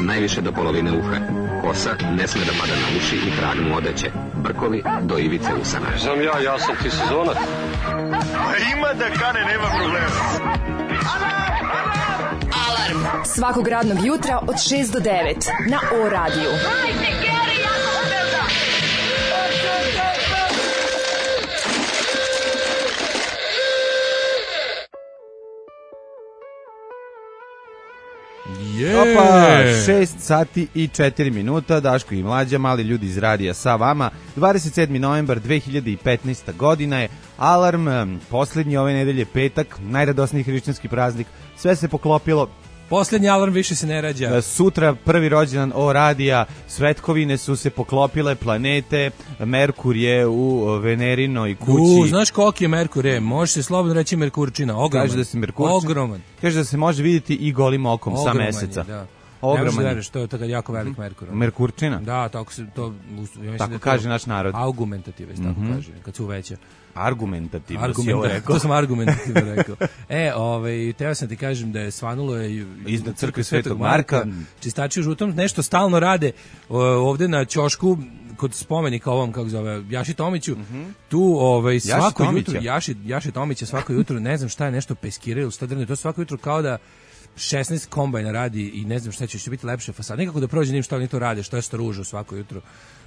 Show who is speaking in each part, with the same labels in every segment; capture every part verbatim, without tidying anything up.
Speaker 1: najviše do polovine uha. Kosa ne sme da pada na uši i tragnu odeće. Brkovi do ivice usana.
Speaker 2: Znam ja, ja sam ti sezonac.
Speaker 3: Ima da kane, nema problema.
Speaker 4: Alarm svakog radnog jutra od šest do devet na O radiju. Hajde, Geri, jako se velda.
Speaker 5: Yeah. Opa, šest sati i četiri minuta, Daško i Mlađa, mali ljudi iz radija sa vama. dvadeset sedmi novembar dve hiljade petnaesta godina je, Alarm, poslednji ove nedelje, petak, najradosniji hrišćanski praznik, sve se poklopilo.
Speaker 6: Poslednji alarm više se ne rađa.
Speaker 5: Sutra prvi rođendan O radija, svetkovine su se poklopile, planete, Merkur je u Venerinoj kući.
Speaker 6: U, znaš koliki je Merkur, je? Može se slobodno reći Merkurčina, ogroman.
Speaker 5: Kaže da se Merkurčina.
Speaker 6: Ogroman.
Speaker 5: Kaže da se može vidjeti i golim okom
Speaker 6: ogroman
Speaker 5: sa meseca.
Speaker 6: Je, da.
Speaker 5: Ogroman.
Speaker 6: Ne možeš da to je tako jako velik Merkur.
Speaker 5: Merkurčina?
Speaker 6: Da, tako se to... Ja
Speaker 5: tako
Speaker 6: da
Speaker 5: kaže
Speaker 6: to
Speaker 5: naš narod.
Speaker 6: Argumentative, tako
Speaker 5: mm-hmm.
Speaker 6: kaže, kad se uveća.
Speaker 5: Argumentativno
Speaker 6: Argument,
Speaker 5: si ovo rekao.
Speaker 6: To sam argumentativno rekao. E, ovaj, teo sam ti kažem da je svanulo je
Speaker 5: iznad crkve Svetog Marka.
Speaker 6: Čistači u žutom nešto stalno rade ovde na ćošku kod spomenika ovom, kako zove, Jaši Tomiću. Mm-hmm. Tu ovaj, svako Jaši jutro, Jaši, Jaši Tomića svako jutro, ne znam šta je, nešto peskiraju, stadrne, to svako jutro kao da šesnaest kombajna radi i ne znam šta će, će biti lepše fasada. Nikako da prođe njim šta oni to rade, što je stružu svako jutro.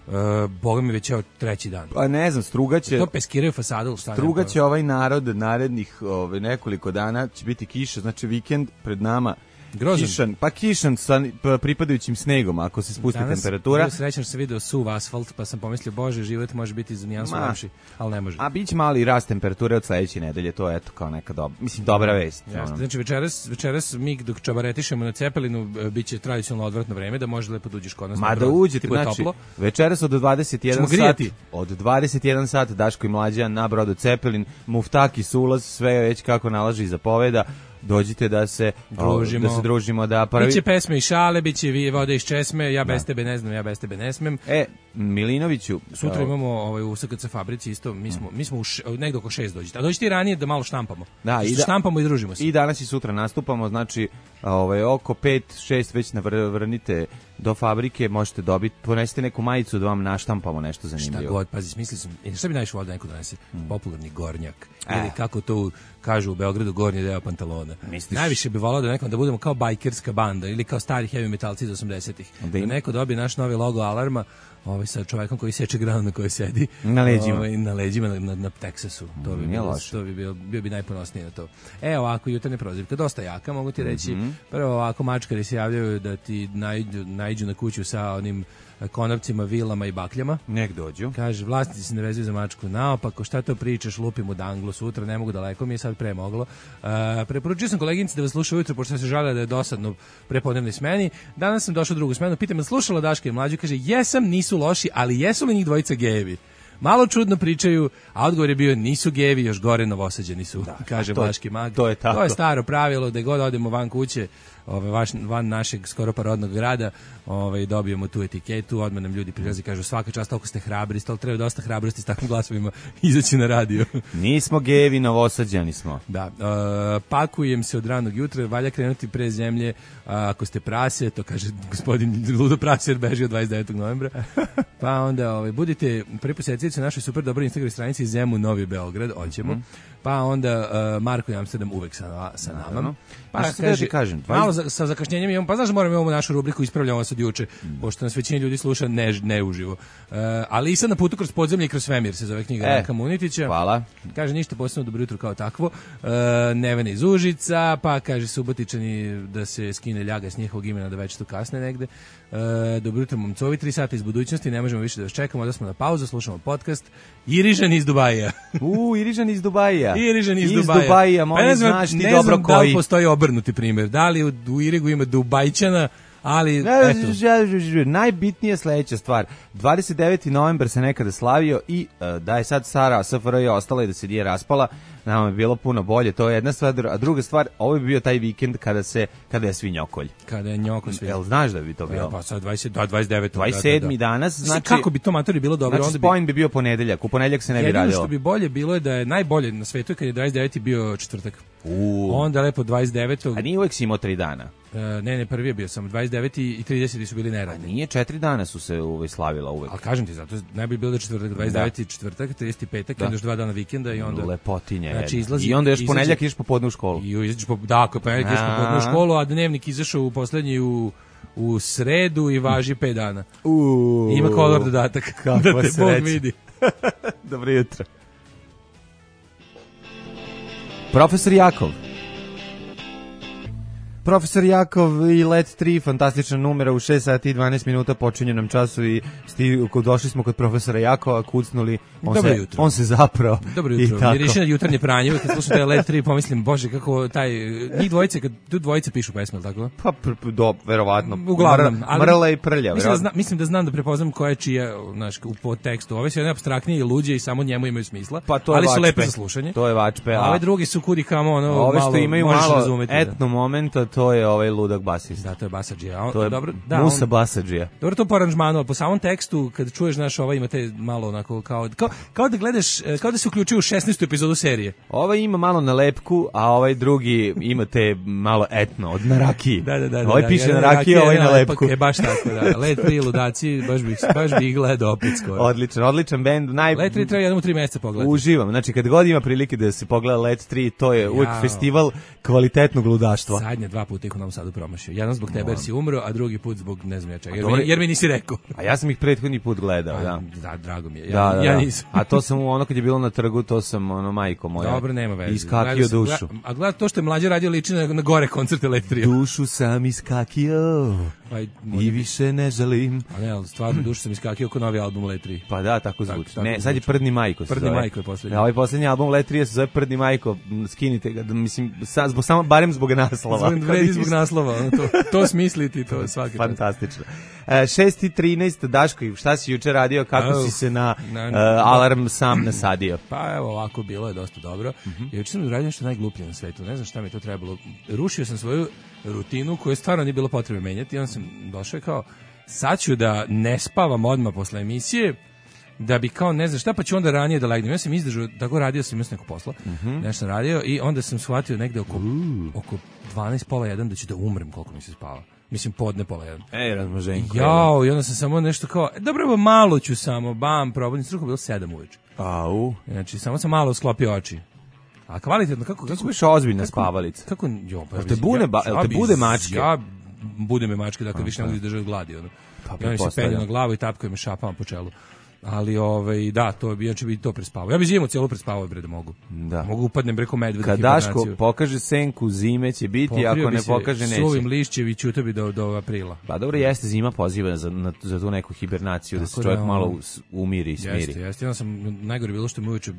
Speaker 6: Uh, Boga mi već je treći dan.
Speaker 5: Pa ne znam, strugaće...
Speaker 6: To peskiraju fasadu.
Speaker 5: Strugaće ovaj narod narednih ove, nekoliko dana, će biti kiša, znači vikend pred nama.
Speaker 6: Grozan.
Speaker 5: Kišan, pa kišan sa pripadajućim snegom, ako se spusti
Speaker 6: danas,
Speaker 5: temperatura.
Speaker 6: Danas srećan se video suv asfalt, pa sam pomislio, bože, život može biti za nijansu lepši, ali ne može.
Speaker 5: A bit će mali rast temperature od sledeće nedelje, to je eto kao neka dobra, mislim, dobra vest.
Speaker 6: Jasne, znači večeras, večeras mi dok čabaretišemo na Cepelinu, bit će tradicionalno odvratno vreme, da može lepo da uđeš kod nas.
Speaker 5: Ma da uđete, znači, toplo. Večeras od dvadeset jedan sat, od dvadeset jedan sat, Daško i Mlađa na brodu Cepelin, muftaki su ulaz, sve već kako nalaže i zapoveda. Dođite da se družimo, da se družimo, da prvi...
Speaker 6: Biće pesme i šale, biće vi vode iz česme, ja bez da. tebe ne znam, ja bez tebe ne smem.
Speaker 5: E, Milinoviću...
Speaker 6: Sutra imamo ovaj, u S K C fabrici isto, mi smo, mi smo u š, negdje oko šest dođite. A dođite i ranije da malo štampamo. Da, i da, štampamo i družimo se.
Speaker 5: I danas i sutra nastupamo, znači ovaj, oko pet šest već navrnite do fabrike, možete dobiti, ponesite neku majicu da vam naštampamo nešto zanimljivo.
Speaker 6: Šta god, pazi, smislio sam, šta bi najviše volio da neko donese? Hmm. Popularni gornjak. E. Ili kako to kažu u Beogradu, gornji deo pantalona. Misliš? Najviše bi volao da nekom da budemo kao bajkerska banda ili kao stari heavy metalci iz osamdesetih. Da, da neko dobije naš novi logo Alarma, ovaj sa čovjekom koji seče granu na kojoj sedi.
Speaker 5: Na leđima.
Speaker 6: Ovaj, na leđima na, na, na Teksasu. To bi, bilo, to bi bio, bio bi najponosniji na to. E, ovako, jutarnje prozivke, dosta jaka, mogu ti reći. Mm-hmm. Prvo ovako, mačkari se javljaju da ti najđu, najđu na kuću sa onim konopcima, vilama i bakljama.
Speaker 5: Nek dođu.
Speaker 6: Kaže, vlasnici se ne vezuju za mačku naopako, šta to pričaš, lupim u danglu sutra, ne mogu daleko, mi je sad pre moglo. Uh, preporučio sam koleginici da vas sluša ujutro, pošto se žalila da je dosadno prepodnevnoj smeni. Danas sam došao u drugu smenu, pitam, slušala Daška i Mlađu, kaže, jesam, nisu loši, ali jesu li njih dvojica gejevi? Malo čudno pričaju, a odgovor je bio nisu gejevi, još gore Novosađeni su, da, kaže Vlaški mag.
Speaker 5: To je tako.
Speaker 6: To je staro pravilo, da god odemo van kuće, ove, vaš, van našeg skoro parodnog grada, ove, dobijemo tu etiketu, odmah nam ljudi prilazi i kažu svaka čast, toliko ste hrabri, stalo treba dosta hrabrosti s takvim glasovima izaći na radio.
Speaker 5: Nismo gejevi, Novosađani smo.
Speaker 6: Da, uh, pakujem se od ranog jutra, valja krenuti pre zemlje, uh, ako ste prase, to kaže gospodin Ludo Praser, beži od dvadeset devetog novembra, pa onda ove, budite prvi posjetitelji na našoj super dobroj Instagram stranici Zemun Novi Beograd, hoćemo. Mm. Pa onda uh, Marko i Amsterdam uvek sa, sa nama. Pa
Speaker 5: što kaže, kažem,
Speaker 6: malo za, sa zakašnjenjem imamo, pa znaš da moramo imamo našu rubriku ispravljamo se od juče, mm. pošto nas većina ljudi sluša ne, ne uživo. Uh, ali i sad na putu kroz podzemlje i kroz svemir se zove knjiga Ranka e, Munitića.
Speaker 5: Hvala.
Speaker 6: Kaže ništa posebno, dobro jutro kao takvo. Uh, Nevena iz Užica, pa kaže Subotičani da se skine ljaga s njihovog imena da već tu kasne negde. Uh, dobro jutro momcovi, tri sata iz budućnosti, ne možemo više da vas čekamo, da smo na pauzu, slušamo podcast. Irižan iz Dubaja.
Speaker 5: U, Irižan iz Dubaja.
Speaker 6: Irižan iz,
Speaker 5: iz
Speaker 6: Dubaja.
Speaker 5: Dubaja, pa ne znam,
Speaker 6: znaš
Speaker 5: ti
Speaker 6: ne
Speaker 5: dobro
Speaker 6: znam
Speaker 5: koji.
Speaker 6: Da li postoji obrnuti primjer. Da li u, u Irigu ima Dubajčana, ali eto.
Speaker 5: Najbitnija sledeća stvar. dvadeset deveti novembar se nekada slavio i uh, da je sad Sara S F R J ostala i da se nije raspala, nama je bilo puno bolje. To je jedna stvar, a druga stvar, ovo bi bio taj vikend kada se kada je svinjokolj.
Speaker 6: Kada je njoko svinjokolj.
Speaker 5: Jel znaš da bi to bilo?
Speaker 6: Pa sad dvadeset, da, dvadeset devet,
Speaker 5: dvadeset sedmi da, da. Danas, znači
Speaker 6: kako bi to matori bilo dobro,
Speaker 5: znači,
Speaker 6: onda bi
Speaker 5: spojen bi bio ponedeljak, u ponedeljak se ne bi radilo.
Speaker 6: Jedino što bi bolje bilo je da je najbolje na svetu kad je dvadeset deveti bio četvrtak.
Speaker 5: U.
Speaker 6: Onda lepo dvadeset devetog
Speaker 5: A nije uvek si imao tri dana.
Speaker 6: ne, ne, prvi je bio sam, dvadeset deveti i trideseti su bili neradni.
Speaker 5: A nije, četiri dana su se uvek slavila uvek.
Speaker 6: Ali kažem ti, zato najbolje bilo da četvrtak, dvadeset deveti četvrtak, trideseti petak, da. Još dva dana vikenda i onda...
Speaker 5: Lepotinja.
Speaker 6: Znači, izlazi,
Speaker 5: I onda još
Speaker 6: izađe,
Speaker 5: ponedljak ideš popodne u školu.
Speaker 6: I izađeš po, da, ako ponedljak ideš popodne u školu, a dnevnik izašao u poslednji u, u sredu i važi pet dana.
Speaker 5: Uuu.
Speaker 6: Ima kolor dodatak. Da te Bog vidi.
Speaker 5: Dobro jutro. Profesor Jakov. Profesor Jakov i Let tri, fantastična numera u šest sati i dvanaest minuta, počinje nam času i sti, došli smo kod profesora Jakova, kucnuli, on,
Speaker 6: Dobro
Speaker 5: se,
Speaker 6: jutro.
Speaker 5: on se zapravo.
Speaker 6: Dobro jutro, miriši na jutarnje pranje, kad slušam taj Let tri, pomislim, bože, kako taj, njih dvojice, kad tu dvojice pišu pesme, tako?
Speaker 5: Pa, pr, pr, do, verovatno.
Speaker 6: Uglavnom.
Speaker 5: Ali, mrla i prlja,
Speaker 6: mislim da, zna, mislim da znam da prepoznam koja je čija, znaš, u podtekstu. Ove su jedne apstraktnije i luđe i samo njemu imaju smisla,
Speaker 5: pa to
Speaker 6: ali
Speaker 5: vačpe.
Speaker 6: Su lepe za slušanje.
Speaker 5: To je vačpe.
Speaker 6: A ove drugi su kudi kamo, ono,
Speaker 5: ove što
Speaker 6: malo,
Speaker 5: imaju malo razumeti, etno
Speaker 6: da.
Speaker 5: momenta, to je ovaj ludak basista.
Speaker 6: Da, to je basadžija. On,
Speaker 5: to je
Speaker 6: dobro, da,
Speaker 5: Musa
Speaker 6: on,
Speaker 5: basadžija.
Speaker 6: Dobro to po aranžmanu, ali po samom tekstu, kad čuješ, znaš, ovaj imate malo onako, kao, kao, kao da gledaš, kao da se uključuje u šesnaestu epizodu serije.
Speaker 5: Ovaj ima malo nalepku, a ovaj drugi imate malo etno, od narakije.
Speaker 6: Da, da, da.
Speaker 5: Ovaj
Speaker 6: da,
Speaker 5: piše
Speaker 6: da,
Speaker 5: narakije, ovaj nalepku.
Speaker 6: Je baš tako, da. Let tri ludaci, baš bih, baš bih gledao opet skoro.
Speaker 5: Odličan, odličan bend. Naj...
Speaker 6: Let tri treba jednom u tri meseca pogledati.
Speaker 5: Uživam, znači kad god ima prilike da se pogleda Let tri, to je uvijek
Speaker 6: Jao.
Speaker 5: Festival kvalitetnog ludaštva.
Speaker 6: Zadnje dva puta ih u Novom Sadu promašio. Jedan zbog tebe jer si umro, a drugi put zbog ne znam ja čega. Jer, mi, jer mi nisi rekao.
Speaker 5: A ja sam ih prethodni put gledao, a, da.
Speaker 6: Da, drago mi je. Ja,
Speaker 5: da, da,
Speaker 6: ja
Speaker 5: da.
Speaker 6: nisam.
Speaker 5: A to sam ono kad je bilo na trgu, to sam ono majko moja.
Speaker 6: Dobro, nema veze.
Speaker 5: Iskakio dušu.
Speaker 6: Gleda, a gleda to što je mlađe radio liči na, na gore koncert Elektrije.
Speaker 5: Dušu sam iskakio.
Speaker 6: Aj,
Speaker 5: i više ne želim.
Speaker 6: A ne, ali stvarno dušu sam iskakio oko novi album Letri.
Speaker 5: Pa da, tako zvuči.
Speaker 6: Tak, tako
Speaker 5: ne,
Speaker 6: zvuči.
Speaker 5: sad je Prdni Majko.
Speaker 6: Prdni
Speaker 5: zove.
Speaker 6: Majko je poslednji.
Speaker 5: Ja, ovaj poslednji album Letrije se zove Prdni Majko. Skinite ga, mislim, sa, zbog, samo, barem zbog naslova.
Speaker 6: Zbog, vredi zbog naslova, ono, to, to smisliti, to svaki čas.
Speaker 5: Fantastično. E, šest i trinaest, Daško, šta si juče radio, kako
Speaker 6: Au,
Speaker 5: si se na
Speaker 6: na,
Speaker 5: uh, alarm sam nasadio?
Speaker 6: Pa evo ovako, bilo je dosta dobro. Uh-huh. Juče sam uradio nešto najgluplje na svetu, ne znam šta mi to trebalo. Rušio sam svoju rutinu koju stvarno nije bilo potrebe menjati i onda sam došao i kao, sad ću da ne spavam odmah posle emisije, da bi kao ne znam šta, pa ću onda ranije da legnem. Ja sam izdržao, tako radio sam, imao sam neko posla, uh-huh. nešto sam radio i onda sam shvatio negde oko, uh. oko dvanaest pola jedan da ću da umrem koliko mi se spava. Mislim, podne pola jedan.
Speaker 5: Ej, razmoženko.
Speaker 6: Jao, i onda sam samo nešto kao, dobro, malo ću samo, bam, probudnim struku, bilo sedam uveče.
Speaker 5: Au.
Speaker 6: Znači, samo sam malo sklopio oči. A kvalitetno, kako...
Speaker 5: Kako biš ozbiljna
Speaker 6: kako,
Speaker 5: spavalica?
Speaker 6: Kako, jo, pa...
Speaker 5: Jel te, bune, ba,
Speaker 6: ja,
Speaker 5: te bude mačke?
Speaker 6: Ja bude me mačke, dakle, više ne mogu izdržati gladi. Ono.
Speaker 5: Pa,
Speaker 6: I oni se penju na glavu i tapkaju me šapama po čelu. Ali ovaj da, to bi znači bi to prespavao. Ja bih zimu celu prespavao bre da mogu. Da. Mogu upadnem preko medveda.
Speaker 5: Kad Daško pokaže senku, zime će biti, pokrio ako ne pokaže neće.
Speaker 6: Suvim lišćeviću to bi do do aprila.
Speaker 5: Pa dobro, jeste, zima poziva za na, za tu neku hibernaciju. Tako da se čovjek da, malo umiri i smiri.
Speaker 6: Jeste, jeste. Ja sam najgore bilo što mi uveče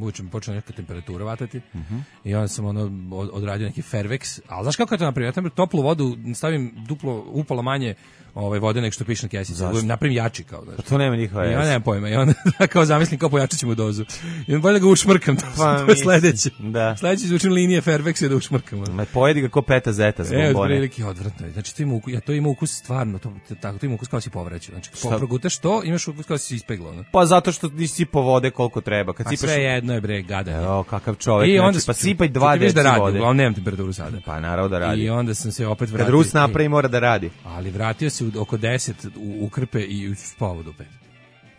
Speaker 6: uveče mi počela neka temperatura vatati.
Speaker 5: Uh-huh.
Speaker 6: I onda sam ono odradio neki Fairvex. Al znaš kako je to napravio? Ja tamo toplu vodu stavim duplo upola manje ovaj vode nek što piše na kesici. Napravim jači kao da.
Speaker 5: Pa to nema nikakve.
Speaker 6: Ja nemam pojma. I onda kao zamislim kao pojačaćemo dozu. I onda bolje da ga ušmrkam. To, pa, to je sledeće. Da. Sledeće izvučem linije Fairvex da ušmrkam.
Speaker 5: Ma pojedi ga ko peta zeta zbog
Speaker 6: bombone. E, prilike odvratno. Znači to ima ukus, ja to ima ukus stvarno, to tako to ima ukus kao si povraćao. Znači kako progutaš to, imaš ukus kao si ispeglo, no?
Speaker 5: Pa zato što nisi sipao vode koliko treba. Kad
Speaker 6: pa
Speaker 5: sipaš
Speaker 6: sve jedno je bre gadanje.
Speaker 5: Jo, kakav čovjek.
Speaker 6: I onda
Speaker 5: znači, pa sipaj dva deci
Speaker 6: da radi,
Speaker 5: vode.
Speaker 6: Uglavnom nemam temperaturu sada.
Speaker 5: Pa naravno da radi.
Speaker 6: I onda sam se opet vratio.
Speaker 5: Kad Rus napravi mora da radi.
Speaker 6: Ali vratio se oko deset u, u krpe i spavao do pet.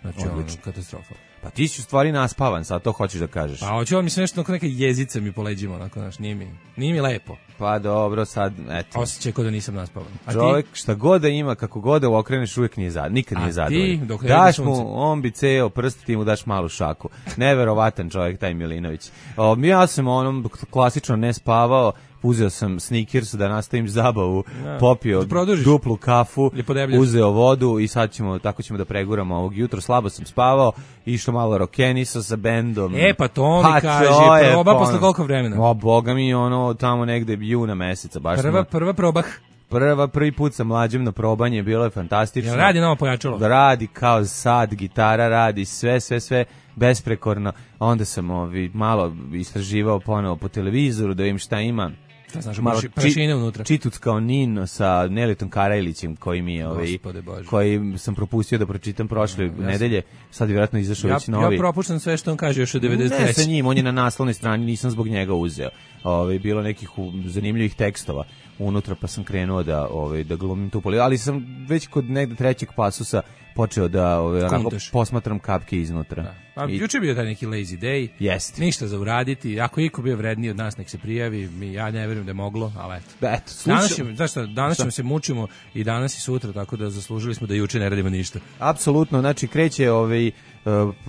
Speaker 6: Znači, ono, katastrofa.
Speaker 5: Pa ti si u stvari naspavan, sad to hoćeš da kažeš.
Speaker 6: Pa hoću vam, mislim, nešto onako neke jezice mi po leđima, onako, znaš, nije mi, nije mi lepo.
Speaker 5: Pa dobro, sad, eto.
Speaker 6: Osjećaj kao da nisam naspavan. A
Speaker 5: čovjek,
Speaker 6: ti?
Speaker 5: šta god da ima, kako god da okreneš, uvijek nije zadovoljan, nikad nije zadovoljan.
Speaker 6: A ti, dok ne
Speaker 5: daš mu, on bi ceo prst, ti mu daš malu šaku. Neverovatan čovjek, taj Milinović. O, ja sam onom klasično ne spavao, uzeo sam Snickers da nastavim zabavu, ja, popio duplu kafu, uzeo vodu i sad ćemo, tako ćemo da preguramo ovog jutro. Slabo sam spavao, išlo malo rokenisa sa bendom.
Speaker 6: E, pa to mi
Speaker 5: pa
Speaker 6: kaže, proba posle koliko vremena?
Speaker 5: O, boga mi, ono, tamo negde juna meseca. Baš
Speaker 6: prva,
Speaker 5: smo,
Speaker 6: prva probah.
Speaker 5: Prva, prvi put sa mlađim na probanje, bilo je fantastično.
Speaker 6: Jel radi novo pojačalo?
Speaker 5: Radi kao sad, gitara radi, sve, sve, sve besprekorno. Onda sam ovi, malo istraživao ponovo po televizoru da vidim šta ima.
Speaker 6: Šta znaš, malo prašine unutra.
Speaker 5: Čituc kao Nino sa Nelitom Karajlićem koji mi je ovaj, koji sam propustio da pročitam prošle no, nedelje, sad je vjerojatno izašao
Speaker 6: ja,
Speaker 5: već novi.
Speaker 6: Ja propuštam sve što on kaže još od devedeset treće.
Speaker 5: Ne, sa njim, on je na naslovnoj strani, nisam zbog njega uzeo. Ovaj, bilo nekih zanimljivih tekstova unutra, pa sam krenuo da ovaj da glumim tu politiku, ali sam već kod negde trećeg pasusa počeo da ovaj, onako, posmatram kapke iznutra.
Speaker 6: Da. Pa I... juče bio taj neki lazy day.
Speaker 5: Jest.
Speaker 6: Ništa za uraditi. Ako iko bio vredniji od nas, nek se prijavi. Mi, ja ne verujem da je moglo, ali eto.
Speaker 5: Da, eto slušam.
Speaker 6: Danas, ćemo, znaš šta, danas ćemo se mučimo i danas i sutra, tako da zaslužili smo da juče ne radimo ništa.
Speaker 5: Apsolutno, znači kreće ovaj uh,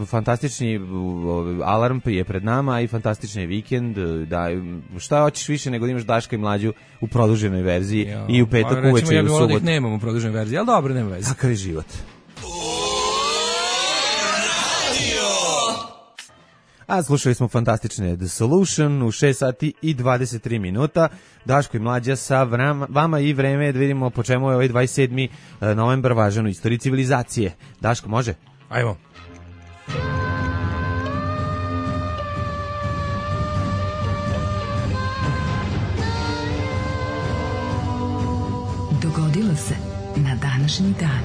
Speaker 5: fantastični uh, alarm je pred nama i fantastični vikend. Da, šta hoćeš više nego da imaš Daška i Mlađu u produženoj verziji jo, i u petak uveče i u subotu.
Speaker 6: Ja bih volao da ih nemam u produženoj verziji, ali dobro, nema veze.
Speaker 5: Takav je život. A slušali smo fantastične The Solution u šest sati i dvadeset tri minuta. Daško i Mlađa sa vrama, vama i vreme da vidimo po čemu je ovaj dvadeset sedmi novembar važan u istoriji civilizacije. Daško, može?
Speaker 6: Ajmo.
Speaker 4: Dogodilo se na današnji dan.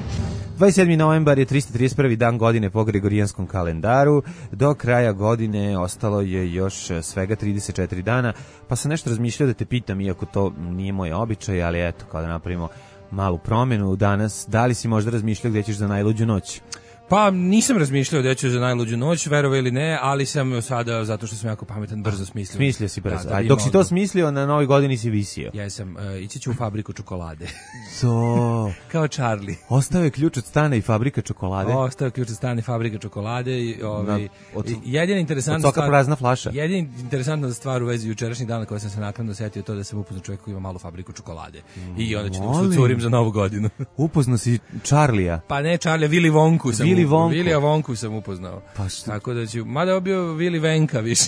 Speaker 5: dvadeset sedmi novembar je trista trideset prvi dan godine po Gregorijanskom kalendaru. Do kraja godine ostalo je još svega trideset četiri dana, pa sam nešto razmišljao da te pitam, iako to nije moj običaj, ali eto, kao da napravimo malu promjenu danas, da li si možda razmišljao gdje ćeš za najluđu noć?
Speaker 6: Pa nisam razmišljao da ću za najluđu noć, verovao ili ne, ali sam sada, zato što sam jako pametan, brzo smislio.
Speaker 5: Smislio si brzo. Da, da dok si to smislio, na novoj godini si visio.
Speaker 6: Ja sam, uh, ići ću u fabriku čokolade.
Speaker 5: To.
Speaker 6: Kao Charlie.
Speaker 5: Ostao je ključ od stana i fabrika čokolade.
Speaker 6: Ostao je ključ od stana i fabrika čokolade. I, ovaj,
Speaker 5: na, od,
Speaker 6: jedina interesantna
Speaker 5: od soka prazna flaša.
Speaker 6: Jedina interesantna stvar u vezi jučerašnjih dana koja sam se naknadno setio to da sam upoznao čovjek koji ima malu fabriku čokolade. Mm, I onda ću da curim za novu godinu.
Speaker 5: Upoznao si Charlija?
Speaker 6: Pa ne Charlija, Willy Wonku sam.
Speaker 5: Willy Wonku.
Speaker 6: Willy Wonku sam upoznao.
Speaker 5: Pa što?
Speaker 6: Tako da ću, mada je bio Willy Venka više.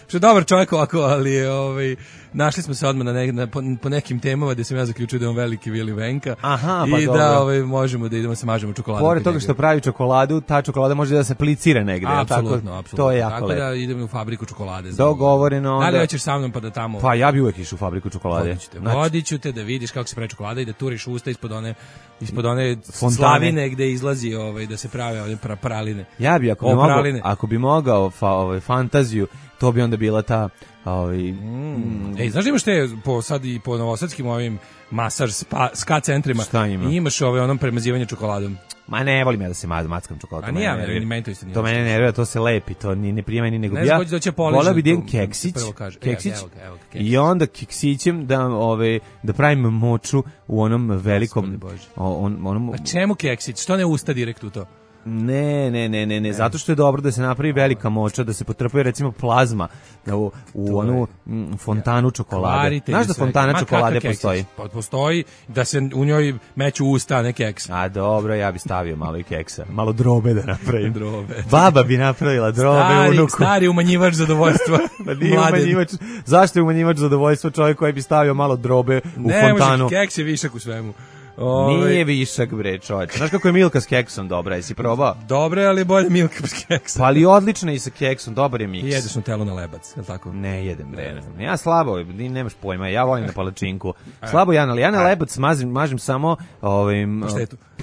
Speaker 6: Što je dobar čovjek ovako, ali je, ovaj, našli smo se odmah na ne, na, po, po nekim temama gdje sam ja zaključio da je on veliki Willy Venka.
Speaker 5: Aha, pa
Speaker 6: i
Speaker 5: dobro.
Speaker 6: da ovaj, možemo da idemo se mažemo čokoladu.
Speaker 5: Pored toga što pravi čokoladu, ta čokolada može da se aplicira negde.
Speaker 6: Apsolutno,
Speaker 5: tako,
Speaker 6: apsolutno.
Speaker 5: To je jako
Speaker 6: tako
Speaker 5: lepo.
Speaker 6: Da idemo u fabriku čokolade.
Speaker 5: Dogovoreno onda.
Speaker 6: Da li hoćeš sa mnom pa da tamo...
Speaker 5: Pa ja bi uvek išao u fabriku čokolade.
Speaker 6: Vodit ću te, znači... vodit ću te da vidiš kako se pravi čokolada i da turiš usta ispod one, ispod one slavine gde izlazi ovaj, da se prave ove pra, praline.
Speaker 5: Ja bi, ako bi, mogao, ako bi mogao fa, ovaj, fantaziju, to bi onda bila ta... Ovaj,
Speaker 6: mm. Mm. Ej, znaš da imaš te po, sad i po novosadskim ovim masaž spa, ska centrima i imaš ove onom premazivanje čokoladom.
Speaker 5: Ma ne volim ja da se mackam čokoladom.
Speaker 6: A nije ja, meni, meni to isto nije.
Speaker 5: To mene nervira, to se lepi, to ni ne prima ni nego
Speaker 6: ne
Speaker 5: ja.
Speaker 6: Voleo
Speaker 5: bi da idem keksić, keksić evo ga, evo ga, keksić. I onda keksićem da, ove, da pravim moču u onom velikom... On, onom,
Speaker 6: A čemu keksić? Što ne usta direkt u to?
Speaker 5: Ne, ne, ne, ne, ne, zato što je dobro da se napravi velika moča, da se potrpuje recimo plazma u, u onu m, fontanu čokolade. Znaš da fontana čokolade postoji?
Speaker 6: Postoji da se u njoj meću usta, a ne keks.
Speaker 5: A dobro, ja bi stavio malo i keksa. Malo drobe da napravim.
Speaker 6: Drobe.
Speaker 5: Baba bi napravila drobe
Speaker 6: stari,
Speaker 5: unuku.
Speaker 6: Stari umanjivač zadovoljstva.
Speaker 5: Pa nije umanjivač. Zašto je umanjivač zadovoljstva čovjek koji bi stavio malo drobe u
Speaker 6: ne,
Speaker 5: fontanu?
Speaker 6: Ne, može, keks je višak u svemu.
Speaker 5: Ove... Nije višak, bre, čovječ. Znaš kako je Milka s keksom dobra, jesi probao?
Speaker 6: Dobre, ali bolje Milka s keksom.
Speaker 5: Pa ali odlično i sa keksom, dobar je miks.
Speaker 6: I jedeš Nutellu na lebac, je li tako?
Speaker 5: Ne, jedem, bre. Ne. Ja slabo, nemaš pojma, ja volim na palačinku. Slabo ja, ali ja na lebac mazim, mažem samo ovim,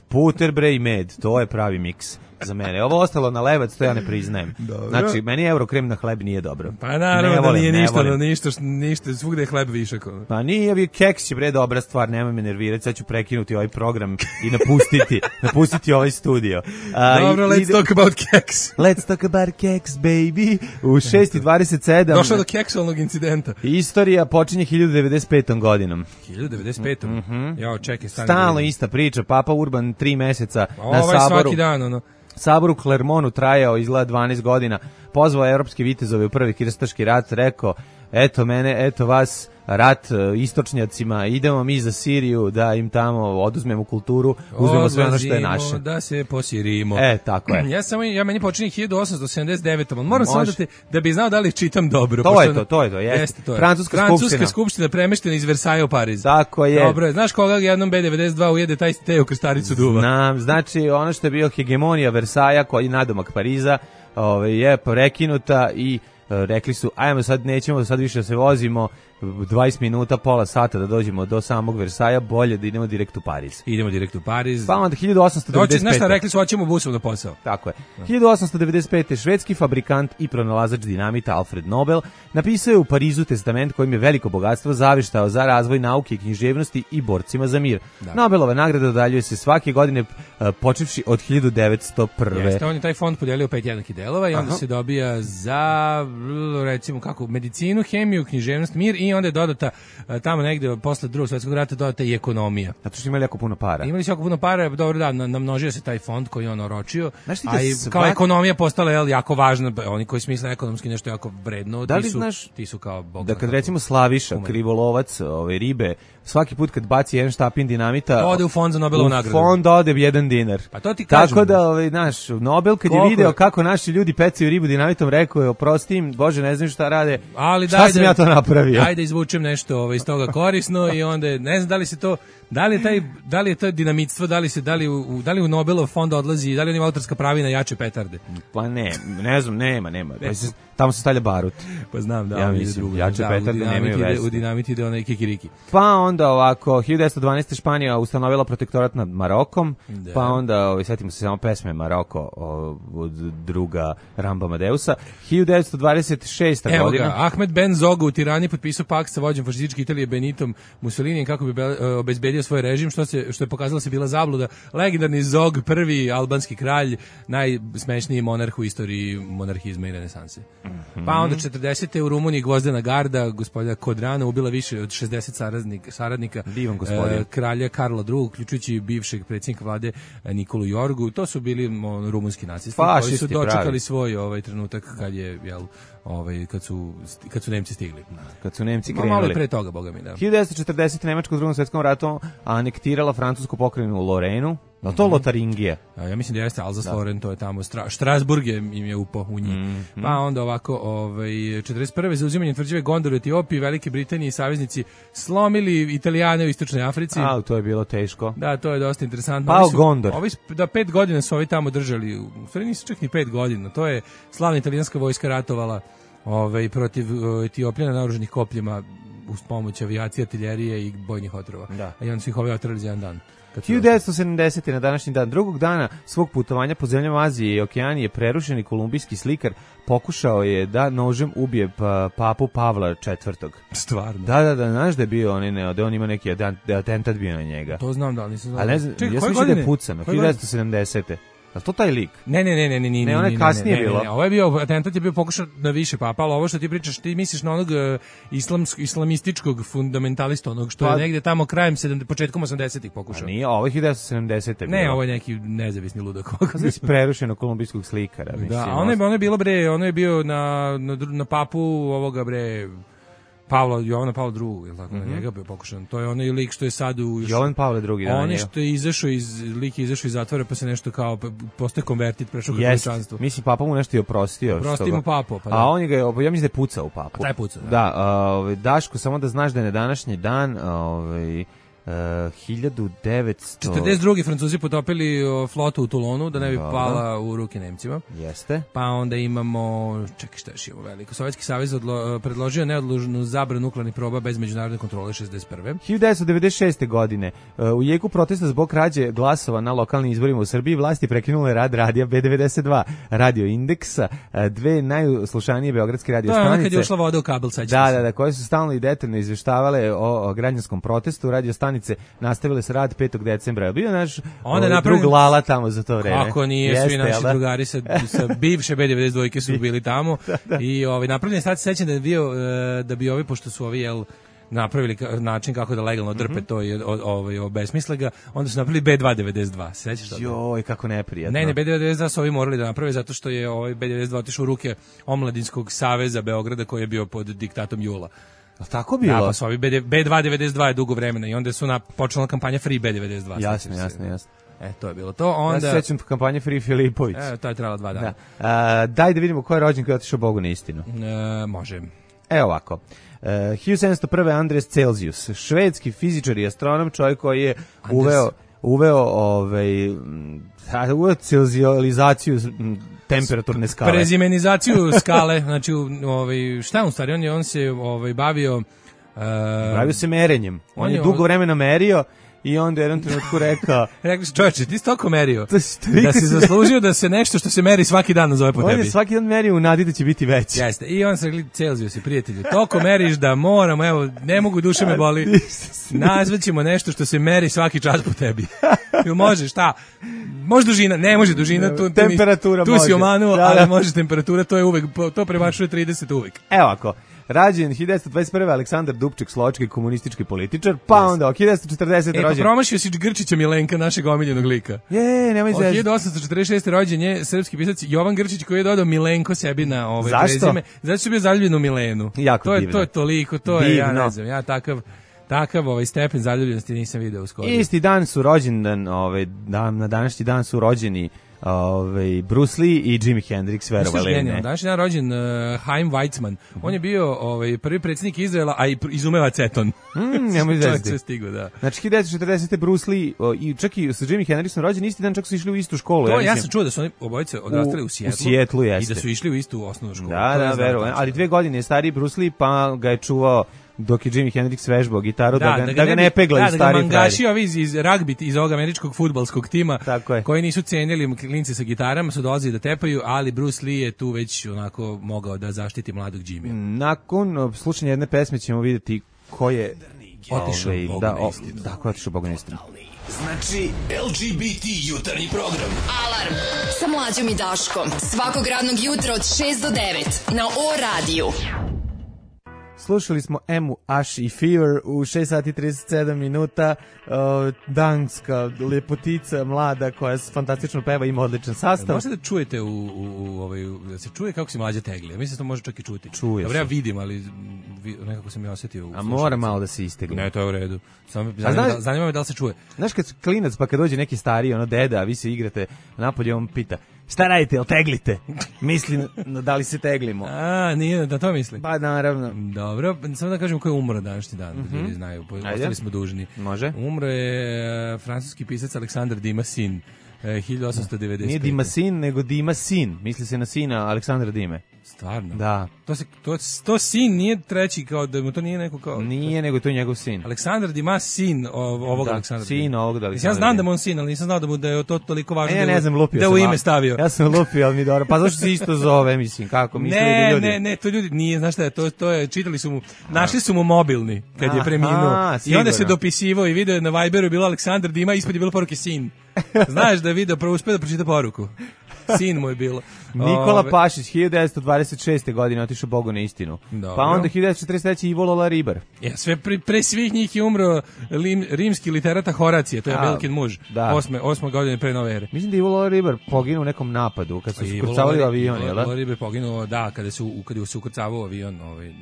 Speaker 5: puter, bre, i med. To je pravi miks za mene. Ovo ostalo na lebac, to ja ne priznajem. Dobro. Znači, meni eurokrem na hleb nije dobro.
Speaker 6: Pa naravno da nije ništa, no, ništa, ništa, svugde je hleb višak.
Speaker 5: Pa nije, vi keks je bre dobra stvar, nemoj me nervirati, sad ću prekinuti ovaj program i napustiti, napustiti ovaj studio.
Speaker 6: A, dobro, i, let's ide... talk about keks.
Speaker 5: Let's talk about keks, baby. U šest i dvadeset sedam
Speaker 6: došlo do keksualnog incidenta.
Speaker 5: Istorija počinje hiljadu devedeset petom godinom.
Speaker 6: hiljadu devedeset petom
Speaker 5: Mm-hmm.
Speaker 6: Jo, čekaj, stani.
Speaker 5: Stalno ista priča, Papa Urban tri meseca
Speaker 6: ovo
Speaker 5: na
Speaker 6: ovaj
Speaker 5: saboru.
Speaker 6: Svaki dan, ono.
Speaker 5: Sabor u Klermonu trajao izgleda dvanaest godina, pozvao evropske vitezove u prvi krstaški rat, rekao, eto mene, eto vas, rat istočnjacima, idemo mi za Siriju da im tamo oduzmemo kulturu, uzmemo sve ono što je naše.
Speaker 6: Da se posirimo.
Speaker 5: E, tako je.
Speaker 6: Ja samo, ja meni počinje hiljadu osamsto sedamdeset devetom Moram samo da, te, da bi znao da li čitam dobro.
Speaker 5: To je to, to je to, jeste. jeste to je. Francuska,
Speaker 6: Francuska
Speaker 5: skupština.
Speaker 6: skupština premeštena iz Versailles u Pariz.
Speaker 5: Tako je.
Speaker 6: Dobro, znaš koga jednom B devedeset dva ujede taj te u krstaricu duva?
Speaker 5: Znam, znači ono što je bio hegemonija Versaja koji nadomak Pariza, ovaj, je prekinuta i rekli su, ajmo sad, nećemo sad više da se vozimo dvadeset minuta, pola sata da dođemo do samog Versaja, bolje da idemo direkt u Pariz.
Speaker 6: Idemo direkt u Pariz.
Speaker 5: Pa onda hiljadu osamsto devedeset pete.
Speaker 6: Doći, znaš šta, rekli su, hoćemo busom na posao.
Speaker 5: Tako je. hiljadu osamsto devedeset pete. švedski fabrikant i pronalazač dinamita Alfred Nobel napisao je u Parizu testament kojim je veliko bogatstvo zavištao za razvoj nauke i književnosti i borcima za mir. Da. Nobelova nagrada dodaljuje se svake godine uh, počevši od hiljadu devetsto prve.
Speaker 6: Jeste, on je taj fond podijelio pet jednakih delova i onda Aha. se dobija za, recimo kako, medicinu, hemiju, književnost, mir i onda je dodata uh, tamo negde posle drugog svjetskog rata dodata i ekonomija.
Speaker 5: Zato što imali jako puno para.
Speaker 6: Imali su jako puno para, dobro da, namnožio se taj fond koji on oročio, a i svak... kao ekonomija postala je jako važna, oni koji smisle ekonomski nešto jako vredno,
Speaker 5: da li
Speaker 6: ti, su,
Speaker 5: znaš,
Speaker 6: ti su kao bog.
Speaker 5: Da kad recimo Slaviša, umeli. Krivolovac, ove ribe, svaki put kad baci jedan štapin dinamita,
Speaker 6: ode u fond za Nobelovu nagradu.
Speaker 5: U fond ode jedan dinar.
Speaker 6: Pa to ti kažem.
Speaker 5: Tako da, ovaj, naš, Nobel kad Koliko je video kako naši ljudi pecaju ribu dinamitom, rekao je, oprosti im, Bože, ne znam šta rade,
Speaker 6: ali
Speaker 5: šta sam
Speaker 6: da,
Speaker 5: ja to napravio?
Speaker 6: Ajde izvučem nešto ovaj, iz toga korisno i onda, ne znam da li se to, da li je taj, da li je to dinamitstvo, da li se, da li u, da li u Nobelov fond odlazi, da li on ima autorska prava na jače petarde?
Speaker 5: Pa ne, ne znam, nema, nema. Pa se, tamo se stavlja barut.
Speaker 6: Pa znam, da.
Speaker 5: Ja mislim, jače
Speaker 6: da,
Speaker 5: petarde nemaju veze.
Speaker 6: U dinamit ide onaj kikiriki.
Speaker 5: Pa onda ovako, hiljadu devetsto dvanaeste. Španija ustanovila protektorat nad Marokom, da. Pa onda, ovaj, setimo se samo pesme Maroko od druga Ramba Amadeusa. hiljadu devetsto dvadeset šeste.
Speaker 6: Evo
Speaker 5: godina.
Speaker 6: Ga, Ahmed Ben Zogu u Tirani potpisao pakt sa vođom fašističke Italije Benitom Mussolinijem kako bi obezbedio svoj režim, što se što je pokazalo se bila zabluda. Legendarni Zog, prvi albanski kralj, najsmešniji monarh u istoriji monarhizma i renesanse. Mm-hmm. Pa onda četrdesete. u Rumuniji Gvozdena garda, gospodina Kodrana, ubila više od šezdeset saradnika, saradnika e, kralja Karla drugog, uključujući bivšeg predsjednika vlade Nikolu Jorgu. To su bili on, rumunski nacisti
Speaker 5: Fašisti,
Speaker 6: koji su dočekali
Speaker 5: pravi.
Speaker 6: svoj ovaj trenutak kad je jel ovaj kad su kad su Nemci stigli.
Speaker 5: Kad su Nemci krenuli.
Speaker 6: Malo pre toga, boga mi, da.
Speaker 5: hiljadu devetsto četrdesete. Nemačka u Drugom svjetskom ratu anektirala francusku pokrajinu Lorenu. Da to Lotaringija?
Speaker 6: A ja mislim da jeste Alsace-Lorraine, to je tamo Stra, Strasburg je im je upo u njih. Mm -hmm. Pa onda ovako, ovaj četrdeset prve za uzimanje tvrđave Gondar u Etiopiji, Velike Britanije i saveznici slomili Italijane u Istočnoj Africi.
Speaker 5: A, to je bilo teško.
Speaker 6: Da, to je dosta interesantno.
Speaker 5: Pa Gondar.
Speaker 6: Ovi da pet godina su ovi tamo držali. U stvari nisu čak ni pet godina. To je slavna italijanska vojska ratovala ovaj protiv Etiopljana naoružanih kopljima uz pomoć avijacije, artiljerije i bojnih otrova.
Speaker 5: Da.
Speaker 6: A i onda su ih ovaj otrali za jedan dan.
Speaker 5: hiljadu devetsto sedamdesete. na današnji dan, drugog dana svog putovanja po zemljama Azije i Okeanije, prerušeni kolumbijski slikar pokušao je da nožem ubije pa, papu Pavla četvrtog.
Speaker 6: Stvarno?
Speaker 5: Da, da, da, znaš da je bio, on, ne, da on ima neki atentat bio na njega.
Speaker 6: To znam, da, ali nisam znao.
Speaker 5: Ali ne znam, ja sam mislio da je pucano, hiljadu devetsto sedamdesete. Je to taj lik?
Speaker 6: Ne, ne, ne, ne, ne, ne.
Speaker 5: Ne, ono je kasnije bilo.
Speaker 6: Ovo je bio, atentat je bio pokušao na više papa, ali ovo što ti pričaš, ti misliš na onog uh, islamsk, islamističkog fundamentalista, onog što pa, je negde tamo krajem, sedam, početkom osamdesetih pokušao.
Speaker 5: A nije, ovo je hiljadu devetsto sedamdesete.
Speaker 6: Ne, ovo je neki nezavisni ludak.
Speaker 5: Znači prerušenog kolumbijskog slikara.
Speaker 6: Da, mislim, ono je, ono je bilo, bre, ono je bio na, na, na papu ovoga, bre, Pavla, Jovana Pavla drugog, je tako, mm -hmm. na njega bio pokušan. To je onaj lik što je sad u... Još,
Speaker 5: Jovan Pavle drugi, da.
Speaker 6: On je što je izašao iz, lik je izašao iz zatvora, pa se nešto kao, postoje konvertit, prešao katoličanstvo.
Speaker 5: Mislim, papa mu nešto i oprostio.
Speaker 6: Oprosti mu papu, pa da.
Speaker 5: A on je ga, ja mislim da je pucao u papu.
Speaker 6: A taj pucao, da.
Speaker 5: Da, ovaj, Daško, samo da znaš da je na današnji dan, ovaj... Uh, hiljadu devetsto
Speaker 6: četrdeset druge. Francuzi potopili uh, flotu u Toulonu da ne bi pala u ruke Nemcima.
Speaker 5: Jeste.
Speaker 6: Pa onda imamo, čekaj šta još imamo veliko, Sovjetski savez odlo, predložio neodložnu zabranu nuklearnih proba bez međunarodne kontrole šezdeset prve.
Speaker 5: hiljadu devetsto devedeset šeste. godine uh, u jeku protesta zbog krađe glasova na lokalnim izborima u Srbiji vlasti prekinule rad radija B devedeset dva, Radio Indeksa, uh, dve najslušanije beogradske radio stanice.
Speaker 6: Da, kad je ušla voda u kabel, sad
Speaker 5: da, da, da, koje su stalno i detaljno izveštavale o, o građanskom protestu. Radio stanice nastavile se rad petog decembra. Bio naš
Speaker 6: onda
Speaker 5: napravim... drug Lala tamo za to vreme.
Speaker 6: Kako nije, jeste, svi naši drugari sa, sa bivše B devedeset dva su bili tamo. Da, da. I ovaj, napravljen sad se sećam da je bio, da bi ovi, pošto su ovi, jel, napravili način kako da legalno drpe mm -hmm. to i ovaj obesmisle ga, onda su napravili B dva devedeset dva. Sećaš toga?
Speaker 5: Joj, kako neprijatno.
Speaker 6: Ne, ne, B dva devedeset dva su ovi morali da naprave zato što je ovaj B devedeset dva otišao u ruke Omladinskog saveza Beograda koji je bio pod diktatom Jula.
Speaker 5: A tako bilo?
Speaker 6: Da, pa su ovi B dva devedeset dva je dugo vremena i onda su na, počela kampanja Free B devedeset dva.
Speaker 5: Jasno, jasno, jasno.
Speaker 6: E, to je bilo to. Onda...
Speaker 5: Ja se sećam kampanje Free Filipović.
Speaker 6: E, to je trajalo dva dana.
Speaker 5: Da. A, daj da vidimo ko je rođen koji je otišao Bogu na istinu.
Speaker 6: E, može.
Speaker 5: Evo ovako. E, hiljadu sedamsto prve. Andreas Celsius, švedski fizičar i astronom, čovjek koji je Andres... uveo, uveo, ovaj, uveo celzijalizaciju temperaturne skale.
Speaker 6: Prezimenizaciju skale, znači ovaj šta on stvari on je on se ovaj bavio
Speaker 5: Bavio se merenjem. On, on je dugo vremena merio i onda je jednom trenutku rekao...
Speaker 6: Rekli su, čovječe, ti si toliko merio da si zaslužio da se nešto što se meri svaki dan nazove po tebi.
Speaker 5: On je svaki dan merio u nadi da će biti veći.
Speaker 6: Jeste, i on se rekli, Celzijus i prijatelju, toliko meriš da moramo, evo, ne mogu, duše me boli, nazvaćemo nešto što se meri svaki čas po tebi. Ili može, šta? Može dužina, ne može dužina, tu,
Speaker 5: temperatura
Speaker 6: tu, tu si omanuo, da, da. Ali može temperatura, to je uvek, to premašuje trideset uvek.
Speaker 5: Evo ako. Rađen hiljadu devetsto dvadeset prve. Aleksandar Dubček, slovački komunistički političar, pa yes. onda hiljadu devetsto četrdesete.
Speaker 6: E,
Speaker 5: rođen.
Speaker 6: pa promašio si Grčića Milenka, našeg omiljenog lika.
Speaker 5: Je, nemoj zezati.
Speaker 6: hiljadu osamsto četrdeset šeste. rođen je srpski pisac Jovan Grčić koji je dodao Milenko sebi na ovaj prezime. Zato što je bio zaljubljen u Milenu.
Speaker 5: Jako
Speaker 6: to je,
Speaker 5: divno.
Speaker 6: To je toliko, to
Speaker 5: divno.
Speaker 6: je, ja ne znam, ja takav... Takav ovaj stepen zaljubljenosti nisam video skoro.
Speaker 5: Isti dan su rođendan, ovaj dan na današnji dan su rođeni ovaj Bruce Lee i Jimi Hendrix, verovali ne.
Speaker 6: Današnji dan rođen uh, Chaim Weizmann. Mm-hmm. On je bio ovaj prvi predsjednik Izraela, a i izumeva aceton.
Speaker 5: Mm, nemoj
Speaker 6: zezati. Stigo, da.
Speaker 5: Znači hiljadu devetsto četrdesete. Bruce Lee o, i čak i sa Jimi Hendrixom rođen isti dan, čak su išli u istu školu.
Speaker 6: To,
Speaker 5: ja,
Speaker 6: ja sam čuo da su oni obojice odrastali u Sijetlu.
Speaker 5: U Sijetlu jeste.
Speaker 6: I da su išli u istu osnovnu školu.
Speaker 5: Da, da, verujem. Ali dve godine je stariji Bruce Lee, pa ga je čuvao dok je Jimi Hendrix vežbao gitaru, da, da, ga, da, ga, da ga ne peglaju
Speaker 6: da,
Speaker 5: stari frajeri.
Speaker 6: Da, da ga mangaši ovi iz, iz ragbi, iz ovog američkog fudbalskog tima,
Speaker 5: tako
Speaker 6: koji nisu cenili klinci sa gitarama, su dolazili da tepaju, ali Bruce Lee je tu već onako mogao da zaštiti mladog Jimmy.
Speaker 5: Nakon slušanja jedne pesme ćemo vidjeti ko je
Speaker 6: otišao
Speaker 5: ovaj,
Speaker 6: Bogu
Speaker 5: da,
Speaker 6: na istinu.
Speaker 5: Da, ko je otišao Bogu na istinu.
Speaker 7: Znači, L G B T jutarnji program.
Speaker 4: Alarm sa Mlađom i Daškom. Svakog radnog jutra od šest do devet na O radiju.
Speaker 5: Slušali smo Emu, Ash i Fever u šest sati i trideset sedam minuta. Uh, danska lepotica, mlada, koja fantastično peva, ima odličan sastav.
Speaker 6: Možete da čujete u, u, u ovaj, da se čuje kako se Mlađa tegli. Ja mislim da to može čak i čuti.
Speaker 5: Čuje
Speaker 6: Dobro, ja vidim, ali vi, nekako sam ja osjetio.
Speaker 5: A mora malo da se istegli.
Speaker 6: Ne, to je u redu. Samo zanima, znaš, zanima me da li se čuje.
Speaker 5: Znaš kad klinac, pa kad dođe neki stariji, ono deda, a vi se igrate napolje, on pita, šta radite, jel teglite? Misli, da li se teglimo?
Speaker 6: A, nije, da to misli?
Speaker 5: Pa, naravno.
Speaker 6: Dobro, samo da kažem ko je umro današnji dan, mm-hmm. da ljudi znaju, ostali smo dužni.
Speaker 5: Može.
Speaker 6: Umro je uh, francuski pisac Aleksandar Dimasin, uh, hiljadu osamsto devedeset pete.
Speaker 5: Nije Dimasin, nego Dimasin, misli se na sina Aleksandra Dime.
Speaker 6: Stvarno?
Speaker 5: Da.
Speaker 6: To, se, to, to sin nije treći, kao da mu to nije neko kao...
Speaker 5: Nije, nego to je njegov sin.
Speaker 6: Aleksandar Dimas, sin ovog
Speaker 5: da,
Speaker 6: Aleksandra.
Speaker 5: Sin ovog da
Speaker 6: Aleksandra. Ja znam da mu on sin, ali nisam znao da mu da je to toliko važno
Speaker 5: e,
Speaker 6: da,
Speaker 5: ne znam, lupio
Speaker 6: da
Speaker 5: sam,
Speaker 6: u ime stavio.
Speaker 5: Ja sam lupio, ali mi dobro. Pa zašto se isto zove, mislim, kako mislili
Speaker 6: ne,
Speaker 5: ljudi?
Speaker 6: Ne, ne, to ljudi, nije, znaš šta je, to, to je, čitali su mu, našli su mu mobilni kad je preminuo. I onda se dopisivo i video na Viberu je bilo Aleksandar Dima, ispod je bilo poruke sin. Znaš da je video, prvo uspio da pročita poruku. Sin mu je bilo.
Speaker 5: Nikola Ove... Pašić, hiljadu devetsto dvadeset šeste. godine otišao Bogu na istinu.
Speaker 6: Dobro.
Speaker 5: Pa onda hiljadu devetsto četrdeset treće. Ivo Lola Ribar.
Speaker 6: Ja, sve pre, pre svih njih je umro lim, rimski literata Horacije, to je Belkin muž. Da. Osme, osme godine pre nove ere.
Speaker 5: Mislim da je Ivo Lola Ribar poginuo u nekom napadu, kad su se ukrcavali u avion, jel da?
Speaker 6: Ivo Lola Ribar poginuo, da, kada se, kada se ukrcavao avion, ovaj,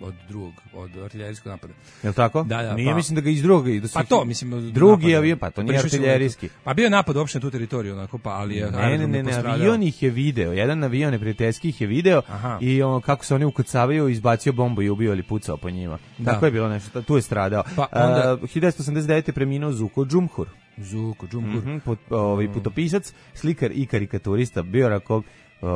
Speaker 6: od drugog, od artiljerijskog napada.
Speaker 5: Jel tako?
Speaker 6: Da, da.
Speaker 5: Nije,
Speaker 6: pa,
Speaker 5: mislim da ga iz drugog. Da
Speaker 6: pa to, mislim...
Speaker 5: Drugi napad, avion, pa to nije artiljerijski.
Speaker 6: Pa bio je napad uopšte na tu teritoriju, onako, pa, ali je...
Speaker 5: Ne, ne, ne, ne, avion ih je video, jedan avion neprijateljski ih je video. Aha. I on, kako se oni ukrcavaju, izbacio bombu i ubio ili pucao po njima. Da. Tako je bilo nešto, tu je stradao. Pa onda... uh, hiljadu devetsto osamdeset devete. preminuo Zuko Džumhur.
Speaker 6: Zuko Džumhur.
Speaker 5: Mm-hmm, put, ovaj, putopisac, slikar i karikaturista, Biorakov.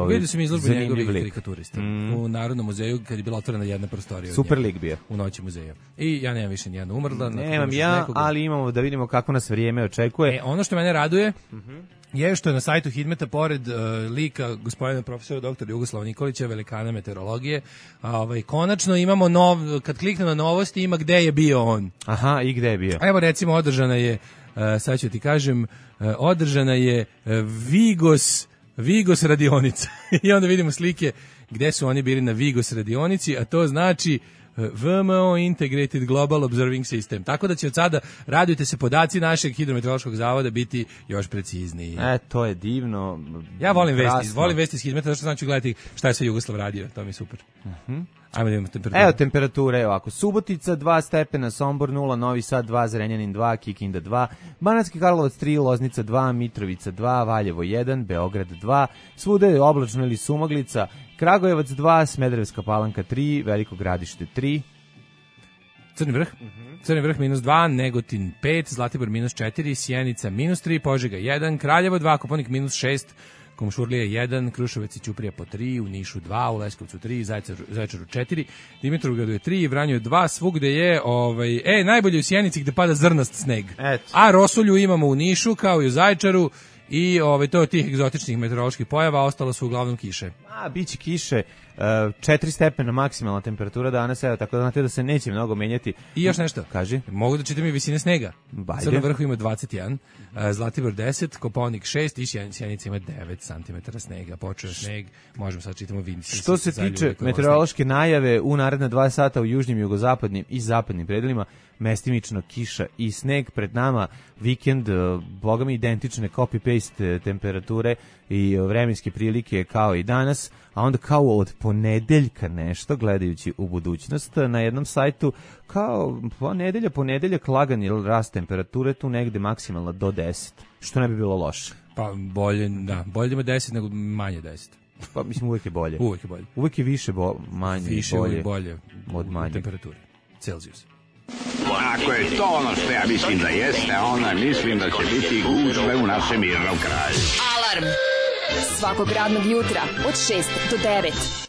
Speaker 6: Vidio sam izložbu njegovih karikaturista mm. u Narodnom muzeju kad je bila otvorena jedna prostorija.
Speaker 5: Super lik bio.
Speaker 6: U noći muzeja. I ja nemam više nijedna umrla.
Speaker 5: Nemam ja, nekoga. Ali imamo da vidimo kako nas vrijeme očekuje.
Speaker 6: E, ono što mene raduje mm-hmm. je što je na sajtu Hidmeta pored uh, lika gospodina profesora doktora Jugoslava Nikolića, velikana meteorologije, ovaj, konačno imamo nov, kad klikne na novosti ima gde je bio on.
Speaker 5: Aha, i gde je bio?
Speaker 6: Evo recimo održana je, uh, sad ću ti kažem, uh, održana je uh, Vigos Vigos radionica. I onda vidimo slike gde su oni bili na Vigos radionici, a to znači V M O Integrated Global Observing System. Tako da će od sada, radujte se, podaci našeg hidrometeorološkog zavoda biti još precizniji.
Speaker 5: E, to je divno.
Speaker 6: Ja volim krasno. vesti, volim vesti iz Hidmeta, zato što znači gledati šta je sve Jugoslav radio, to mi je super. Uh-huh. Ajmo da imamo temperaturu.
Speaker 5: Evo temperature, evo ovako, Subotica dva stepena, Sombor nula, Novi Sad dva, Zrenjanin dva, Kikinda dva, Banatski Karlovac tri, Loznica dva, Mitrovica dva, Valjevo jedan, Beograd dva, svuda je oblačno ili sumaglica, Kragujevac dva, Smederevska Palanka tri, Veliko Gradište tri,
Speaker 6: Crni vrh, uh-huh. Crni vrh minus dva, Negotin pet, Zlatibor minus četiri, Sjenica minus tri, Požega jedan, Kraljevo dva, Koponik minus šest, Komšurlija jedan, Kruševac i Ćuprija po tri, u Nišu dva, u Leskovcu tri, Zaječaru, Zaječaru četiri, Dimitrovgradu je tri, Vranju je dva, svugde je, ovaj, e, najbolje u Sjenici gde pada zrnast sneg. Et. A rosulju imamo u Nišu, kao i u Zaječaru, i ovaj, to je tih egzotičnih meteoroloških pojava, ostalo su uglavnom kiše.
Speaker 5: A, biće kiše, četiri stepena maksimalna temperatura danas, evo, tako da znate da se neće mnogo menjati.
Speaker 6: I još nešto.
Speaker 5: Kaži.
Speaker 6: Mogu da čitam i visine snega.
Speaker 5: Bajde.
Speaker 6: Sad na vrhu ima dvadeset jedan, Zlatibor deset, Kopaonik šest i Sjenica ima devet santimetara snega. Počeo je sneg, možemo sad čitamo Vinci.
Speaker 5: Što se tiče meteorološke najave, u naredna dva sata u južnim, jugozapadnim i zapadnim predelima, mestimično kiša i sneg. Pred nama vikend, boga mi identične copy-paste temperature i vremenske prilike kao i danas, a onda kao od ponedeljka nešto, gledajući u budućnost, na jednom sajtu kao ponedelja, ponedeljak lagani rast temperature, tu negde maksimalno do deset, što ne bi bilo loše.
Speaker 6: Pa bolje, da, bolje ima deset nego manje deset.
Speaker 5: Pa mislim uvijek je bolje.
Speaker 6: Uvijek je bolje.
Speaker 5: Uvijek je više bo, manje
Speaker 6: više
Speaker 5: bolje.
Speaker 6: Više bolje
Speaker 5: od manje
Speaker 6: temperature. Celzijus.
Speaker 8: Ako je to ono što ja mislim da jeste, onda mislim da će biti gužve u našem mirnom kraju.
Speaker 4: Alarm svakog radnog jutra od šest do devet.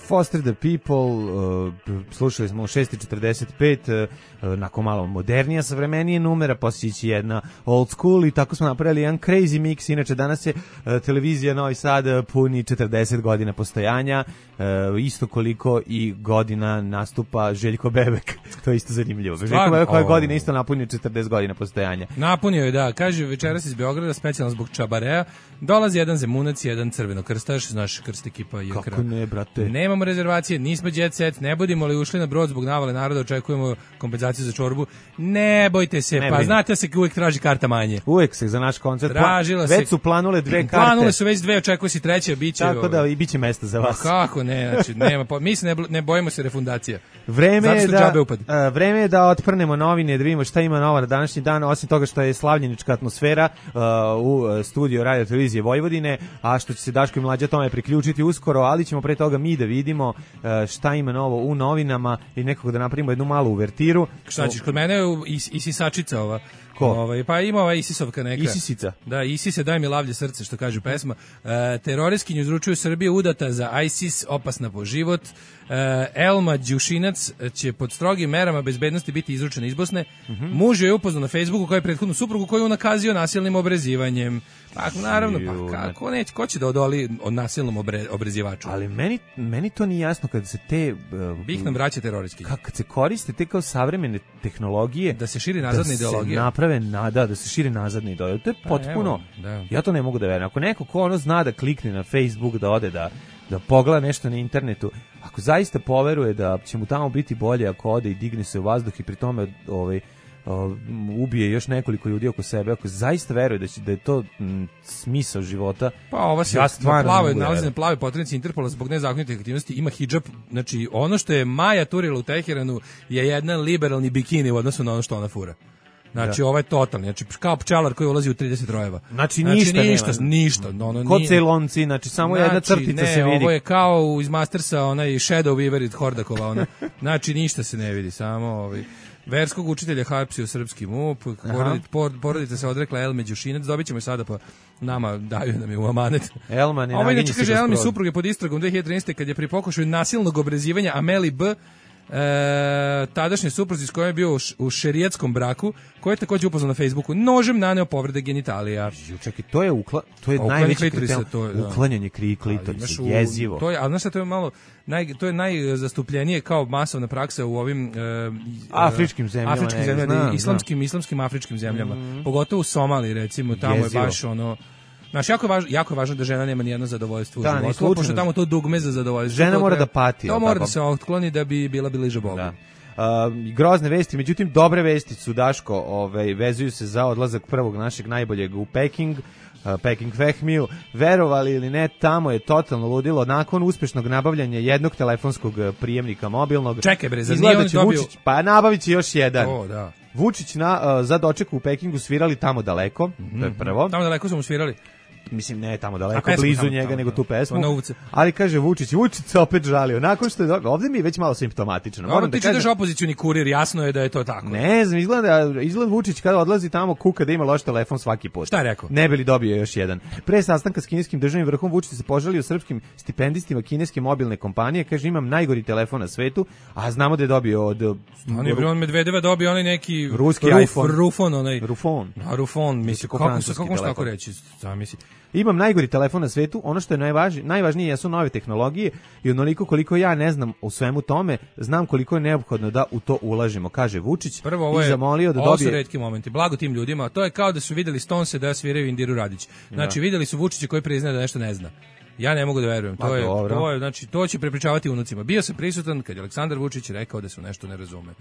Speaker 5: Foster the People, uh, slušali smo u šest i četrdeset pet, uh, nakon malo modernija, savremenije numera, posjeći jedna old school i tako smo napravili jedan crazy mix. Inače, danas je uh, televizija Novi Sad puni četrdeset godina postojanja, uh, isto koliko i godina nastupa Željko Bebek. To je isto zanimljivo. Željko Bebek ove godine isto napunio četrdeset godina postojanja.
Speaker 6: Napunio je, da. Kaže, večeras iz Beograda, specijalno zbog Čabareja, dolazi jedan Zemunac, jedan crvenokrstaš, znaš, krst ekipa je
Speaker 5: Kako ne, brate?
Speaker 6: Nema Nemamo rezervacije, nismo jet set, ne budemo li ušli na brod zbog navale naroda, očekujemo kompenzaciju za čorbu. Ne bojte se, ne pa brin. Znate se uvijek traži karta manje.
Speaker 5: Uvijek se za naš koncert.
Speaker 6: Tražila
Speaker 5: već su planule dve karte.
Speaker 6: Planule su već dve, očekuje se treća, biće.
Speaker 5: Tako da i biće mesta za vas.
Speaker 6: Pa kako ne, znači nema, pa mi se ne, ne bojimo se refundacija.
Speaker 5: Vreme je da uh, vreme je da otprnemo novine, da vidimo šta ima nova na današnji dan, osim toga što je slavljenička atmosfera uh, u studiju Radio Televizije Vojvodine, a što će se Daško i Mlađa tome priključiti uskoro, ali ćemo pre toga mi da vidimo uh, šta ima novo u novinama i nekako da napravimo jednu malu uvertiru.
Speaker 6: Šta ćeš, kod mene je is, isisačica ova.
Speaker 5: Ko?
Speaker 6: Ovaj, pa ima ova Isisovka neka.
Speaker 5: Isisica.
Speaker 6: Da, Isise, daj mi lavlje srce, što kaže pesma. E, teroristkinju izručuju Srbije udata za ISIS, opasna po život. E, Elma Đušinac će pod strogim merama bezbednosti biti izručena iz Bosne. Mm-hmm. Muž je upoznao na Facebooku kao je prethodnu suprugu koju je unakazio nasilnim obrezivanjem. Pa naravno, pa kako neće, ko će da odoli od nasilnom obre, obrezivaču?
Speaker 5: Ali meni, meni to nije jasno kad se te... Uh,
Speaker 6: Bih nam vraća teroristkinje.
Speaker 5: Kad se koriste te kao savremene tehnologije...
Speaker 6: Da se širi nazadna
Speaker 5: da
Speaker 6: ideologija.
Speaker 5: Da se naprave, nada, da se širi nazadna ideologija. To je pa, potpuno... Evo, da. Ja to ne mogu da verujem. Ako neko ko ono zna da klikne na Facebook, da ode da... da pogleda nešto na internetu, ako zaista poveruje da će mu tamo biti bolje ako ode i digne se u vazduh i pri tome ovaj, ubije još nekoliko ljudi oko sebe, ako zaista veruje da će da je to m, smisao života.
Speaker 6: Pa ova se ja na plavoj, nalazi na plavoj poternici Interpola zbog nezakonitih aktivnosti, ima hidžab, znači ono što je Maja turila u Teheranu je jedan liberalni bikini u odnosu na ono što ona fura. Znači da. Ovo je totalni, znači kao pčelar koji ulazi u trideset rojeva.
Speaker 5: Znači ništa,
Speaker 6: znači, ništa,
Speaker 5: nema.
Speaker 6: ništa, ono
Speaker 5: Kod celonci, znači samo znači, jedna crtica
Speaker 6: ne,
Speaker 5: se vidi.
Speaker 6: Ovo je kao iz Mastersa, onaj Shadow Weaver od Hordakova, ona. Znači ništa se ne vidi, samo ovaj verskog učitelja hapsio srpski MUP, porodica, porodica se odrekla Elme Đušinac, dobit ćemo je sada pa nama daju nam je u amanet.
Speaker 5: Elma ne
Speaker 6: naginje se. Ovaj kaže Elmi supruge pod istragom dve hiljade trinaeste kad je pri pokušaju nasilnog obrezivanja Ameli B. E, tadašnje supruzi s kojom je bio u, š, u šerijatskom braku, koji je također upoznao na Facebooku, nožem naneo povrede genitalija.
Speaker 5: Čekaj, to je ukla, to je najveći kriterium, uklanjanje kri klitorisa, jezivo.
Speaker 6: To je, ali znaš šta, to je malo, naj, to je najzastupljenije kao masovna praksa u ovim e,
Speaker 5: afričkim zemljama,
Speaker 6: afričkim
Speaker 5: ne,
Speaker 6: zemljama
Speaker 5: znam,
Speaker 6: islamskim, islamskim afričkim zemljama, mm. pogotovo u Somaliji recimo, tamo jezivo. Je baš ono. Znaš, jako je važno, jako je važno da žena nema nijedno zadovoljstvo
Speaker 5: da,
Speaker 6: u životu, pošto tamo to dugme za zadovoljstvo.
Speaker 5: Žena mora da pati.
Speaker 6: To mora tako da se otkloni da bi bila bliže Bogu.
Speaker 5: Da. Uh, grozne vesti, međutim dobre vesti su, Daško, ovaj, vezuju se za odlazak prvog našeg najboljeg u Peking, uh, Peking Fehmiju. Verovali ili ne, tamo je totalno ludilo. Nakon uspešnog nabavljanja jednog telefonskog prijemnika mobilnog,
Speaker 6: čekaj bre, zar nije on dobio...
Speaker 5: Vučić, pa nabavit će još jedan.
Speaker 6: O, da.
Speaker 5: Vučić na, uh, za doček u Pekingu svirali tamo daleko, mm-hmm. to je prvo.
Speaker 6: Tamo daleko su mu svirali.
Speaker 5: mislim ne tamo daleko blizu
Speaker 6: tamo,
Speaker 5: njega
Speaker 6: tamo,
Speaker 5: nego tu pesmu.
Speaker 6: Novce.
Speaker 5: Ali kaže Vučić, Vučić se opet žalio. Nakon što je do... ovde mi je već malo simptomatično.
Speaker 6: Moram da kažem, opozicioni kurir, jasno je da je to tako.
Speaker 5: Ne znam, izgleda izgleda Vučić kada odlazi tamo kuka da ima loš telefon svaki put.
Speaker 6: Šta je rekao?
Speaker 5: Ne bi li dobio još jedan. Pre sastanka s kineskim državnim vrhom Vučić se požalio srpskim stipendistima kineske mobilne kompanije, kaže imam najgori telefon na svetu, a znamo da je dobio od
Speaker 6: on je on Medvedeva dobio onaj neki
Speaker 5: ruski
Speaker 6: ruf,
Speaker 5: iPhone,
Speaker 6: Rufon onaj
Speaker 5: Rufon.
Speaker 6: A Rufon, misli kako se kako možeš tako reći? Zamisli.
Speaker 5: Imam najgori telefon na svetu, ono što je najvažnije, najvažnije jesu nove tehnologije i onoliko koliko ja ne znam u svemu tome, znam koliko je neophodno da u to ulažemo, kaže Vučić.
Speaker 6: Prvo, ovo je,
Speaker 5: i zamolio da
Speaker 6: ovo
Speaker 5: dobije...
Speaker 6: su retki momenti, blago tim ljudima, to je kao da su videli Stonese da sviraju Indiru Radić. Znači, da. Videli su Vučića koji priznaje da nešto ne zna. Ja ne mogu da verujem, to, je, to, je, znači, to će prepričavati unucima. Bio sam prisutan kad je Aleksandar Vučić rekao da se nešto ne razume.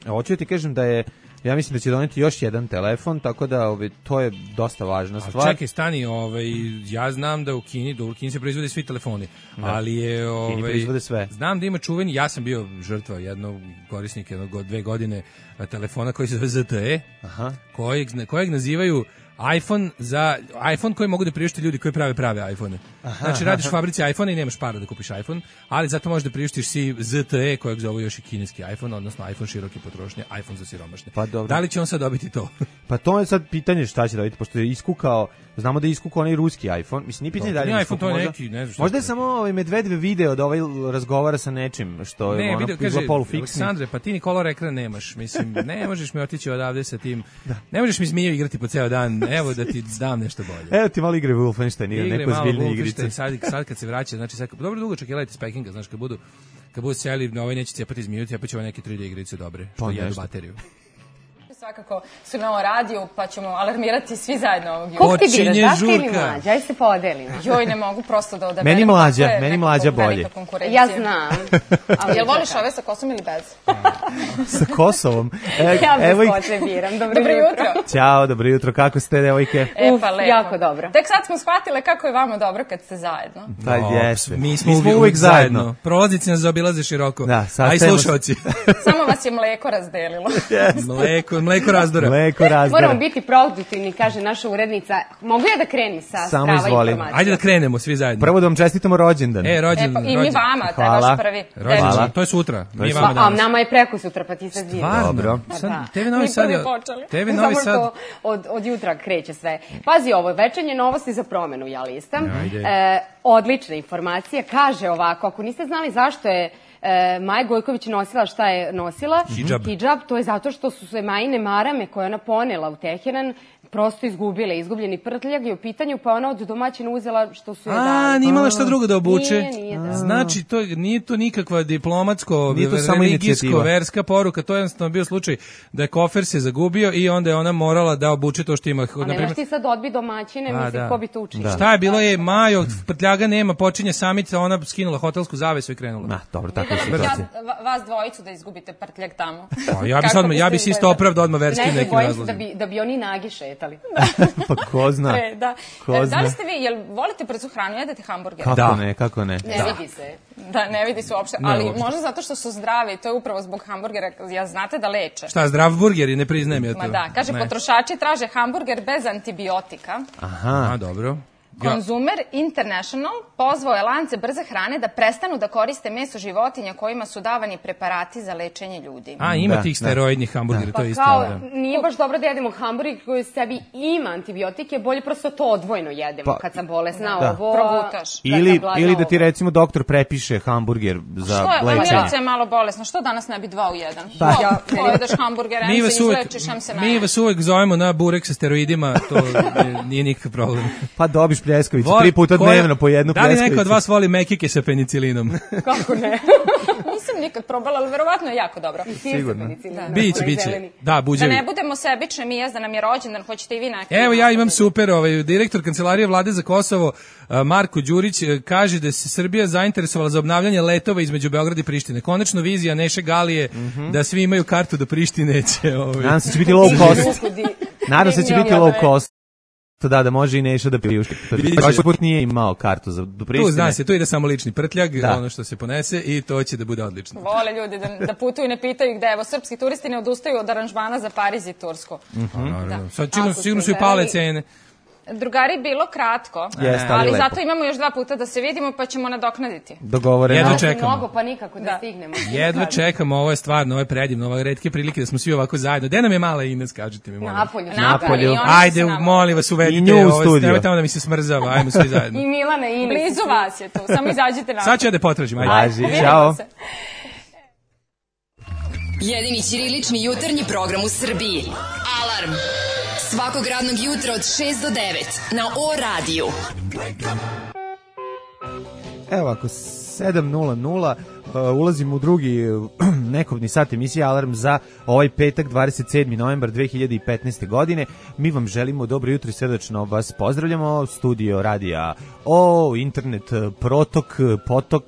Speaker 5: Hoću ti kažem da je, ja mislim da će doneti još jedan telefon, tako da ove, to je dosta važna stvar.
Speaker 6: A čekaj, stani, ovaj, ja znam da u Kini, da u Kini se proizvode svi telefoni, da. Ali je... Ovaj,
Speaker 5: Kini proizvode sve.
Speaker 6: Znam da ima čuveni, ja sam bio žrtva jednog korisnika, jednog dve godine telefona koji se zove Z T E,
Speaker 5: aha.
Speaker 6: Kojeg, kojeg nazivaju iPhone za iPhone koji mogu da priušte ljudi koji prave prave iPhone. Znači radiš u fabrici iPhone i nemaš para da kupiš iPhone, ali zato možeš da priuštiš si Z T E kojeg zove još i kineski iPhone, odnosno iPhone široke potrošnje, iPhone za siromašne.
Speaker 5: Pa dobro.
Speaker 6: Da li će on sad dobiti to?
Speaker 5: Pa to je sad pitanje šta će dobiti, pošto je iskukao, znamo da je iskukao onaj ruski iPhone, mislim nije pitanje da li je
Speaker 6: iPhone, to je neki, ne znam šta.
Speaker 5: Možda je samo ovaj Medvedev video da ovaj razgovara sa nečim što
Speaker 6: ne,
Speaker 5: je ono
Speaker 6: kaže,
Speaker 5: polufiksni.
Speaker 6: Aleksandre, pa ti ni kolor ekran nemaš, mislim, ne možeš mi otići odavde sa tim, da. Ne možeš mi zmiju igrati po ceo dan, evo da ti dam nešto bolje.
Speaker 5: Evo ti malo igre Wolfenstein, igre neko zbiljne igrice.
Speaker 6: Sad, sad kad se vraća, znači sad, dobro dugačak je Light Spekinga, znaš, kad budu, kad budu seli, na ovaj neće cijepati zmiju, cijepat će ove neke tri D igrice dobre, što
Speaker 5: pa
Speaker 6: jedu bateriju.
Speaker 9: Svakako su na ovom radiju, pa ćemo alarmirati svi zajedno ovog
Speaker 10: jutra. Kog ti biraš, Daška ili Mlađa? Ajde se podelimo.
Speaker 9: Joj, ne mogu prosto da odaberem.
Speaker 5: Meni Mlađa, meni Mlađa bolje.
Speaker 10: Ja znam.
Speaker 9: Jel voliš ove sa kosom ili bez?
Speaker 5: Sa Kosovom?
Speaker 10: E, ja bez kose biram. Dobro,
Speaker 9: dobro jutro.
Speaker 5: Ćao, dobro jutro. Kako ste, devojke?
Speaker 9: E, pa lepo.
Speaker 10: Jako dobro.
Speaker 9: Tek sad smo shvatile kako je vama dobro kad ste zajedno.
Speaker 5: Pa jeste.
Speaker 6: Mi smo, mi smo uvijek zajedno. zajedno. Prolaznici nas zaobilaze široko. Da, a i slušalci.
Speaker 9: Samo vas je mleko razdelilo.
Speaker 5: Yes.
Speaker 6: Mleko, mleko razdora.
Speaker 5: Mleko razdora.
Speaker 10: Moramo biti produktivni, kaže naša urednica. Mogu ja da krenem sa strava informacija?
Speaker 6: Ajde da krenemo svi zajedno.
Speaker 5: Prvo da vam čestitamo rođendan.
Speaker 6: E, rođendan.
Speaker 9: E, pa, I mi vama, taj vaš prvi.
Speaker 6: Rođendan, to je sutra.
Speaker 5: To je
Speaker 6: mi vama danas.
Speaker 10: A nama je preko sutra, pa ti sad zvijem.
Speaker 5: Dobro.
Speaker 6: T V Novi Sad je... T V Novi Sad...
Speaker 10: Od, od jutra kreće sve. Pazi ovo, večernje novosti za promenu, ja listam. E, odlična informacija, kaže ovako, ako niste znali zašto je E, Maja Gojković nosila šta je nosila?
Speaker 6: Hidžab.
Speaker 10: Hidžab, to je zato što su se Majine marame koje ona ponela u Teheran prosto izgubile, izgubljeni prtljag je u pitanju, pa ona od domaćina uzela što su je dali.
Speaker 6: A, nije imala šta drugo da obuče?
Speaker 10: Nije, nije da.
Speaker 6: Znači, to, nije to nikakva diplomatsko, religijsko, verska poruka, to je jednostavno bio slučaj da je kofer se zagubio i onda je ona morala da obuče to što ima.
Speaker 10: A nemaš ti sad odbi domaćine, mislim, da. Ko bi to učinio?
Speaker 6: Da. Šta je, bilo je Majo, prtljaga nema, počinje samica, ona skinula hotelsku zavesu i krenula.
Speaker 5: Na, dobro, tako
Speaker 9: je situacija. Vas dvojicu da izgubite prtljag tamo.
Speaker 6: Pa, ja bi sad, ja bi se isto opravdao odmah verskim nekim razlozima.
Speaker 10: Da bi, da bi oni nagi šetali.
Speaker 5: Pa ko zna?
Speaker 9: Pre, da.
Speaker 5: Ko zna?
Speaker 9: Da li ste vi, jel volite brzu hranu, jedete hamburger?
Speaker 5: Kako da. ne, kako ne?
Speaker 10: Ne
Speaker 5: da.
Speaker 10: vidi se.
Speaker 9: Da, ne vidi se uopšte, ali ne, možda zato što su zdravi, to je upravo zbog hamburgera, ja znate da leče.
Speaker 6: Šta, zdrav burgeri, ne priznajem ja to.
Speaker 9: Ma da, kaže, ne. Potrošači traže hamburger bez antibiotika.
Speaker 5: Aha.
Speaker 6: A, dobro.
Speaker 9: Consumer International pozvao je lance brze hrane da prestanu da koriste meso životinja kojima su davani preparati za lečenje ljudi.
Speaker 6: A, ima da, tih steroidnih hamburgera, da. To je isto.
Speaker 10: Pa kao,
Speaker 6: da.
Speaker 10: Nije baš dobro da jedemo hamburger koji u sebi ima antibiotike, bolje prosto to odvojno jedemo. Pa, kad sam bolesna, da. Ovo...
Speaker 9: Probutaš.
Speaker 5: Ili, da ili da ti recimo doktor prepiše hamburger za
Speaker 9: što je,
Speaker 5: lečenje.
Speaker 9: Što je malo bolesno, što danas ne bi dva u jedan? Pa, ja, pojedeš hamburger, em se izlečiš, em se
Speaker 6: mi vas uvek zovemo na burek sa steroidima, to nije nikakav problem.
Speaker 5: Pa dobiš pljeskavicu, tri puta dnevno po jednu pljeskavicu.
Speaker 6: Da li neko od vas voli mekike sa penicilinom?
Speaker 9: Kako ne? Nisam nikad probala, ali verovatno je jako dobro.
Speaker 5: Sigurno.
Speaker 6: Da, biće, biće. Da, buđevi.
Speaker 9: Da ne budemo sebične, mi jes da nam je rođendan, hoćete i vi neki.
Speaker 6: Evo, ja imam super, ovaj, direktor Kancelarije Vlade za Kosovo, Marko Đurić, kaže da se Srbija zainteresovala za obnavljanje letova između Beograda i Prištine. Konačno vizija Neše Galije mm -hmm. da svi imaju kartu do Prištine će... Ovaj.
Speaker 5: Nadam se će biti low cost. Nadam se će biti low cost. To da, da može i Neša da priušti. Prošli put nije imao kartu za do Prištine.
Speaker 6: Tu zna se, tu ide samo lični prtljag, da. Ono što se ponese i to će da bude odlično.
Speaker 9: Vole ljudi da, da putuju i ne pitaju gde. Evo, srpski turisti ne odustaju od aranžmana za Pariz i Tursku.
Speaker 6: Mm -hmm. Da. Sad sigurno su i pale cene.
Speaker 9: Drugari, bilo kratko,
Speaker 5: Jeste, ali,
Speaker 9: ali
Speaker 5: lepo.
Speaker 9: zato imamo još dva puta da se vidimo, pa ćemo nadoknaditi.
Speaker 5: Dogovoreno.
Speaker 6: Jedva čekamo.
Speaker 10: Mnogo, pa nikako da, da. stignemo.
Speaker 6: Jedva čekamo, ovo je stvarno, ovo je predivno, ovo je retke prilike da smo svi ovako zajedno. Gde nam je mala Ines, kažete mi, molim.
Speaker 10: Napolju.
Speaker 5: Napolju.
Speaker 6: Ajde, molim vas, uvedite ovo, nemoj tamo da mi se smrzava, ajmo svi zajedno.
Speaker 10: I Milana i Ines.
Speaker 9: Blizu vas je tu, samo izađite napolju.
Speaker 6: Sad ću ja da potražim, ajde.
Speaker 5: Važi, čao.
Speaker 4: Jedini ćirilični jutarnji program u Srbiji. Alarm. Svakog radnog jutra od šest do devet na O radiju.
Speaker 5: Evo ako sedam nula nula uh, ulazimo u drugi uh, nekobni sat emisije Alarm za ovaj petak dvadeset sedmi novembar dve hiljade petnaeste. godine. Mi vam želimo dobro jutro i srdačno vas pozdravljamo. Studio radija O, internet protok, potok,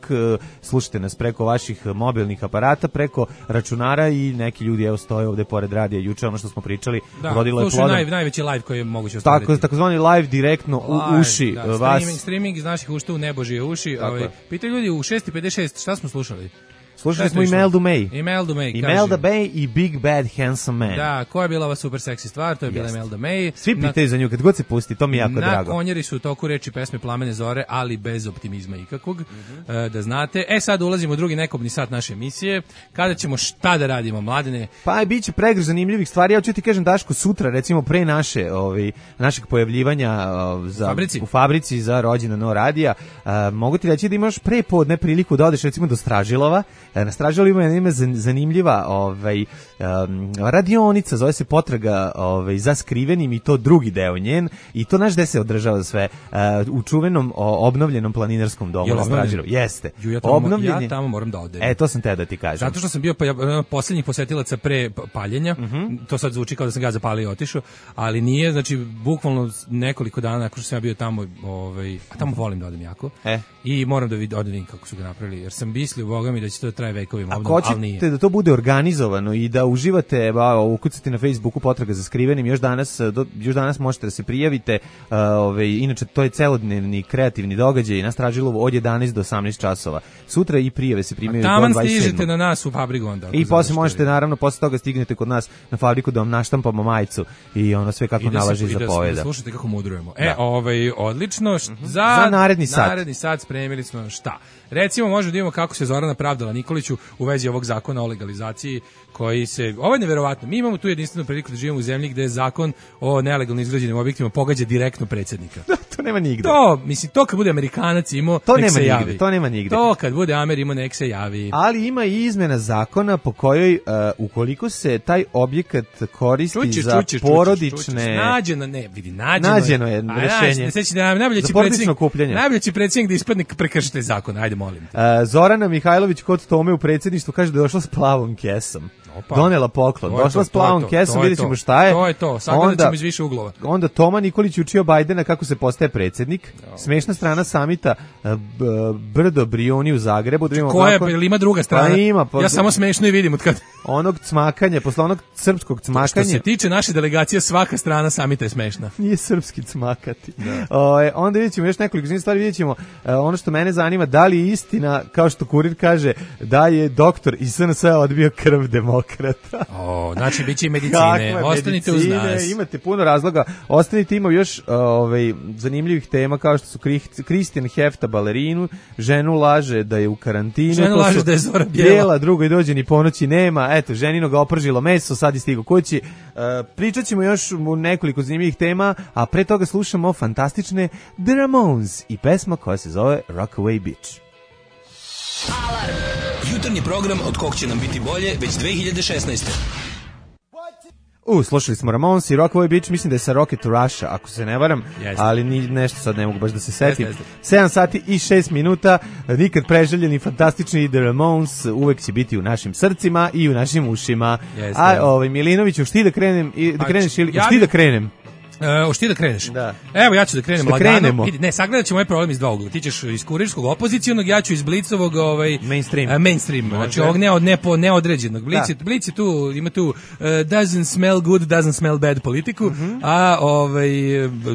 Speaker 5: slušajte nas preko vaših mobilnih aparata, preko računara i neki ljudi evo stoje ovde pored radija. Juče ono što smo pričali,
Speaker 6: da,
Speaker 5: rodilo je plodom.
Speaker 6: Naj, najveći live koji je moguće ostvariti.
Speaker 5: Tako, takozvani live direktno u uši
Speaker 6: da,
Speaker 5: vas.
Speaker 6: Streaming, streaming iz naših ušta u nebožije uši. Ovaj, pitaju ljudi u šest pedeset šest šta smo slušali?
Speaker 5: Slušali smo Imeldu May.
Speaker 6: Imelda May,
Speaker 5: Imelda May i Big Bad Handsome Man.
Speaker 6: Da, koja je bila ova super seksi stvar, to je bila Imelda May.
Speaker 5: Svi pitaju za nju, kad god se pusti, to mi je jako
Speaker 6: na
Speaker 5: drago.
Speaker 6: Na konjeri su u toku reči pesme Plamene zore, ali bez optimizma ikakvog, mm-hmm. da znate. E sad ulazimo u drugi nekobni sat naše emisije, kada ćemo šta da radimo, Mladene?
Speaker 5: Pa bit će pregrš zanimljivih stvari, ja ću ti kažem Daško, sutra, recimo pre naše, ovaj, našeg pojavljivanja uh, za,
Speaker 6: fabrici.
Speaker 5: u fabrici za rođendan No radija, uh, mogu ti reći da imaš pre podne priliku da odeš recimo do Stražilova, uh, na Stražilova ima zanimljiva ovaj, um, radionica, zove se Potraga ovaj, za skrivenim i to drugi deo njen i to naš gde se održava sve uh, u čuvenom o, obnovljenom planinarskom domu na Stražilovu. Jeste.
Speaker 6: Ju, ja, tamo, Obnovljen... ja tamo moram da odem.
Speaker 5: E, to sam te da ti kažem.
Speaker 6: Zato što sam bio pa, posljednjih posetilaca pre paljenja, mm-hmm. to sad zvuči kao da sam ga zapalio i otišao, ali nije, znači, bukvalno nekoliko dana nakon što sam ja bio tamo, ovaj, a tamo volim da odem jako,
Speaker 5: e.
Speaker 6: i moram da vidim, odem kako su ga napravili, jer sam mislio, boga mi, da će to traje vekovima.
Speaker 5: Ako hoćete da to bude organizovano i da uživate, ba, ukucate na Facebooku Potraga za skrivenim, još danas, do, još danas možete da se prijavite, uh, ove, inače to je celodnevni kreativni događaj na Stražilovu od jedanaest do osamnaest časova. Sutra i prijave se primaju do dvadeset sedmog.
Speaker 6: Taman stižete na nas u fabriku onda.
Speaker 5: I posle možete, naravno, posle toga stignete kod nas na fabriku da vam naštampamo majicu i ono sve kako nalaži za poveda.
Speaker 6: Da slušajte kako mudrujemo. E, ovaj, odlično, št,
Speaker 5: mm-hmm.
Speaker 6: za,
Speaker 5: za naredni sat.
Speaker 6: Naredni sat spremili smo šta? Recimo, možemo da vidimo kako se Zorana pravdala Nikoliću u vezi ovog zakona o legalizaciji koji se, ovo je neverovatno, mi imamo tu jedinstvenu priliku da živimo u zemlji gde zakon o nelegalno izgrađenim objektima pogađa direktno predsjednika.
Speaker 5: To nema nigde.
Speaker 6: To, mislim, to kad bude Amerikanac imao,
Speaker 5: to
Speaker 6: nek
Speaker 5: nema
Speaker 6: se
Speaker 5: nigde,
Speaker 6: javi.
Speaker 5: To nema nigde.
Speaker 6: To kad bude Amer imao, nek se javi.
Speaker 5: Ali ima i izmena zakona po kojoj, uh, ukoliko se taj objekat koristi
Speaker 6: čućeš,
Speaker 5: za
Speaker 6: čućeš,
Speaker 5: porodične...
Speaker 6: Čućeš, nađeno, ne, vidi, nađeno,
Speaker 5: nađeno je rešenje.
Speaker 6: Da, najbolje će predsjednik, najbolje će predsjednik da ispadne prekršite zakon, ajde molim te.
Speaker 5: Uh, Zorana Mihajlović kod Tome u predsjedništvu kaže da je došla s plavom kesom. Opa. Donela poklon, došla to, s plavom
Speaker 6: to,
Speaker 5: kesom, vidjet ćemo
Speaker 6: to.
Speaker 5: šta je.
Speaker 6: To je to, sagledat ćemo iz više uglova.
Speaker 5: Onda Toma Nikolić učio Bajdena kako se postaje predsjednik. No. Smešna strana samita Brdo Brioni u Zagrebu. Da
Speaker 6: koja je, ili ima druga strana?
Speaker 5: Pa ima, pa,
Speaker 6: ja samo smešno i vidim od kad.
Speaker 5: Onog cmakanja, posle onog srpskog cmakanja.
Speaker 6: Što se tiče naše delegacije, svaka strana samita je smešna.
Speaker 5: Nije srpski cmakati. O, onda vidjet ćemo još nekoliko stvari, vidjet ćemo ono što mene zanima, da li je istina, kao što kurir kaže, da je doktor iz S N S odbio krv demokrata.
Speaker 6: O, znači bit će i medicine. Ostanite medicine, uz nas.
Speaker 5: Imate puno razloga. Ostanite, ima još ovaj, zanimljivih tema kao što su Kristijan hefta balerinu, ženu laže da je u karantinu.
Speaker 6: Ženu laže da je Zora bijela.
Speaker 5: Bijela, drugo i dođe ni ponoći nema. Eto, ženino ga opržilo meso, sad je stigo kući. Uh, pričat ćemo još u nekoliko zanimljivih tema, a pre toga slušamo fantastične The Ramones i pesma koja se zove Rockaway Beach.
Speaker 7: Alarm! Jutarnji program od kog će nam biti bolje već dve hiljade šesnaeste.
Speaker 5: U, slušali smo Ramones i Rockaway Beach, mislim da je sa Rocket to Russia, ako se ne varam,
Speaker 6: yes.
Speaker 5: ali ni, nešto sad ne mogu baš da se setim.
Speaker 6: Yes, yes.
Speaker 5: sedam sati i šest minuta, nikad preželjeni, fantastični The Ramones, uvek će biti u našim srcima i u našim ušima.
Speaker 6: Yes,
Speaker 5: A, ovaj, Milinović, už ti da krenem, i, da kreneš ili, už ti da krenem?
Speaker 6: Uh, Oš ti da kreneš?
Speaker 5: Da.
Speaker 6: Evo ja ću da krenem
Speaker 5: da
Speaker 6: lagano.
Speaker 5: Krenemo.
Speaker 6: Ne, sagledat ćemo ovaj problem iz dva ugla. Ti ćeš iz kurirskog opozicionog, ja ću iz Blicovog ovaj,
Speaker 5: mainstream.
Speaker 6: Uh, mainstream. Znači ovog ne, ne, neodređenog. Blic, da. Blic je tu, ima tu uh, doesn't smell good, doesn't smell bad politiku, mm-hmm. a ovaj,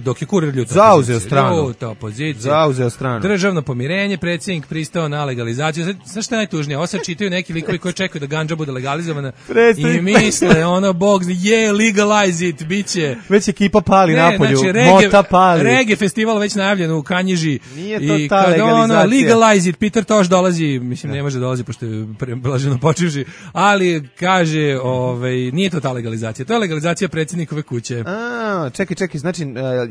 Speaker 6: dok je kurir ljuta.
Speaker 5: Zauzeo stranu.
Speaker 6: Ljuta opozicija.
Speaker 5: Zauzeo stranu.
Speaker 6: Državno pomirenje, predsjednik pristao na legalizaciju. Znaš šta je najtužnije? Ovo sad čitaju neki likovi koji čekaju da gandža bude legalizovana i misle, ono, bog, je, legalize it, biće.
Speaker 5: Već ekipa pali
Speaker 6: ne,
Speaker 5: napolju,
Speaker 6: znači, reggae,
Speaker 5: mota pali.
Speaker 6: Reggae festival već najavljen u Kanjiži.
Speaker 5: Nije to
Speaker 6: i
Speaker 5: ta
Speaker 6: kad
Speaker 5: legalizacija.
Speaker 6: Ono, legalize it, Peter Tosh dolazi, mislim ne može dolazi pošto je blaženo počivši, ali kaže, ovaj, nije to ta legalizacija, to je legalizacija predsjednikove kuće.
Speaker 5: A, čekaj, čekaj, znači,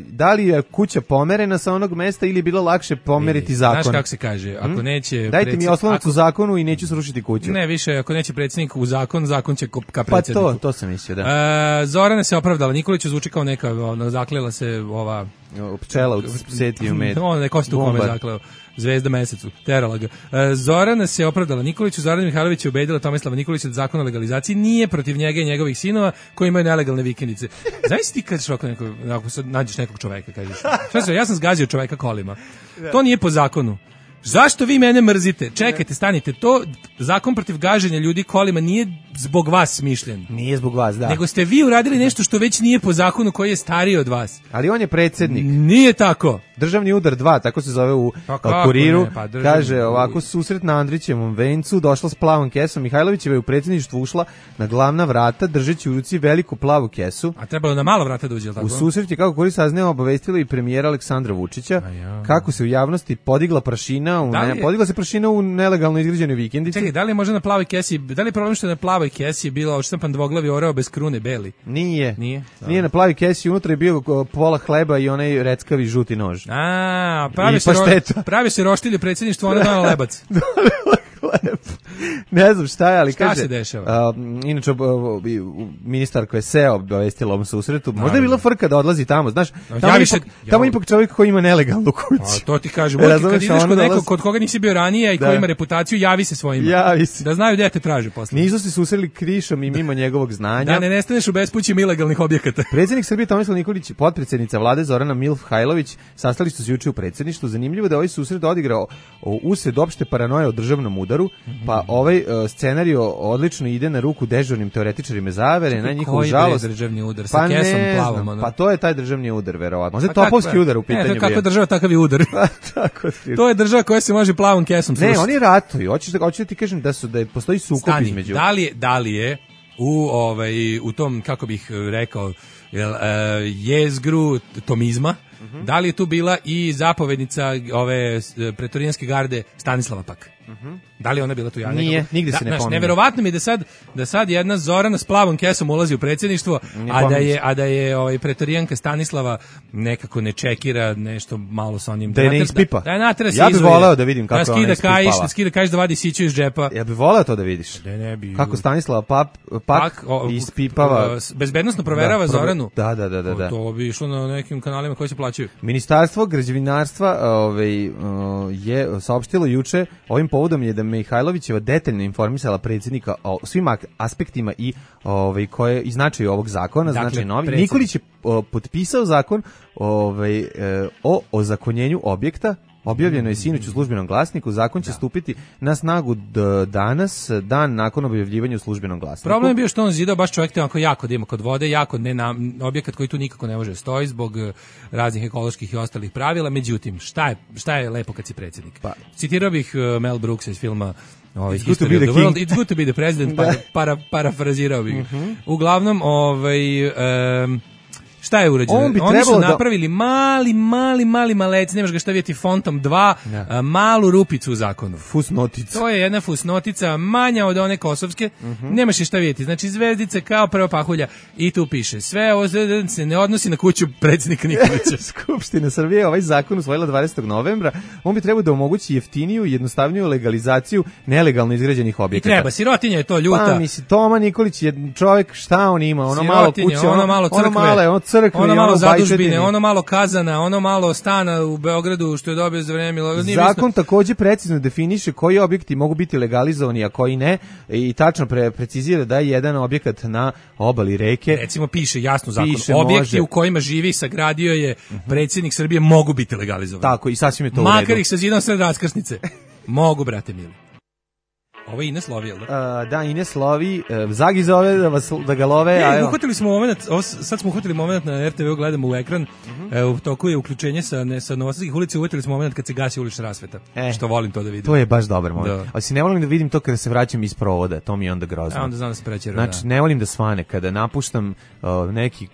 Speaker 5: da li je kuća pomerena sa onog mesta ili je bilo lakše pomeriti zakon?
Speaker 6: Znaš kako se kaže, ako hmm? neće...
Speaker 5: Dajte predsjed... mi oslonac ako... u zakonu i neću srušiti kuću.
Speaker 6: Ne, više, ako neće predsjednik u zakon, zakon će ka predsjedniku.
Speaker 5: Pa to, to sam mislio, da.
Speaker 6: E, Zorana se opravdala, Nikolić zvuči kao neka, ono, zaklela se ova...
Speaker 5: Pčela u seti u med.
Speaker 6: Ono, neko se tu kome zakleo. Zvezda mesecu, terala ga. E, Zorana se opravdala Nikoliću, Zorana Mihajlović je ubedila Tomislava Nikolića da zakon o legalizaciji nije protiv njega i njegovih sinova koji imaju nelegalne vikendice. Znaš ti kad šoko neko, ako sad nađeš nekog čoveka, kažeš, šta se, ja sam zgazio čoveka kolima. To nije po zakonu. Zašto vi mene mrzite? Čekajte, stanite. To zakon protiv gaženja ljudi kolima nije zbog vas smišljen.
Speaker 5: Nije zbog vas, da.
Speaker 6: Nego ste vi uradili nešto što već nije po zakonu koji je stariji od vas.
Speaker 5: Ali on je predsjednik.
Speaker 6: Nije tako.
Speaker 5: Državni udar dva, tako se zove u pa Kuriru. Ne, pa državni... Kaže ovako, susret na Andrićevom vencu, došla s plavom kesom. Mihajlovićeva je u predsjedništvu ušla na glavna vrata, držeći u ruci veliku plavu kesu.
Speaker 6: A trebalo na malo vrata da uđe, tako?
Speaker 5: U susret je, kako Kurir saznao, obavestila i premijera Aleksandra Vučića, ja. Kako se u javnosti podigla prašina, u ne, je... podigla se prašina u nelegalno izgrađenoj vikendici.
Speaker 6: Čekaj, da li je možda na plavoj kesi, da li je problem što je na plavoj kesi bilo odštampan dvoglavi oreo bez krune beli?
Speaker 5: Nije.
Speaker 6: Nije.
Speaker 5: Nije na plavoj kesi, unutra je bio pola hleba i onaj reckavi žuti nož.
Speaker 6: A, pravi se ro... pravi se roštilje predsjedništvo, ona dala lebac.
Speaker 5: Ne znam šta je, ali
Speaker 6: šta
Speaker 5: kaže...
Speaker 6: se dešava?
Speaker 5: Uh, inače, uh, ministar koja je seo obavestila ovom susretu, možda je bila frka da odlazi tamo, znaš, tamo, ja više, ipak, ja... tamo ipak čovjek koji ima nelegalnu kuću.
Speaker 6: A, to ti kažem, kad ideš kod nekog kod koga nisi bio ranije i da. Koji ima reputaciju, javi se svojima.
Speaker 5: Javi se.
Speaker 6: Da znaju gde te traže posle.
Speaker 5: Nisu se susreli krišom i mimo njegovog znanja.
Speaker 6: Da ne nestaneš u bespućima ilegalnih objekata.
Speaker 5: Predsjednik Srbije Tomislav Nikolić i potpredsjednica vlade Zorana Milf-Hajlović sastali su se juče u predsjedništvu. Zanimljivo da ovaj susret odigrao usred opšte paranoje o državnom udaru, pa ovaj uh, scenario odlično ide na ruku dežurnim teoretičarima zavere, na njihovu žalost.
Speaker 6: Koji državni udar sa pa kesom plavom? Ono.
Speaker 5: Pa to je taj državni udar, verovatno. Možda je topovski udar u pitanju.
Speaker 6: Ne, to je kakva država, takav je udar.
Speaker 5: Tako
Speaker 6: to je država koja se može plavom kesom srušiti.
Speaker 5: Ne, oni ratuju. Hoćeš da, hoćeš da ti kažem da, su, da je, postoji sukob
Speaker 6: Stani,
Speaker 5: između.
Speaker 6: Da li, da li je u, ovaj, u tom, kako bih rekao, jel, uh, jezgru tomizma, uh-huh. Da li je tu bila i zapovednica ove pretorijanske garde Stanislava pak? Uh-huh. Da li ona bila tu ja?
Speaker 5: Nije, nigde
Speaker 6: da,
Speaker 5: se ne
Speaker 6: znaš,
Speaker 5: pominje.
Speaker 6: Neverovatno mi je da sad, da sad jedna Zorana s plavom kesom ulazi u predsjedništvo, a da je, a da je ovaj, pretorijanka Stanislava nekako ne čekira nešto malo sa onim.
Speaker 5: Da je ne ispipa.
Speaker 6: Da je natera se
Speaker 5: ja bih voleo da vidim kako
Speaker 6: da
Speaker 5: ona ispipala.
Speaker 6: Da skida kajš da vadi siću iz džepa.
Speaker 5: Ja bih voleo to da vidiš.
Speaker 6: Da ne bi.
Speaker 5: Kako Stanislava pap, pak, pak o, ispipava.
Speaker 6: Bezbednosno proverava
Speaker 5: da,
Speaker 6: Zoranu.
Speaker 5: Da, da, da, da, da.
Speaker 6: To bi išlo na nekim kanalima koji se plaćaju.
Speaker 5: Ministarstvo građevinarstva ovaj, je saopštilo juče, ovim povodom je da Mihajlovićeva detaljno informisala predsjednika o svim aspektima i ovaj koje i značaju ovog zakona, dakle, znači novi. Predsjednik. Nikolić je o, potpisao zakon ovaj, e, o ozakonjenju objekta. Objavljeno je sinoć u službenom glasniku, zakon će da. stupiti na snagu d- danas, dan nakon objavljivanja u službenom glasniku.
Speaker 6: Problem je bio što on zidao baš čovjek te jako da ima kod vode, jako ne na, objekat koji tu nikako ne može stoji zbog raznih ekoloških i ostalih pravila, međutim, šta je, šta je lepo kad si predsjednik? Pa. Citirao bih uh, Mel Brooksa iz filma Ovaj, History of the World, It's good to be the president, para, para, parafrazirao bih. Uh-huh. Uglavnom, ovaj... Um, šta je urađeno? On Oni su napravili da... mali, mali, mali malec, nemaš ga šta vidjeti, fontom dva, ja. malu rupicu u zakonu.
Speaker 5: Fusnotica.
Speaker 6: To je jedna fusnotica, manja od one kosovske, uh-huh. nemaš je šta vidjeti. Znači, zvezdice kao prva pahulja i tu piše, sve ovo se ne odnosi na kuću predsjednika Nikolića.
Speaker 5: Skupština Srbije ovaj zakon usvojila dvadesetog novembra, on bi trebao da omogući jeftiniju i jednostavniju legalizaciju nelegalno izgrađenih objekata.
Speaker 6: I treba, sirotinja je to ljuta.
Speaker 5: Pa, misli, Toma Nikolić je čovjek, šta on ima? Ono malo kuće, ono,
Speaker 6: ono malo crkve.
Speaker 5: Ono male, ono crkve,
Speaker 6: ono malo
Speaker 5: ono
Speaker 6: zadužbine, ono malo kazana, ono malo stana u Beogradu što je dobio za vreme.
Speaker 5: Zakon takođe precizno definiše koji objekti mogu biti legalizovani, a koji ne, i tačno pre, precizira da je jedan objekat na obali reke.
Speaker 6: Recimo piše jasno zakon, piše, objekti može. U kojima živi sagradio je predsjednik Srbije mogu biti legalizovani.
Speaker 5: Tako, i sasvim je to u redu.
Speaker 6: Makar ih sa zidom sred raskrsnice. Mogu, brate mili. Ovo je Ines lovi, jel da?
Speaker 5: Uh, da, Ines lovi, uh, Zagi zove da, vas, da ga love.
Speaker 6: E,
Speaker 5: a
Speaker 6: uhvatili smo moment, ovo, sad smo uhvatili moment na er te ve, gledamo u ekran, uh-huh. e, u toku je uključenje sa, ne, sa Novosadskih ulica, uhvatili smo moment kad se gasi ulična rasveta, e, što volim to da vidim.
Speaker 5: To je baš dobar moment. Da. Ali si ne volim da vidim to kada se vraćam iz provoda, to mi je onda grozno.
Speaker 6: A onda znam da se prećera,
Speaker 5: znači,
Speaker 6: da.
Speaker 5: ne volim da svane, kada napuštam uh, neki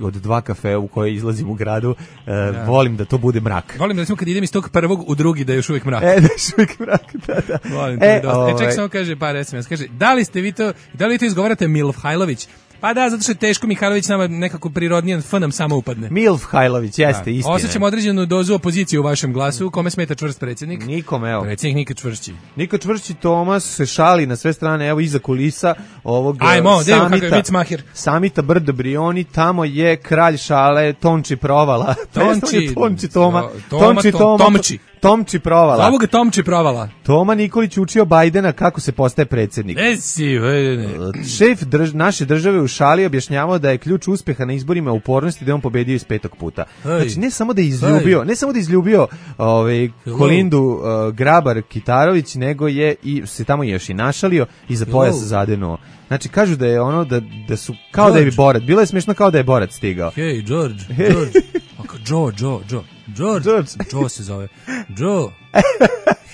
Speaker 5: od dva kafe u koje izlazim u gradu, uh, da. volim da to bude mrak.
Speaker 6: Volim da recimo kad idem iz tog prvog u drugi da je još uvijek mrak.
Speaker 5: E, da je još uvijek mrak, da, da.
Speaker 6: Volim to. E, ovaj... e ček samo kaže par es em es, kaže, da li ste vi to, da li vi to izgovarate Milfhajlović? Pa da, zato što je teško, Mihajlović nama nekako prirodnijan F nam samo upadne.
Speaker 5: Milfhajlović, jeste,
Speaker 6: da.
Speaker 5: istina.
Speaker 6: Osjećam određenu dozu opozicije u vašem glasu, kome smeta čvrst predsjednik?
Speaker 5: Nikom, evo.
Speaker 6: Predsjednik nikad čvršći.
Speaker 5: Nikad čvršći, Tomas se šali na sve strane, evo iza kulisa ovog
Speaker 6: Ajmo,
Speaker 5: samita,
Speaker 6: samita,
Speaker 5: samita Brdo Brioni, tamo je kralj šale Tonči Provala.
Speaker 6: Tonči,
Speaker 5: Tonči Toma,
Speaker 6: to, Tonči Toma,
Speaker 5: Tomči. Tomči Provala.
Speaker 6: Zovu ga Tomči Provala.
Speaker 5: Toma Nikolić učio Bajdena kako se postaje predsjednik.
Speaker 6: Ne si, ne.
Speaker 5: Šef drž, naše države u šali objašnjavao da je ključ uspjeha na izborima upornosti da je on pobedio iz petog puta. Hej. Znači ne samo da je izljubio, Hej. ne samo da je izljubio ovaj Kolindu uh, Grabar Kitarović, nego je i se tamo još i našalio i za pojas zadenuo. Znači kažu da je ono da da su kao George. Da je Borat. Bilo je smiješno kao da je Borat stigao.
Speaker 6: Hej, George, George. Aka Joe, Joe, Joe. George, George. Joe se zove. Joe.
Speaker 5: Hey,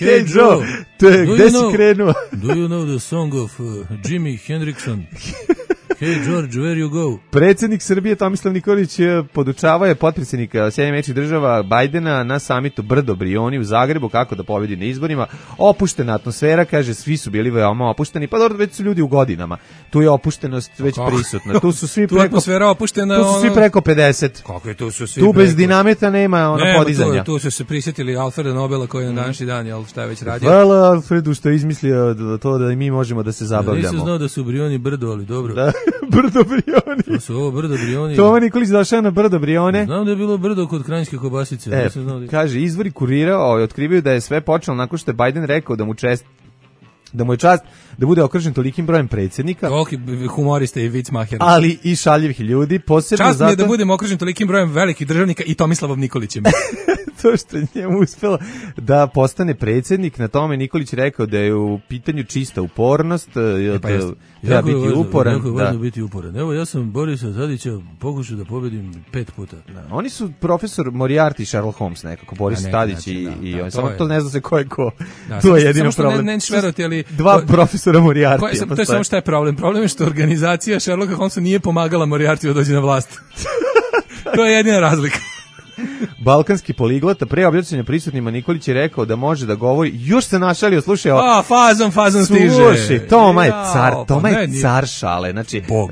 Speaker 5: hey Joe. Joe. Te, gde si know, krenuo?
Speaker 6: Do you know the song of uh, Jimi Hendrixon? Hey George, where you go?
Speaker 5: Predsjednik Srbije Tomislav Nikolić podučavao je potpredsjednika Sjedinjenih Američkih Država Bajdena na samitu Brdo Brioni u Zagrebu kako da pobedi na izborima. Opuštena atmosfera, kaže, svi su bili veoma opušteni. Pa dobro, već su ljudi u godinama. Tu je opuštenost već kako? prisutna. Tu su svi
Speaker 6: tu
Speaker 5: preko
Speaker 6: atmosfera opuštena.
Speaker 5: Tu su svi preko pedeset.
Speaker 6: Kako je tu su svi?
Speaker 5: Tu bez dinamita nema ono
Speaker 6: nema,
Speaker 5: podizanja.
Speaker 6: Tu, tu su se prisjetili Alfreda Nobela koji je na današnji dan, jel šta je već radio.
Speaker 5: Hvala Alfredu što je izmislio to da i mi možemo da se zabavljamo.
Speaker 6: Ja nisam znao da su Brioni brdo, ali dobro.
Speaker 5: Da, Brdo Brioni.
Speaker 6: To su ovo Brdo Brioni.
Speaker 5: Toma Nikolić došao na Brdo Brione.
Speaker 6: Znam da je bilo brdo kod Kranjske Kobasice.
Speaker 5: E, znao da je... Kaže, izvori Kurira ovaj, otkrivaju da je sve počelo nakon što je Bajden rekao da mu čest da mu je čast da bude okružen tolikim brojem predsjednika.
Speaker 6: Toliki humorista i vicmaher.
Speaker 5: Ali i šaljivih ljudi. Posebno
Speaker 6: čast
Speaker 5: zato...
Speaker 6: mi je da budem okružen tolikim brojem velikih državnika i Tomislavom Nikolićem.
Speaker 5: To što je njemu uspelo da postane predsjednik, na tome Nikolić rekao da je u pitanju čista upornost, e, pa treba
Speaker 6: jako
Speaker 5: biti
Speaker 6: važno,
Speaker 5: uporan.
Speaker 6: Jako je važno biti uporan. Evo, ja sam Borisa Tadića pokušao da pobedim pet puta.
Speaker 5: Da. Oni su profesor Moriarty i Sherlock Holmes nekako, Boris ne, Tadić znači, i, da, i da, on. Samo je... to ne zna se ko je ko. Da, to je jedino problem.
Speaker 6: Ne, ne šverovati, ali...
Speaker 5: Dva profesora Moriarty.
Speaker 6: To je samo šta je problem. Problem je što organizacija Sherlocka Holmesa nije pomagala Moriarty da dođe na vlast. To je jedina razlika.
Speaker 5: Balkanski poliglota pre obraćanja prisutnima Nikolić je rekao da može da govori, još se našalio, slušaj,
Speaker 6: a fazom fazom stiže.
Speaker 5: Slušaj, Toma je car, Toma je car šale, znači uh,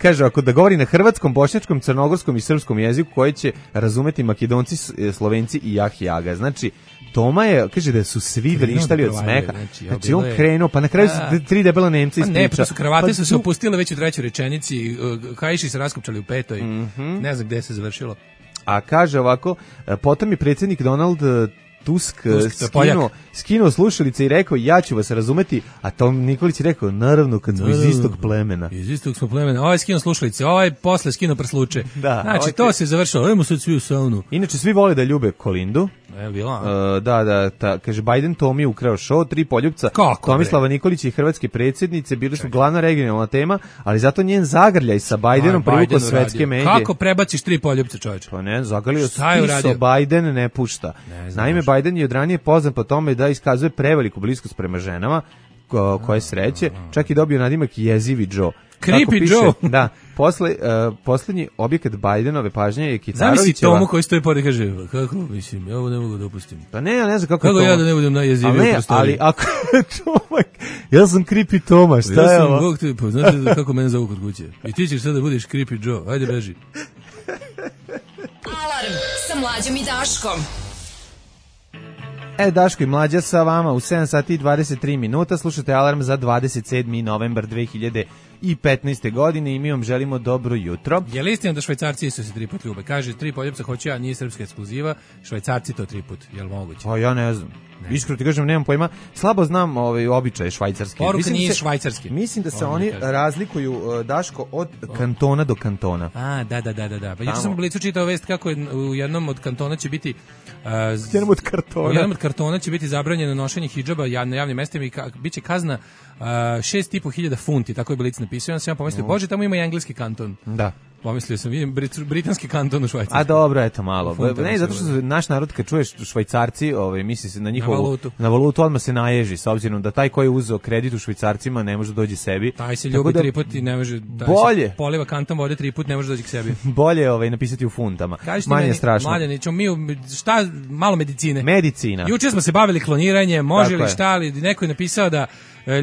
Speaker 5: kaže ako da govori na hrvatskom, bošnjačkom, crnogorskom i srpskom jeziku koji će razumeti Makedonci, Slovenci i Jahjaga. Znači Toma je, kaže da su svi vrištali od smeha. Znači, znači on krenuo, pa na kraju su tri debela Nemca ispriča.
Speaker 6: Ne, pa su kravate pa su se opustile već u trećoj rečenici, kaiši se raskopčali u petoj, mm-hmm. ne znam gde se završilo.
Speaker 5: A kaže ovako, potom je predsjednik Donald Tusk, Tusk skinuo, skinuo slušalice i rekao ja ću vas razumeti, a Tom Nikolić je rekao naravno kad smo iz istog plemena.
Speaker 6: Iz istog smo plemena. Ovaj skinuo slušalice, ovaj posle skinuo prsluče. Da, znači ovaj to se završilo, ajmo sad svi u saunu.
Speaker 5: Inače svi vole da ljube Kolindu.
Speaker 6: E, bila.
Speaker 5: Uh, da, da, ta, kaže Biden Tomi ukrao show, tri poljupca.
Speaker 6: Kako,
Speaker 5: Tomislava Nikolić i hrvatske predsjednice bili su glavna regionalna tema, ali zato njen zagrljaj sa Bidenom privukao svetske medije.
Speaker 6: Kako prebaciš tri poljupca, čoveče?
Speaker 5: Pa ne, zagrljio stiso Biden ne pušta. Ne Naime, možda. Biden je od ranije poznat po tome da iskazuje preveliku bliskost prema ženama, ko, koje sreće, čak i dobio nadimak jezivi Joe.
Speaker 6: Creepy piše, Joe.
Speaker 5: Da, posle, uh, posljednji objekat Bidenove pažnje je Kitarovićeva.
Speaker 6: Zamisli Tomu koji stoji pored i kaže, kako mislim, ja ovo ne mogu da opustim.
Speaker 5: Pa ne, ja ne znam kako,
Speaker 6: kako ja da ne budem najjeziviji u prostoriji.
Speaker 5: Ali ako Toma, ja sam Creepy Toma, šta ja je ovo?
Speaker 6: Bog te, pa znaš da kako mene zovu kod kuće. I ti ćeš sad da budeš Creepy Joe, ajde beži.
Speaker 4: Alarm sa Mlađom i Daškom.
Speaker 5: E, Daško i Mlađa sa vama u sedam sati i dvadeset tri minuta. Slušate Alarm za dvadeset sedmi novembar dve hiljade petnaeste. godine i mi vam želimo dobro jutro.
Speaker 6: Je li istina da Švajcarci su se tri put ljube? Kaže, tri poljupca hoću ja, nije srpska ekskluziva, Švajcarci to tri put, je li moguće?
Speaker 5: Pa ja ne znam. Ne. Iskreno ti kažem, nemam pojma. Slabo znam ovaj običaje švajcarske.
Speaker 6: Poruka
Speaker 5: mislim
Speaker 6: nije
Speaker 5: se,
Speaker 6: švajcarski.
Speaker 5: Mislim da se Ovo oni razlikuju, Daško, od kantona do kantona.
Speaker 6: A, da, da, da, da. Pa juče sam u Blicu čitao vest kako je u jednom od kantona će biti... Uh,
Speaker 5: jednom od kartona.
Speaker 6: U jednom od kartona će biti zabranjeno nošenje hidžaba na javnim mestima i ka, bit će kazna uh, šest i po hiljada funti, tako je Blic napisao. Ja sam ja pomislio, no. Bože, tamo ima i engleski kanton.
Speaker 5: Da.
Speaker 6: Pomislio sam, vidim brit, britanski kanton u Švajcarskoj.
Speaker 5: A dobro, eto malo. Ne, zato što naš narod kad čuješ Švajcarci, ovaj misli se na njihovu na valutu. na valutu, odmah se naježi, s obzirom da taj koji je uzeo kredit u švajcarcima ne može doći sebi.
Speaker 6: Taj se ljubi da, tri put i ne može, taj
Speaker 5: bolje.
Speaker 6: Se poliva kantom vode tri put, ne može doći k sebi.
Speaker 5: Bolje ovaj napisati u funtama. Manje strašno.
Speaker 6: Mlađani, ćemo mi šta malo medicine.
Speaker 5: Medicina.
Speaker 6: Juče smo se bavili kloniranjem, može li šta li, neko je napisao da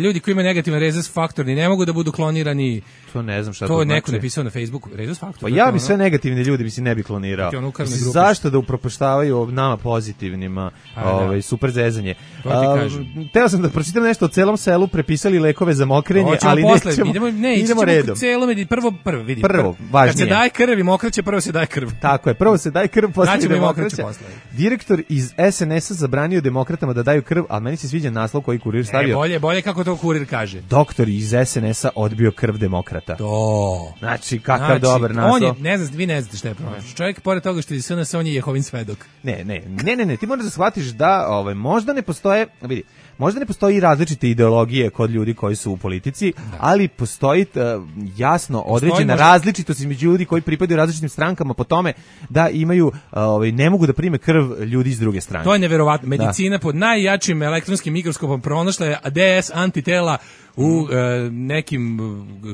Speaker 6: ljudi koji imaju negativan rezus faktor ne mogu da budu klonirani.
Speaker 5: To ne znam šta to,
Speaker 6: to
Speaker 5: znači.
Speaker 6: To je neko napisao na Facebooku, rezus faktor.
Speaker 5: Pa ja bi sve negativne ljudi bi se ne bi klonirao. Mislim, zašto da upropaštavaju nama pozitivnima, a, ovaj, da. super zezanje. Teo sam da pročitam nešto o celom selu, prepisali lekove za mokrenje, Oćemo ali posle, nećemo, idemo, ne, idemo redom.
Speaker 6: Celo, prvo, prvo, vidi,
Speaker 5: prvo, važnije.
Speaker 6: Kad se daje krv i mokraće, prvo se daje krv.
Speaker 5: Tako je, prvo se daje krv, posle se mokraće. Direktor iz es en es-a zabranio demokratama da daju krv, ali meni se sviđa naslov koji Kurir stavio.
Speaker 6: E, bolje, bolje kako to Kurir kaže.
Speaker 5: Doktor iz es en es-a odbio krv demokrata.
Speaker 6: To.
Speaker 5: Znači, kakav znači, dobar naslov.
Speaker 6: On je, ne znam, vi ne znate šta je pronašao. Čovjek, pored toga što je es en es, on je Jehovin svedok.
Speaker 5: Ne, ne, ne, ne, ne, ti moraš da shvatiš da ovaj, možda ne postoje, vidi, možda ne postoji različite ideologije kod ljudi koji su u politici, da. ali postoji uh, jasno određena možda... različitost između ljudi koji pripadaju različitim strankama po tome da imaju, uh, ovaj, ne mogu da prime krv ljudi iz druge strane.
Speaker 6: To je neverovatno. Medicina da. pod najjačim elektronskim mikroskopom pronašla je de es antitela u e, nekim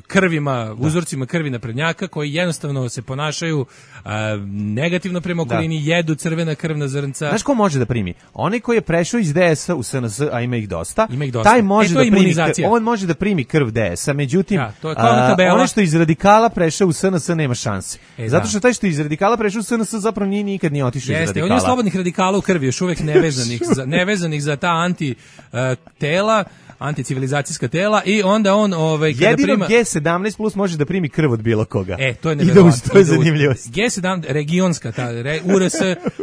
Speaker 6: krvima, uzorcima krvi naprednjaka koji jednostavno se ponašaju e, negativno prema okolini, da. jedu crvena krvna zrnca.
Speaker 5: Znaš ko može da primi? Onaj koji je prešao iz de es-a u es en es, a ima ih dosta,
Speaker 6: ima ih dosta.
Speaker 5: taj može
Speaker 6: e,
Speaker 5: da primi, on može da primi krv de es-a, međutim,
Speaker 6: ja, to je a,
Speaker 5: onaj što iz radikala prešao u es en es nema šanse. E, Zato što taj što iz radikala prešao u es en es zapravo nije nikad nije otišao iz radikala.
Speaker 6: On je slobodnih radikala u krvi, još uvek nevezanih, za, nevezanih za ta anti uh, tela, anticivilizacijska tela i onda on ovaj kada
Speaker 5: jedino
Speaker 6: prima
Speaker 5: ge sedamnaest plus može da primi krv od bilo koga.
Speaker 6: E, to je neverovatno.
Speaker 5: To je zanimljivost.
Speaker 6: ge sedamnaest regionska ta re, u er es,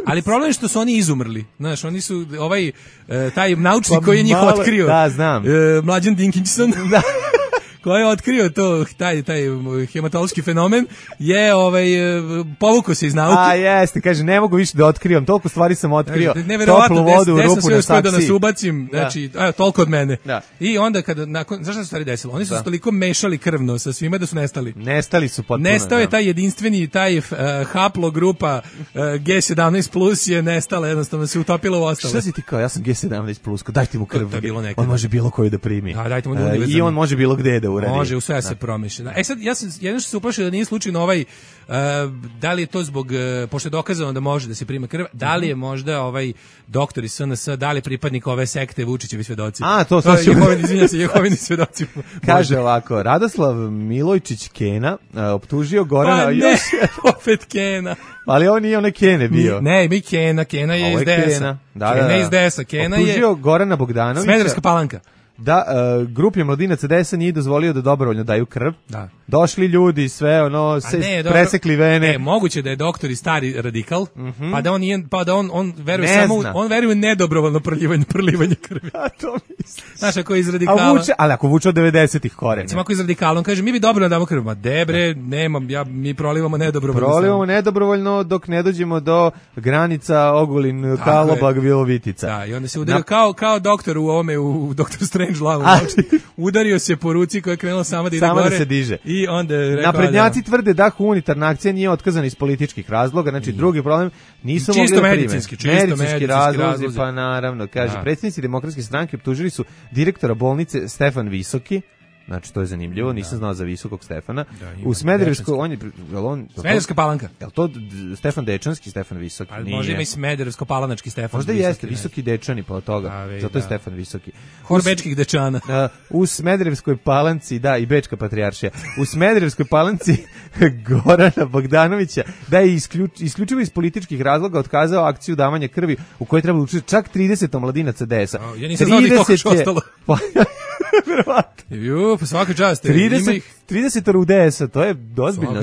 Speaker 6: ali problem je što su oni izumrli. Znaš, oni su ovaj taj naučnik pa koji je njih malo, otkrio.
Speaker 5: Da, znam.
Speaker 6: E, Mlađan Dinkinson. Da. Koji je otkrio to, taj, taj hematološki fenomen, je ovaj, povukao se iz nauke.
Speaker 5: A jeste, kaže, ne mogu više da otkrivam, toliko stvari sam otkrio, toplu vodu u rupu na saksiji.
Speaker 6: Da nas ubacim,
Speaker 5: da.
Speaker 6: znači, evo, toliko od mene.
Speaker 5: Da.
Speaker 6: I onda, kada, nakon, zašto se stvari desilo? Oni su da. se toliko mešali krvno sa svima da su nestali.
Speaker 5: Nestali su potpuno.
Speaker 6: Nestao je taj jedinstveni, taj uh, haplogrupa uh, ge sedamnaest plus je nestala, jednostavno se utopila u ostale.
Speaker 5: Šta si ti kao, ja sam ge sedamnaest plus, dajte mu krv,
Speaker 6: to,
Speaker 5: on može bilo koju da primi.
Speaker 6: Da, dajte mu
Speaker 5: uh, I on može bilo gde da uradi.
Speaker 6: Može, u sve se promišlja. E sad, ja sam, jedno što se uplašio da nije slučajno ovaj, uh, da li je to zbog, uh, pošto je dokazano da može da se prima krv, da li je možda ovaj doktor iz es en es, da li je pripadnik ove sekte Vučićevi svedoci?
Speaker 5: A, to,
Speaker 6: to je Jehovini, izvinja se, Jehovini svedoci.
Speaker 5: Kaže ovako, Radoslav Milojčić Kena uh, optužio Gorana...
Speaker 6: Pa ne, još... opet Kena.
Speaker 5: Ali on nije onaj Kene bio.
Speaker 6: Ne, mi Kena, Kena je ovo iz de es-a.
Speaker 5: Kena, da,
Speaker 6: Kena
Speaker 5: da, da.
Speaker 6: iz de es-a. Kena je...
Speaker 5: Optužio Gorana Bogdanovića.
Speaker 6: Smederevska Palanka.
Speaker 5: Da, uh, grupi mladinaca de es-a nije dozvolio da dobrovoljno daju krv.
Speaker 6: Da.
Speaker 5: Došli ljudi, sve ono, se ne, presekli vene.
Speaker 6: Ne, moguće da je doktor i stari radikal, mm-hmm. pa da on nije, pa da on on veruje
Speaker 5: ne
Speaker 6: samo
Speaker 5: zna.
Speaker 6: on veruje nedobrovoljno prolivanje prolivanje krvi.
Speaker 5: A to misliš.
Speaker 6: Znaš, ako je iz radikala.
Speaker 5: A vuče, ali ako vuče od devedesetih korena.
Speaker 6: Recimo ako je iz radikala, on kaže mi bi dobrovoljno damo krv, ma debre, nemam, ja mi prolivamo nedobrovoljno.
Speaker 5: Prolivamo nedobrovoljno dok ne dođemo do granica Ogulin, Kalobag, Vilovitica.
Speaker 6: Da, i onda se udario Na... kao kao doktor u ovome u doktor Strange Love, znači udario se po ruci koja je krenula sama da ide
Speaker 5: sama
Speaker 6: gore.
Speaker 5: Da se diže.
Speaker 6: I onda je rekao,
Speaker 5: naprednjaci tvrde da humanitarna akcija nije otkazana iz političkih razloga, znači drugi problem nisu
Speaker 6: čisto
Speaker 5: mogli da
Speaker 6: medicinski,
Speaker 5: prime.
Speaker 6: Čisto
Speaker 5: medicinski,
Speaker 6: medicinski
Speaker 5: razlozi,
Speaker 6: razlozi,
Speaker 5: pa naravno, kaže,
Speaker 6: da.
Speaker 5: Predsjednici Demokratske stranke optužili su direktora bolnice Stefan Visoki. Znači, to je zanimljivo, nisam da. znao za Visokog Stefana. Da, u Smederevskoj, on je... On,
Speaker 6: Smederevska Palanka.
Speaker 5: Je li to Stefan Dečanski, Stefan Visoki?
Speaker 6: Ali možda ima i Smederevsko-palanački Stefan
Speaker 5: možda
Speaker 6: Visoki.
Speaker 5: Možda jeste, Visoki Dečani po toga, A, već, zato da. je Stefan Visoki.
Speaker 6: Hor Bečkih Dečana.
Speaker 5: Uh, u Smederevskoj Palanci, da, i Bečka patrijaršija, u Smederevskoj Palanci Gorana Bogdanovića da je isključ, isključivo iz političkih razloga otkazao akciju davanja krvi u kojoj treba učestvovati čak trideset omladinaca de es-a.
Speaker 6: Ja nisam znao da je ostalo.
Speaker 5: Verovatno.
Speaker 6: Ju, pa svaka čast.
Speaker 5: trideset, trideset u D S-a, to je dozbiljno.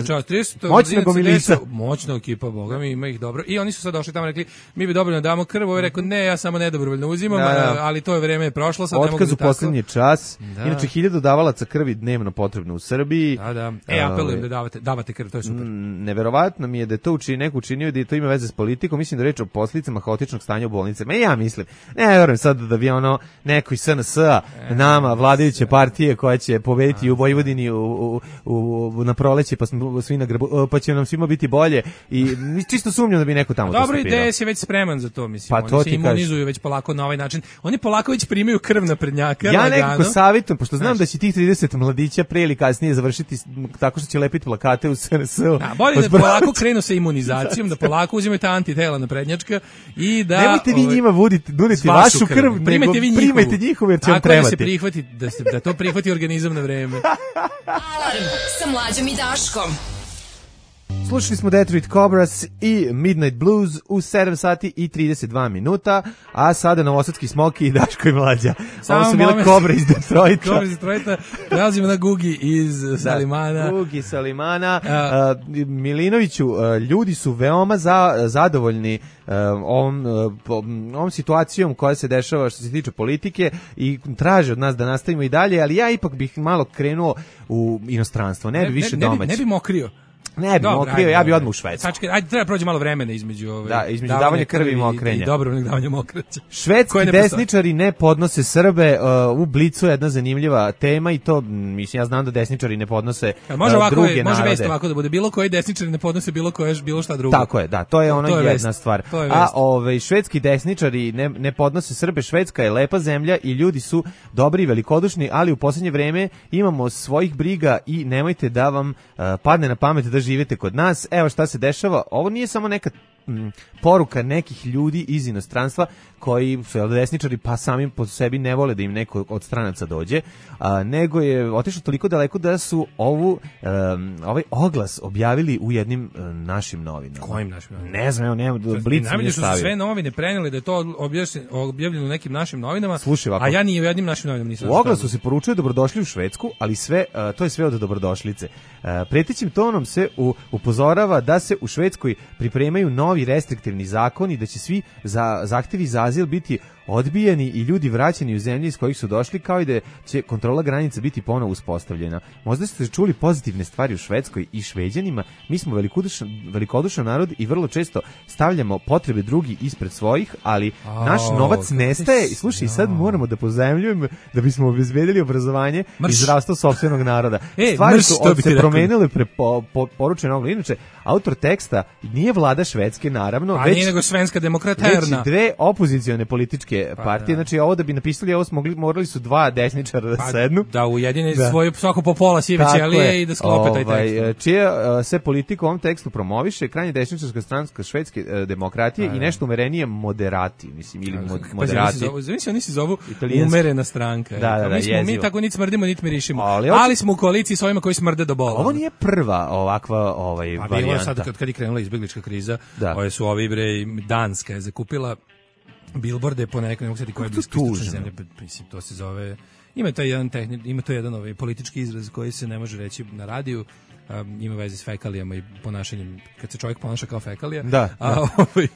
Speaker 5: Moćna gomilica.
Speaker 6: Moćna ekipa, boga mi, ima ih dobro. I oni su sad došli tamo i rekli, mi bi dobrovoljno damo krv, ovo je rekao, ne, ja samo nedobrovoljno uzimam, da, da. Ali to je vreme je prošlo, sad ne mogu
Speaker 5: otkaz u poslednji čas. Da. Inače, hiljadu davalaca krvi dnevno potrebno u Srbiji.
Speaker 6: Da, da. E, apelujem da davate, davate krv, to je super.
Speaker 5: Neverovatno mi je da je to učini, neko učinio da je to ima veze s politikom, mislim da reč o posljedicama haotičnog stanja u bolnicama. E, ja mislim, ne verujem sad da bi ono neko iz S N S-a nama, vladajuće partije koja će pobediti u Vojvodini u, u, u, na proleće, pa, svi na grbu, pa će nam svima biti bolje i čisto sumnjam da bi neko tamo
Speaker 6: dobro, D S je već spreman za to, mislim. Pa to oni se imunizuju kaži. Već polako na ovaj način. Oni polako već primaju krv na prednjaka.
Speaker 5: Ja nekako savjetujem, pošto znam da će tih trideset mladića pre ili kasnije završiti tako što će lepiti plakate u S N S-u.
Speaker 6: Da, bolje da polako krenu sa imunizacijom, da polako uzimaju ta antitela na prednjačka i da...
Speaker 5: Nemojte vi njima voditi, nuditi vašu krv, krv nego primajte njihovu jer će vam trebati.
Speaker 6: Da se prihvati, da, se, da to prihvati organizam na vreme.
Speaker 4: Alarm sa Mlađom i Daškom.
Speaker 5: Slušali smo Detroit Cobras i Midnight Blues u sedam sati i trideset dva minuta, a sada Novosadski Smoki i Daško i Mlađa.
Speaker 6: Samo
Speaker 5: ovo su bile Kobre iz Detroita.
Speaker 6: Kobre iz Detroita, prelazimo na Gugi iz Salimana.
Speaker 5: Da, Gugi iz Salimana. A, uh, Milinoviću, uh, ljudi su veoma za, zadovoljni uh, ovom, uh, ovom situacijom koja se dešava što se tiče politike i traže od nas da nastavimo i dalje, ali ja ipak bih malo krenuo u inostranstvo, ne bi ne, više
Speaker 6: ne,
Speaker 5: domaći.
Speaker 6: Ne bi, ne bi mokrio.
Speaker 5: Ne bi mokrio, ja bi odmah u Švedsku.
Speaker 6: Sačekaj, ajde, treba prođe malo vremena između ove,
Speaker 5: da, između davanja, davanja krvi i mokrenja.
Speaker 6: I, i dobrovoljnog davanja mokraća.
Speaker 5: Švedski ne desničari ne podnose Srbe, uh, u Blicu je jedna zanimljiva tema i to, mislim, ja znam da desničari ne podnose uh,
Speaker 6: može ovako,
Speaker 5: druge
Speaker 6: može
Speaker 5: narode.
Speaker 6: Može vest ovako da bude, bilo koji desničari ne podnose bilo koje, bilo šta drugo.
Speaker 5: Tako je, da, to je ono to je jedna vest. Stvar. A ove, švedski desničari ne, ne podnose Srbe, Švedska je lepa zemlja i ljudi su dobri i velikodušni, ali u poslednje vreme imamo svojih briga i nemojte da vam uh, padne na pamet da živite kod nas. Evo šta se dešava, ovo nije samo neka m, poruka nekih ljudi iz inostranstva koji su desničari pa sami po sebi ne vole da im neko od stranaca dođe, a, nego je otišlo toliko daleko da su ovu, um, ovaj oglas objavili u jednim um, našim novinama.
Speaker 6: Kojim našim novinama?
Speaker 5: Ne znam, evo, nema, Blic nije
Speaker 6: stavio. Su sve novine preneli da je to objavljeno u nekim našim novinama,
Speaker 5: slušaj, ovako,
Speaker 6: a ja ni u jednim našim novinama nisam.
Speaker 5: U oglasu se poručuje dobrodošli u Švedsku, ali sve, uh, to je sve od dobrodošlice. Uh, pretećim tonom se u, upozorava da se u Švedskoj pripremaju novi restriktivni zakoni, da će svi za, zahtevi za azil biti odbijeni i ljudi vraćeni u zemlje iz kojih su došli, kao i da će kontrola granica biti ponovo uspostavljena. Možda ste čuli pozitivne stvari u Švedskoj i Šveđanima. Mi smo velikodušan, velikodušan narod i vrlo često stavljamo potrebe drugi ispred svojih, ali oh, naš novac nestaje. I slušaj, sad moramo da pozajmljujemo da bismo obezbedili obrazovanje Mrš. i zdravstvo sopstvenog naroda. E, Stvari mrš, su od se promenile pre po, po, poručeno ogla. Inače, autor teksta nije vlada Švedske, naravno,
Speaker 6: a
Speaker 5: već,
Speaker 6: nije nego svenska demokraterna.
Speaker 5: Već dve opozicione političke pa, partije, da. Znači ovo da bi napisali ovo smo mogli, morali su dva desničara da pa, sednu.
Speaker 6: Da ujedine da. Svoju svako po pola sive ćelije i da sklope taj ovaj, tekst.
Speaker 5: Čija uh, se politika u ovom tekstu promoviše, krajnje desničarska stranka švedske uh, demokratije a, i nešto umerenije moderati, mislim, ili mod, pa, moderati.
Speaker 6: Znači, oni se zovu umerena stranka.
Speaker 5: Da, da, da,
Speaker 6: mi, smo, mi tako niti smrdimo, niti mirišimo. Ali, ali smo u koaliciji s ovima koji smrde do bola.
Speaker 5: Ovo nije prva ovakva ovaj,
Speaker 6: a
Speaker 5: varijanta.
Speaker 6: Sad kad, kad je krenula izbeglička kriza, ove su ovi bre, Danska je zakupila bilborde po nekoj, ne mogu sjetiti koja je bliskoistočna zemlja, mislim, to se zove, ima to jedan tehni, ima to jedan ovaj politički izraz koji se ne može reći na radiju, um, ima veze s fekalijama i ponašanjem, kad se čovjek ponaša kao fekalija,
Speaker 5: da,
Speaker 6: a,
Speaker 5: da.
Speaker 6: Ovaj,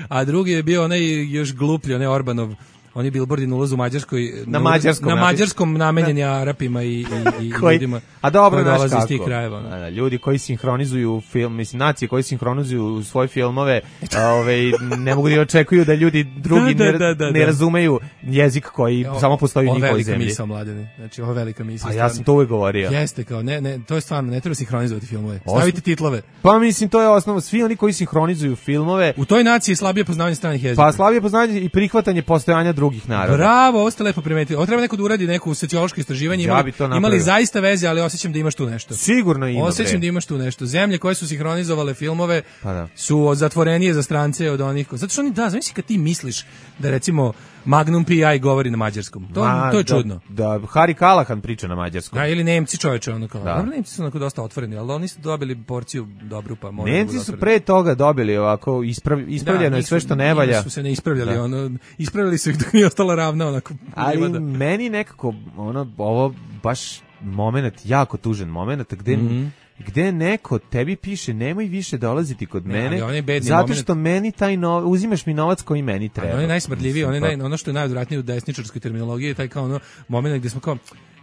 Speaker 6: a drugi je bio onaj još gluplji, onaj Orbanov, oni bilbordi na ulazu u Mađarskoj,
Speaker 5: na mađarskom,
Speaker 6: na mađarskom namenjeni Arapima i, i, i
Speaker 5: koji,
Speaker 6: ljudima
Speaker 5: a dobro,
Speaker 6: koji dolaze iz tih krajeva.
Speaker 5: Da, da, ljudi koji sinhronizuju film, mislim, nacije koji sinhronizuju svoje filmove, ovaj, ne mogu da očekuju da ljudi drugi da, da, da, da, ne, ne razumeju jezik koji o, samo postoji u njihovoj zemlji.
Speaker 6: Velika misao, Mladene. Znači, ovo velika misao.
Speaker 5: A ja sam to uvijek govorio.
Speaker 6: Jeste, kao, ne, ne, to je stvarno, ne treba sinhronizovati filmove. Stavite titlove.
Speaker 5: Pa mislim, to je osnova. Svi oni koji sinhronizuju filmove.
Speaker 6: U toj naciji je slabije poznavanje stranih jezika.
Speaker 5: Pa slabije poznavanje i prihvatanje postojanja drugih naroda.
Speaker 6: Bravo, ovo ste lepo primetili. Ovo treba neko da uradi neku sociološko istraživanje. Imali, ja imali zaista veze, ali osjećam da imaš tu nešto.
Speaker 5: Sigurno ima.
Speaker 6: Osjećam da imaš tu nešto. Zemlje koje su sinhronizovale filmove pa da. su zatvorenije za strance od onih. Zato što oni, da, znači kad ti misliš da recimo Magnum P I govori na mađarskom. To, Ma, to je čudno.
Speaker 5: Da, da, Harry Callahan priča na mađarskom.
Speaker 6: Da, ili Nemci, čoveče, ono kao. Da. Nemci su onako dosta otvoreni, ali oni su dobili porciju dobru, pa možda.
Speaker 5: Nemci su pre toga dobili ovako isprav, ispravljeno da, je sve što ne valja.
Speaker 6: Su se ne ispravljali, da. ono, ispravljali su ih dok nije ostala ravna, onako.
Speaker 5: Ali meni nekako, ono, ovo baš moment, jako tužan moment, gde
Speaker 6: Mhm.
Speaker 5: gde neko tebi piše nemoj više dolaziti kod
Speaker 6: Ne,
Speaker 5: mene
Speaker 6: ali on je bedni
Speaker 5: zato
Speaker 6: moment.
Speaker 5: što meni taj no, uzimaš mi novac koji meni treba.
Speaker 6: On je najsmrdljiviji, on je
Speaker 5: Mislim,
Speaker 6: naj, ono što je najodvratnije u desničarskoj terminologiji je taj kao ono moment gde smo kao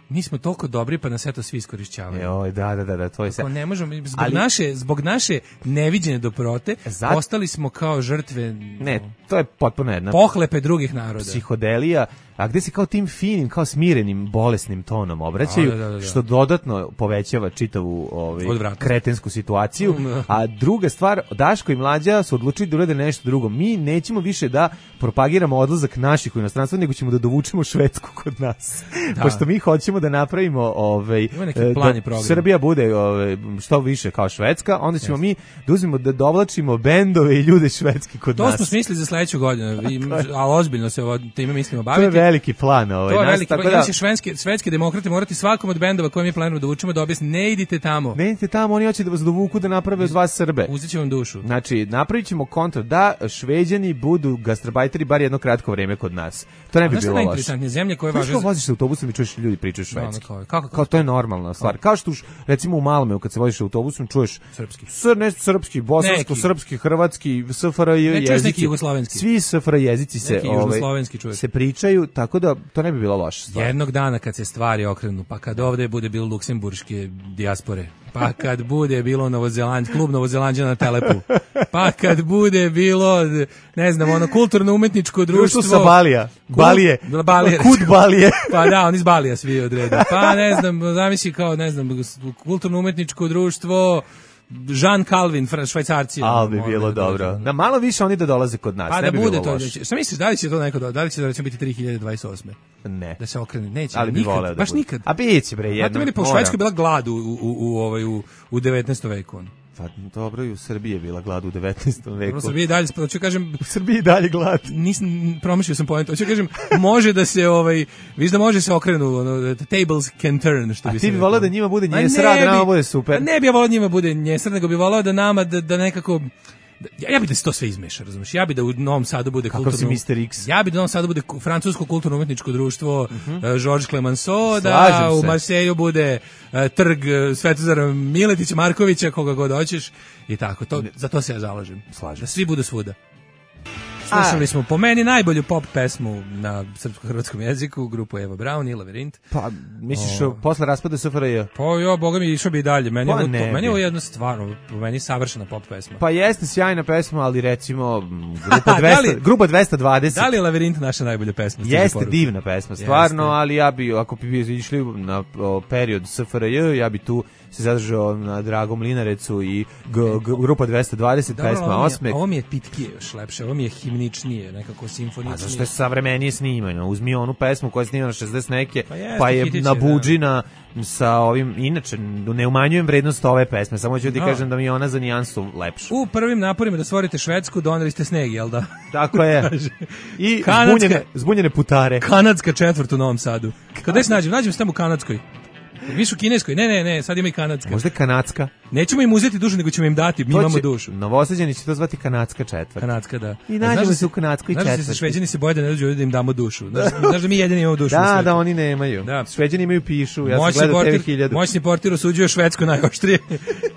Speaker 6: mi smo toliko dobri pa nas eto svi iskorišćavaju.
Speaker 5: Joj, da, da, da, da, to je sve.
Speaker 6: Ako ne možemo, zbog,
Speaker 5: Ali-
Speaker 6: naše, zbog naše neviđene dobrote,
Speaker 5: Zato-
Speaker 6: postali smo kao žrtve
Speaker 5: Ne, to je potpuno jedna
Speaker 6: pohlepe drugih naroda.
Speaker 5: psihodelija, a gde se kao tim finim, kao smirenim, bolesnim tonom obraćaju,
Speaker 6: Da, da, da, da.
Speaker 5: što dodatno povećava čitavu ovaj,
Speaker 6: Odvratnost.
Speaker 5: kretensku situaciju. A druga stvar, Daško i Mlađa su odlučili da urade nešto drugo. Mi nećemo više da propagiramo odlazak naših u inostranstvo, nego ćemo da dovučemo Švedsku kod nas.
Speaker 6: Da.
Speaker 5: Pošto mi hoćemo da napravimo ovaj,
Speaker 6: Ima neki
Speaker 5: e,
Speaker 6: plan i
Speaker 5: da
Speaker 6: program.
Speaker 5: Srbija bude ovaj, što više kao Švedska, onda ćemo mi da uzmemo da dovlačimo bendove i ljude švedski kod
Speaker 6: To
Speaker 5: nas.
Speaker 6: smo smislili za sledeću godinu, i- ali ozbiljno se ovo time mislimo
Speaker 5: To je
Speaker 6: baviti.
Speaker 5: veliki plan. Ovaj,
Speaker 6: To je
Speaker 5: nas,
Speaker 6: veliki,
Speaker 5: tako
Speaker 6: pa
Speaker 5: da-
Speaker 6: da, će švedski, svetski demokrati morati svakom od bendova koje mi planujemo da učimo da objasni, ne idite tamo.
Speaker 5: Ne idite tamo, oni hoće da vas dovuku da naprave od vas Srbe.
Speaker 6: Uzet će vam dušu.
Speaker 5: Znači, napravit ćemo kontra da Šveđani budu gastrobajteri bar jedno kratko vreme kod nas. To ne
Speaker 6: A
Speaker 5: bi
Speaker 6: znaš šta je
Speaker 5: bilo loše.
Speaker 6: najinteresantnije? Zemlje koje
Speaker 5: Znaš
Speaker 6: važe
Speaker 5: kao
Speaker 6: za-
Speaker 5: voziš se autobusom i čuješ ljudi pričaju
Speaker 6: Da, ono
Speaker 5: švedski.
Speaker 6: kao, kako-
Speaker 5: Kao to je normalna stvar. Kao što už, recimo u Malmeu kad se voziš autobusom čuješ
Speaker 6: Srpski.
Speaker 5: Sr, ne, srpski, bosansko,
Speaker 6: Neki.
Speaker 5: srpski, hrvatski, S F R J
Speaker 6: Ne čuješ
Speaker 5: jezici.
Speaker 6: neki jugoslovenski.
Speaker 5: Svi S F R jezici se,
Speaker 6: Neki
Speaker 5: ovaj,
Speaker 6: južnoslovenski čuješ.
Speaker 5: se pričaju, tako da to ne bi bilo loše stvar.
Speaker 6: Jednog dana kad se stvari okrenu, pa kad ovde bude bilo luksemburške dijaspore, pa kad bude bilo Novozeland, klub Novozelanđana na Telepu, pa kad bude bilo, ne znam, ono kulturno-umetničko društvo...
Speaker 5: Društvo sa Balija.
Speaker 6: Kud-
Speaker 5: Balije.
Speaker 6: Balije.
Speaker 5: Kud Balije.
Speaker 6: Pa da, oni iz Balija svi odrede. Pa ne znam, zamisli kao, ne znam, kulturno-umetničko društvo... Jean Calvin, fra- švajcarci.
Speaker 5: Ali bi
Speaker 6: ono,
Speaker 5: bilo
Speaker 6: da
Speaker 5: dobro.
Speaker 6: dođu.
Speaker 5: Da malo više oni da dolaze kod nas,
Speaker 6: Pa
Speaker 5: ne
Speaker 6: da
Speaker 5: bi
Speaker 6: bude
Speaker 5: bilo
Speaker 6: to.
Speaker 5: loše.
Speaker 6: Da će, šta misliš, da li će to neko do, da li će da će biti tri hiljade dvadeset osme?
Speaker 5: Ne.
Speaker 6: Da se okrene, neće.
Speaker 5: Ali bi
Speaker 6: nikad,
Speaker 5: voleo da
Speaker 6: baš
Speaker 5: bude.
Speaker 6: nikad.
Speaker 5: A biće bre
Speaker 6: Znate
Speaker 5: jedno.
Speaker 6: meni, pa u
Speaker 5: mora.
Speaker 6: Švedskoj je bila glad u, u, u, u, ovaj, u, u devetnaestom veku. ono.
Speaker 5: Pa dobro, i u Srbiji je bila glad u devetnaestom veku.
Speaker 6: Dobro, Srbiji dalje, hoću kažem,
Speaker 5: U Srbiji dalje glad.
Speaker 6: nisam promašio sam poentu. Hoću kažem, može da se ovaj, viš da može se okrenu, ono, the tables can turn, što
Speaker 5: A
Speaker 6: bi
Speaker 5: ti
Speaker 6: se
Speaker 5: bi
Speaker 6: reklo.
Speaker 5: voleo da njima bude
Speaker 6: Ma
Speaker 5: njesra,
Speaker 6: ne
Speaker 5: da nama
Speaker 6: bi-
Speaker 5: bude super.
Speaker 6: Pa ne bi ja voleo da njima bude njesra, nego bi voleo da nama, da, da nekako, da- ja, ja bi da se to sve izmeša, razumiješ? Ja bi da u Novom Sadu bude
Speaker 5: Kakav
Speaker 6: kulturno...
Speaker 5: si mister X.
Speaker 6: Ja bi da u Novom Sadu bude ku- francusko kulturno-umetničko društvo uh Georges Clemenceau, da
Speaker 5: Slažem
Speaker 6: u
Speaker 5: se.
Speaker 6: Marseju bude uh, trg uh, Svetozara Miletića, Markovića, koga god hoćeš i tako. To, za to se ja zalažem.
Speaker 5: Slažem
Speaker 6: Da svi budu svuda. Slušali smo po meni najbolju pop pesmu na srpsko-hrvatskom jeziku, grupu Eva Braun i Lavirint.
Speaker 5: Pa, misliš, o... posle raspada S F R J?
Speaker 6: Pa jo, boga mi, išao bi i dalje. Meni,
Speaker 5: Pa
Speaker 6: je, ovo,
Speaker 5: ne
Speaker 6: to, meni
Speaker 5: bi.
Speaker 6: je ovo jedna stvarno, po meni savršena pop pesma.
Speaker 5: Pa jeste sjajna pesma, ali recimo m, grupa,
Speaker 6: Da
Speaker 5: dvesta,
Speaker 6: li-
Speaker 5: grupa dvesta dvadeset
Speaker 6: Da li je Lavirint naša najbolja pesma? Stiže
Speaker 5: jeste
Speaker 6: poruka.
Speaker 5: divna pesma, stvarno,
Speaker 6: Jeste.
Speaker 5: ali ja bi, ako bi išli na o, period S F R J, ja bi tu se zadržao na Dragom Linarecu i g, g, grupa dvesta dvadeset,
Speaker 6: Dobro,
Speaker 5: pesma
Speaker 6: ovo mi je-
Speaker 5: Osmeh.
Speaker 6: Ovo mi je pitkije još lepše, ovo mi je himničnije, nekako
Speaker 5: A
Speaker 6: simfoničnije.
Speaker 5: zašto je savremenije snimano? Uzmi onu pesmu koja je snimana šezdeset neke,
Speaker 6: Pa jeste,
Speaker 5: pa je
Speaker 6: hitić je,
Speaker 5: na
Speaker 6: da.
Speaker 5: buđina sa ovim, inače, ne umanjujem vrednost ove pesme, samo ću ti
Speaker 6: No.
Speaker 5: kažem da mi je ona za nijansu lepša.
Speaker 6: U prvim naporima da stvorite Švedsku doneli ste sneg, jel da?
Speaker 5: Tako je.
Speaker 6: Kaže.
Speaker 5: I
Speaker 6: Kanadska-
Speaker 5: zbunjene, zbunjene putare.
Speaker 6: Kanadska četvrt u Novom Sadu. Kada se nađem? Nađem se tamo u Kanadskoj. Viš u Kineskoj? Ne, ne, ne, sad ima i Kanadska.
Speaker 5: Možda je kanadska.
Speaker 6: Nećemo im uzeti dušu, nego ćemo im dati, mi
Speaker 5: To
Speaker 6: imamo
Speaker 5: će-
Speaker 6: dušu.
Speaker 5: Novosađeni će to zvati kanadska četvrt.
Speaker 6: Kanadska, da.
Speaker 5: I
Speaker 6: A
Speaker 5: nađemo
Speaker 6: znaš da
Speaker 5: se u kanadskoj
Speaker 6: Znaš da se
Speaker 5: četvrti.
Speaker 6: Šveđani se boje da ne dođu ovdje da im damo dušu. Znaš, znaš da mi jedini imamo dušu na
Speaker 5: Da,
Speaker 6: svijetu.
Speaker 5: da, oni nemaju.
Speaker 6: Da.
Speaker 5: Šveđani imaju pišu, ja sam
Speaker 6: Moćni
Speaker 5: gledao T V
Speaker 6: portir,
Speaker 5: hiljadu.
Speaker 6: moćni portir osuđuje Švedsku najoštrije.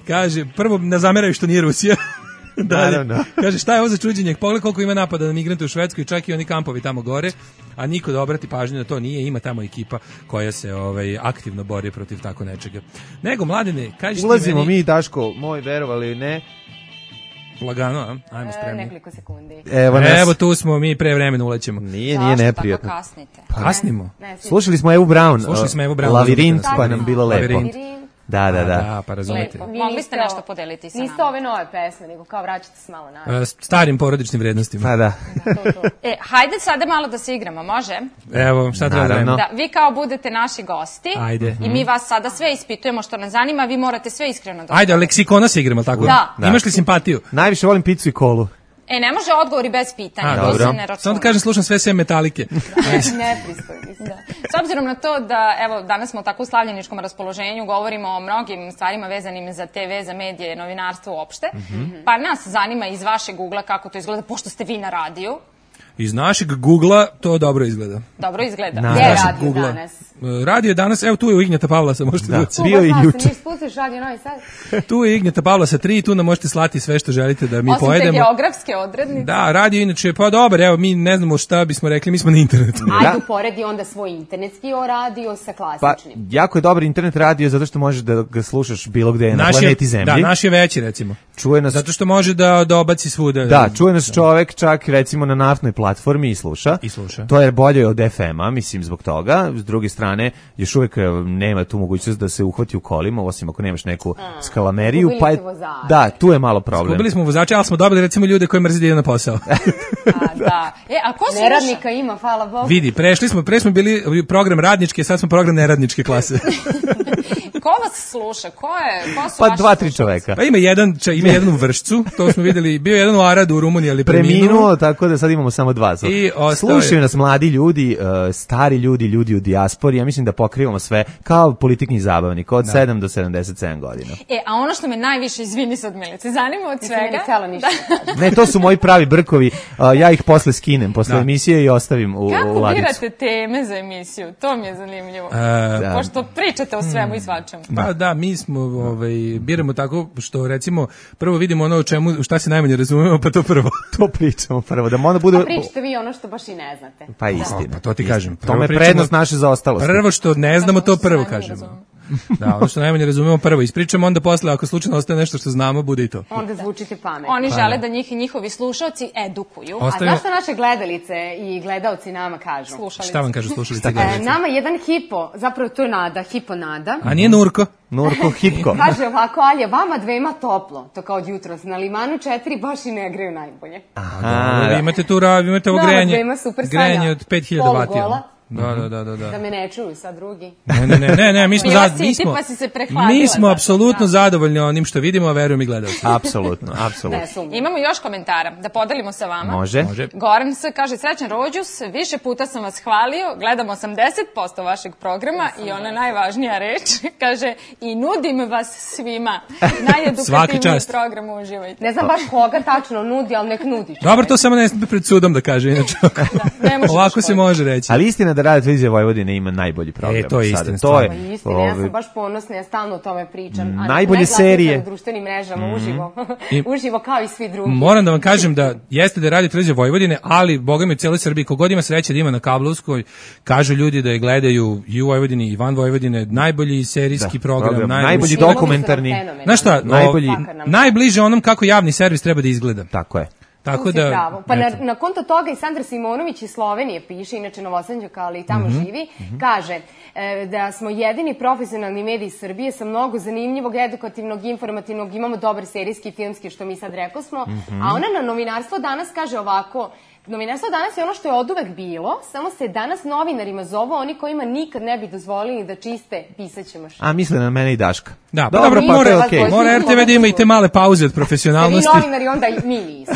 Speaker 6: Kaže, prvo ne zameraju što nije Rusija. Dalje.
Speaker 5: Naravno.
Speaker 6: Kaže, šta je ovo za čuđenje? Pogledaj koliko ima napada na migrante u Švedskoj, čak i oni kampovi tamo gore, a niko da obrati pažnju na to nije, ima tamo ekipa koja se ovaj aktivno bori protiv tako nečega. Nego, Mladene, kažeš ti
Speaker 5: Ulazimo
Speaker 6: meni...
Speaker 5: mi, Daško, moj, verovali ili ne.
Speaker 6: Lagano, a? Ajmo
Speaker 10: E,
Speaker 6: spremni.
Speaker 10: nekoliko sekundi.
Speaker 5: Evo nas.
Speaker 6: Evo tu smo, mi pre vremena ulećemo.
Speaker 5: Nije, nije neprijatno.
Speaker 9: Tako kasnite.
Speaker 6: Kasnimo.
Speaker 10: Ne, svi-
Speaker 5: Slušali smo Evu Brown.
Speaker 6: Slušali smo Evu Brown.
Speaker 5: Lavirint,
Speaker 6: Tako
Speaker 5: pa
Speaker 6: je.
Speaker 5: nam bilo lepo.
Speaker 6: Lavirint.
Speaker 5: Da, da,
Speaker 6: A,
Speaker 5: da.
Speaker 6: Da, pa razumete.
Speaker 10: Lepo. Vi
Speaker 9: Mogli
Speaker 10: niste
Speaker 9: ste nešto
Speaker 10: ovo-
Speaker 9: podeliti sa
Speaker 10: Niste
Speaker 9: nama.
Speaker 10: ove nove pesme, nego kao vraćate se malo na.
Speaker 6: E, Starim porodičnim vrednostima.
Speaker 5: Pa da.
Speaker 9: E, hajde sada malo da se igramo, može?
Speaker 6: Evo, šta treba da
Speaker 5: Naravno.
Speaker 6: radimo?
Speaker 9: Da, vi kao budete naši gosti.
Speaker 6: Ajde.
Speaker 9: I mi vas sada sve ispitujemo što nas zanima, vi morate sve iskreno da...
Speaker 6: Ajde, leksikona se igramo, tako?
Speaker 9: Da.
Speaker 6: Imaš li simpatiju?
Speaker 5: Najviše volim picu i kolu.
Speaker 9: E, ne može odgovori bez pitanja,
Speaker 6: A,
Speaker 9: to
Speaker 5: dobro.
Speaker 9: se ne računa.
Speaker 6: Samo da kažem, slušam sve sve metalike.
Speaker 10: Nepristojni ste.
Speaker 9: Da. S obzirom na to da, evo, danas smo u tako slavljeničkom raspoloženju, govorimo o mnogim stvarima vezanim za te ve, za medije, novinarstvo uopšte, pa nas zanima iz vašeg ugla kako to izgleda, pošto ste vi na radiju.
Speaker 6: Iz našeg Google-a to dobro izgleda.
Speaker 9: Dobro izgleda.
Speaker 5: Na-
Speaker 10: Gde je
Speaker 6: našeg
Speaker 10: radio
Speaker 6: Google-a.
Speaker 10: danas?
Speaker 6: radio je danas, evo tu je u Ignjata Pavlasa, možete da,
Speaker 10: da bio i juče. Spustiš radio Novi Sad.
Speaker 6: Tu je Ignjata Pavlasa tri, tu nam možete slati sve što želite da mi
Speaker 9: osim
Speaker 6: pojedemo.
Speaker 9: Osim te geografske odrednice.
Speaker 6: Da, radio inače, pa dobar, evo mi ne znamo šta bismo rekli, mi smo na internetu.
Speaker 10: Ajde uporedi onda svoj internetski radio sa klasičnim.
Speaker 5: Pa, jako je dobar internet radio zato što možeš da ga slušaš bilo gde na planeti Zemlji.
Speaker 6: Da, naš je veći recimo.
Speaker 5: Čuje nas,
Speaker 6: zato što može da dobaci svuda.
Speaker 5: Da, čuje nas čovek čak recimo na naftnoj platformi i sluša.
Speaker 6: I sluša.
Speaker 5: To je bolje od ef ema, mislim zbog toga. S druge strane, još uvijek nema tu mogućnost da se uhvati u kolima, osim ako nemaš neku A, skalameriju, pa je, da, tu je malo problem.
Speaker 6: Skubili smo vozače, ali smo dobili recimo ljude koji mrze da idu na posao.
Speaker 9: A, da. E, a ko sluša?
Speaker 10: Neradnika ima, hvala Bogu.
Speaker 6: Vidi, prešli smo, pre smo bili program radničke, sad smo program neradničke klase.
Speaker 9: Ko vas sluša? Ko je? Ko su
Speaker 5: pa dva, tri čoveka.
Speaker 6: Pa ima jedan, ča, ima jedan u Vršcu, to smo videli, bio jedan u Aradu u Rumuniji, ali preminuo.
Speaker 5: Preminuo, tako da sad imamo samo dva.
Speaker 6: I
Speaker 5: slušaju nas mladi ljudi, uh, stari ljudi, ljudi u dijaspori, ja mislim da pokrivamo sve kao politikni zabavnik od da. sedam do sedamdeset sedam godina.
Speaker 9: E, a ono što me najviše, izvini sad Milice, zanima od svega...
Speaker 10: Nisam ništa.
Speaker 5: Ne, to su moji pravi brkovi, uh, ja ih posle skinem, posle da. emisije i ostavim u,
Speaker 9: Kako
Speaker 5: u ladicu.
Speaker 9: Kako birate teme za emisiju? To mi je zanimljivo.
Speaker 6: Uh,
Speaker 9: Pošto pričate o svemu i svačemu.
Speaker 6: Pa da, mi smo, ovaj, biramo tako što recimo prvo vidimo ono o čemu, šta se najmanje razumemo, pa to prvo.
Speaker 5: To pričamo prvo, da onda bude...
Speaker 10: A pričate vi ono što baš i ne znate.
Speaker 5: Pa istina.
Speaker 6: Pa to ti kažem.
Speaker 5: To me prednost naše zaostalosti.
Speaker 6: Prvo što ne znamo, to prvo kažemo. Da, ono što najmanje razumemo prvo ispričamo, onda posle ako slučajno ostaje nešto što znamo, bude i to.
Speaker 10: Onda zvučite pametno.
Speaker 9: Oni žele da njih i njihovi slušalci edukuju.
Speaker 10: Ostavimo... A znaš što naše gledalice i gledalci nama kažu?
Speaker 6: Slušalice. Šta vam kažu slušalice i gledalci?
Speaker 10: E, nama jedan hipo, zapravo to je Nada, hipo Nada.
Speaker 6: A nije Nurko?
Speaker 5: Nurko hipko.
Speaker 10: Kaže ovako, ali je vama dvema toplo, to kao od jutros. Na Limanu četiri baš i ne greju najbolje.
Speaker 6: Aha, vi imate tu rav, imate ovo grejanje, grejanje od pet hiljada vatija. Da, da, da, da.
Speaker 10: Da me ne čuju sad drugi.
Speaker 6: Ne, ne, ne, ne, mi smo
Speaker 9: zad,
Speaker 6: mi smo.
Speaker 9: Pa si se prehladila.
Speaker 6: Mi smo apsolutno da. zadovoljni onim što vidimo, a verujem i gledalci.
Speaker 5: Apsolutno, apsolutno.
Speaker 9: Imamo još komentara da podelimo sa vama.
Speaker 5: Može.
Speaker 6: Može.
Speaker 9: Goran se kaže srećan rođus, više puta sam vas hvalio, gledam osamdeset posto vašeg programa i ona najvažnija reč kaže i nudim vas svima. Najedukativniji program, uživajte.
Speaker 10: Ne znam baš koga tačno nudi, al nek nudiš.
Speaker 6: Dobro, to samo ne pred sudom da kaže inače. Da, ovako se može reći.
Speaker 5: Ali istina da Radio Televizija Vojvodine ima najbolji program.
Speaker 6: E, to je istina.
Speaker 5: To je,
Speaker 10: pa istina, ja sam baš ponosna, ja stalno o tome pričam.
Speaker 5: Najbolje serije.
Speaker 10: Na društvenim mrežama, mm. uživo. I, uživo kao i svi drugi.
Speaker 6: Moram da vam kažem da jeste da je Radio Televizija Vojvodine, ali boga mi u cijeloj Srbiji, kogod ima sreće da ima na kablovskoj, kažu ljudi da je gledaju i u Vojvodini i van Vojvodine, najbolji serijski da, program, program, najbolji,
Speaker 5: najbolji dokumentarni.
Speaker 6: Znaš šta,
Speaker 5: najbolji,
Speaker 6: najbliže onom kako javni servis treba da izgleda.
Speaker 5: Tako je.
Speaker 6: Tako da,
Speaker 10: pravo. Pa na, na konto toga i Sandra Simonović iz Slovenije piše, inače Novosanđaka, ali i tamo mm-hmm. živi, mm-hmm. kaže e, da smo jedini profesionalni mediji Srbije sa mnogo zanimljivog, edukativnog, informativnog, imamo dobar serijski i filmski, što mi sad rekao smo, mm-hmm. a ona na Novinarstvo danas kaže ovako, Novinarstvo danas je ono što je oduvek bilo, samo se danas novinarima zovu oni kojima nikad ne bi dozvolili da čiste pisaće mašine.
Speaker 5: A misle na mene i Daška.
Speaker 6: Da, pa dobro, pa mora, okay. mora er te ve da ima i te male pauze od profesionalnosti.
Speaker 10: Vi novinari onda i mi nismo.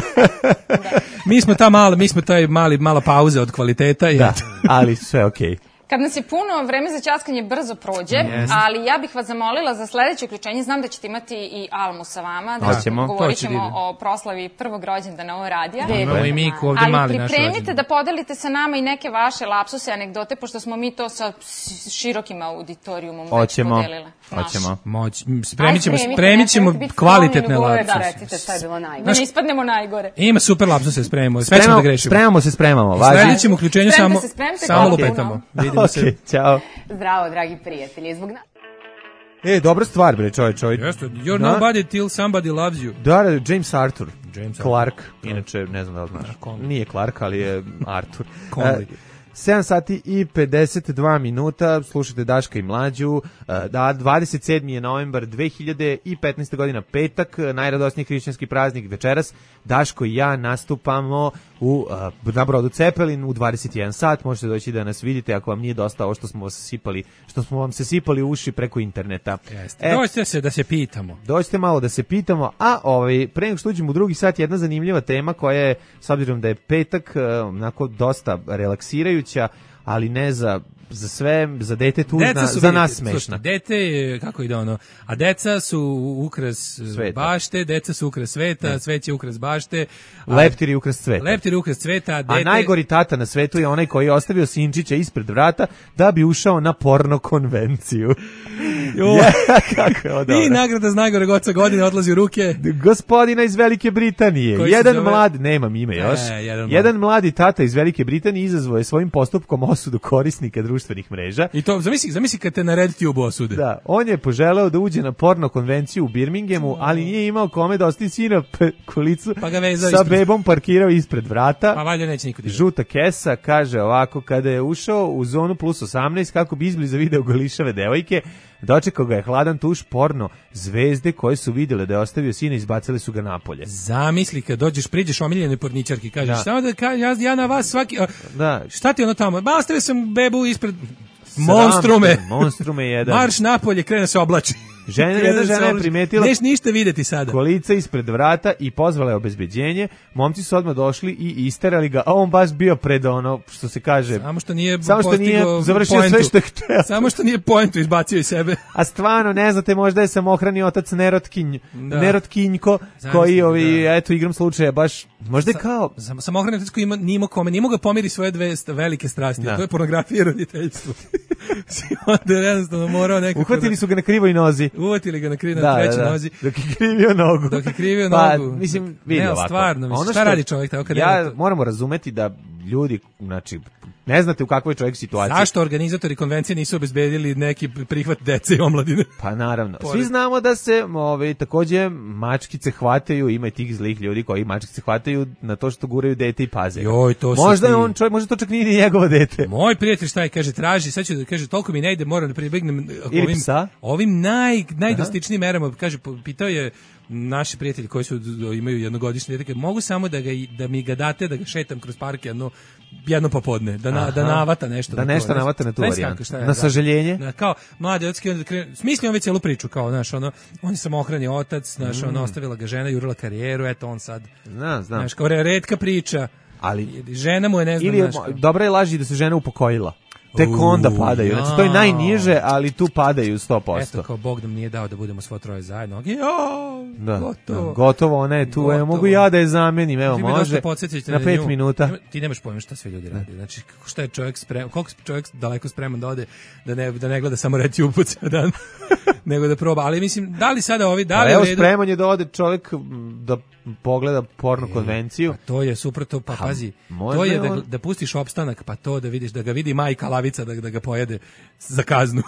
Speaker 6: Da. Mi smo ta mala, mi smo taj mali, mala pauza od kvaliteta. I
Speaker 5: da, ali sve okej. Okay.
Speaker 9: Kad nas je puno, vreme za ćaskanje brzo prođe, yes. ali ja bih vas zamolila za sledeće uključenje. Znam da ćete imati i Almu sa vama, da
Speaker 5: Hoćemo.
Speaker 9: govorit ćemo o proslavi prvog rođendana ovo radija.
Speaker 6: Imamo i Miku ovde
Speaker 9: ali
Speaker 6: mali naš rođendan.
Speaker 9: Ali pripremite da podelite sa nama i neke vaše lapsuse, anegdote, pošto smo mi to sa širokim auditorijumom
Speaker 5: Hoćemo.
Speaker 9: već podelile.
Speaker 5: Hoćemo.
Speaker 6: Moć, spremit ćemo, spremit ćemo kvalitetne lapsuse.
Speaker 10: Da, recite šta je bilo najgore.
Speaker 9: Da ne ispadnemo najgore.
Speaker 6: Ima super lapsuse, spremimo. Sve ćemo da grešimo.
Speaker 5: Spremamo se, spremamo.
Speaker 6: Sledećem uključenju samo, samo lupetamo. Vidimo se.
Speaker 5: Okay, ćao.
Speaker 10: Zdravo, dragi prijatelji. Zbog na...
Speaker 5: E, dobra stvar, bre, čovjek, čovjek.
Speaker 6: Jeste, you're da? Nobody till somebody loves you.
Speaker 5: Da, James Arthur.
Speaker 6: James
Speaker 5: Clark,
Speaker 6: Arthur.
Speaker 5: inače, ne znam da li znaš. Nije Clark, ali je Arthur.
Speaker 6: Conley.
Speaker 5: sedam sati i pedeset dva minuta, slušate Daška i Mlađu, da, dvadeset sedmi je novembar dve hiljade petnaeste godina, petak, najradosniji hrišćanski praznik večeras. Daško i ja nastupamo u, na brodu Cepelin u dvadeset jedan sat, možete doći da nas vidite ako vam nije dosta ovo što smo vas sipali, što smo vam se sipali u uši preko interneta.
Speaker 6: Jeste. E, dođite se da se pitamo.
Speaker 5: Dođite malo da se pitamo, a ovaj, pre nego što uđemo u drugi sat, jedna zanimljiva tema koja je, s obzirom da je petak, onako dosta relaksirajuća, ali ne za za sve, za dete tužna, za nas smešna.
Speaker 6: Slušajte, dete, kako ide ono, a deca su ukras sveta. Bašte, deca su ukras sveta, ne. Svet je ukras bašte.
Speaker 5: Leptir je ukras cveta.
Speaker 6: Leptir je ukras cveta, a dete...
Speaker 5: A najgori tata na svetu je onaj koji je ostavio sinčića ispred vrata da bi ušao na porno konvenciju. Ja, kako je ovo.
Speaker 6: I nagrada za najgoreg oca godine odlazi u ruke
Speaker 5: gospodina iz Velike Britanije. Koji jedan zove... mlad, nemam ime još. E, jedan, jedan mladi tata iz Velike Britanije izazvao je svojim postupkom osudu korisnika društvenih mreža.
Speaker 6: I to zamisli, zamisli kad te na RedTube osude.
Speaker 5: Da, on je poželeo da uđe na porno konvenciju u Birminghamu, ali nije imao kome da ostavi sina kolicu.
Speaker 6: Pa ga vezao
Speaker 5: sa
Speaker 6: ispred.
Speaker 5: Bebom parkirao ispred vrata.
Speaker 6: Pa valjda neće niko.
Speaker 5: Žuta kesa kaže ovako, kada je ušao u zonu plus osamnaest kako bi izbliza video golišave devojke, dočekao ga je hladan tuš porno zvezde koje su vidjele da je ostavio sina i izbacili su ga napolje.
Speaker 6: Zamisli kad dođeš, priđeš omiljenoj porničarki, kažeš da. Samo da ka, ja, ja na vas svaki... A, da. Šta ti ono tamo? Ba, ostavio sam bebu ispred... Monstrume.
Speaker 5: Monstrume jedan.
Speaker 6: Marš napolje, krene se oblači.
Speaker 5: Žena, jedna žena je primetila
Speaker 6: neš ništa videti sada.
Speaker 5: Kolica ispred vrata i pozvala je obezbeđenje. Momci su odmah došli i isterali ga, a on baš bio pred ono, što se kaže...
Speaker 6: Samo što nije,
Speaker 5: samo što nije završio poentu. Sve što je hteo.
Speaker 6: Samo što nije poentu izbacio iz sebe.
Speaker 5: A stvarno, ne znate, možda je samohrani otac Nerotkinj, da. Nerotkinjko, koji, ovi, da. Eto, igram slučaja, baš, možda je kao...
Speaker 6: Sam, samohrani otac koji ima, nimo kome, nimo ga pomiri svoje dve velike strasti, da. To je pornografija i roditeljstvo. Onda je jednostavno morao nekako...
Speaker 5: Uhvatili su ga na krivoj nozi.
Speaker 6: Uvatili ga na, kri, na da, trećoj da, da. nozi.
Speaker 5: Dok je krivio nogu.
Speaker 6: Dok je krivio
Speaker 5: pa,
Speaker 6: nogu.
Speaker 5: Mislim, vidi
Speaker 6: ne,
Speaker 5: ovako.
Speaker 6: Stvarno, mislim, šta što, radi čovjek tako kad
Speaker 5: ja to... moramo razumeti da ljudi, znači, ne znate u kakvoj čovjek situaciji.
Speaker 6: Zašto organizatori konvencije nisu obezbedili neki prihvat dece i omladine?
Speaker 5: Pa naravno. Svi znamo da se ove, takođe mačkice hvataju, ima i tih zlih ljudi koji mačkice hvataju na to što guraju dete i paze.
Speaker 6: Joj, to
Speaker 5: možda
Speaker 6: ti...
Speaker 5: on čovjek, možda to čak nije ni njegovo dete.
Speaker 6: Moj prijatelj šta je, kaže, traži, sad ću da kaže, toliko mi ne ide, moram da pribegnem ovim, ovim naj, najdrastičnijim merama. Kaže, pitao je naši prijatelji koji su imaju jednogodišnje dete, mogu samo da, ga, da mi ga date, da ga šetam kroz park jedno, jedno popodne, da, na, da navata nešto.
Speaker 5: Da nešto navata na tu varijantu. Na sažaljenje?
Speaker 6: Da, kao, mladi otski, smislio on već cijelu priču, kao, znaš, ono, on je samohrani otac, znaš, mm. ono, ostavila ga žena, jurila karijeru, eto, on sad,
Speaker 5: znam, znam.
Speaker 6: Znaš, kao, retka priča, ali žena mu je, ne znam,
Speaker 5: ili je, dobra je laži da se žena upokojila. Tek onda padaju. Znači, to je najniže, ali tu padaju sto posto.
Speaker 6: Eto, kao Bog nam nije dao da budemo svo troje zajedno. Jo,
Speaker 5: da,
Speaker 6: gotovo.
Speaker 5: Da, gotovo, ona je tu. Evo, mogu ja da je zamenim, evo, može. Na pet minuta.
Speaker 6: Ti nemaš pojma šta sve ljudi radi. Znači, šta je čovjek spreman, koliko čovjek daleko spreman da ode, da ne, da ne gleda samo RedTube po ceo dan, nego da proba. Ali mislim, da li sada ovi, da li
Speaker 5: evo, spreman je da ode čovjek da pogleda porno konvenciju.
Speaker 6: Pa to je suprotno, pa pazi. To je da, da pustiš opstanak, pa to da vidiš, da ga vidi majka lavica, da, da ga pojede za kaznu.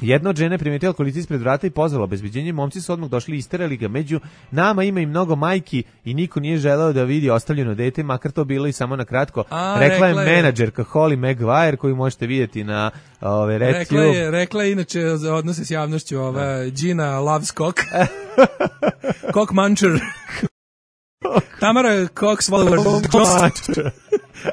Speaker 5: Jedna od žene primetila kolica ispred vrata i pozvala obezbeđenje. Momci su odmah došli i isterali ga. Među nama ima i mnogo majki i niko nije želeo da vidi ostavljeno dete, makar to bilo i samo na kratko. A, rekla, rekla je menadžerka Holly Maguire, koju možete vidjeti na ove RedTube.
Speaker 6: Rekla je, rekla je inače za odnose s javnošću ova Gina loves cock. Cock muncher. Tamara Cox Swallower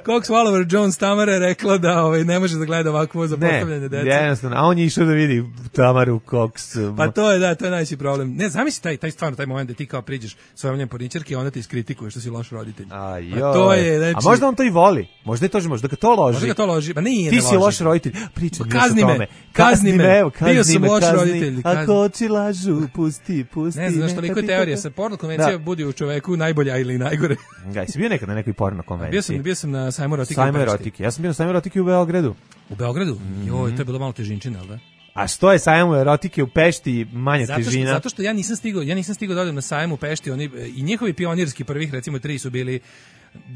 Speaker 6: Cox Swallower Jones Tamara je rekla da ovaj, ne može da gleda ovakvo zapostavljanje dece.
Speaker 5: Ne, jednostavno, a on je išao da vidi Tamaru Cox.
Speaker 6: Pa to je, da, to je najveći problem. Ne, zamisli taj, taj stvarno, taj moment da ti kao priđeš svojom njem porničarki i ona te iskritikuje što si loš roditelj.
Speaker 5: A, jo. To je, znači, a možda on to i voli. Možda je to, možda ga to loži.
Speaker 6: Možda ga to loži. Pa nije,
Speaker 5: ti
Speaker 6: ne
Speaker 5: si loš roditelj. Pričaj
Speaker 6: pa, kazni me, kazni me. Evo, kazni bio sam loš roditelj.
Speaker 5: Ako oči lažu, pusti, pusti.
Speaker 6: Ne znaš, toliko je teorija. Sa porno konvencija budi u čoveku najbolja ili najgore.
Speaker 5: Gaj, si bio nekad na nekoj porno konvenciji?
Speaker 6: Bio sam, bio sam na sajmu erotike.
Speaker 5: Sajmu erotike. Ja sam bio na sajmu erotike u Beogradu.
Speaker 6: U Beogradu? Mm. Joj, to je bilo malo težinčina, al da?
Speaker 5: A što je sajam erotike u Pešti manja
Speaker 6: zato što,
Speaker 5: težina?
Speaker 6: Zato što ja nisam stigao, ja nisam stigao da odem na sajam u Pešti, oni i njihovi pionirski prvih recimo tri su bili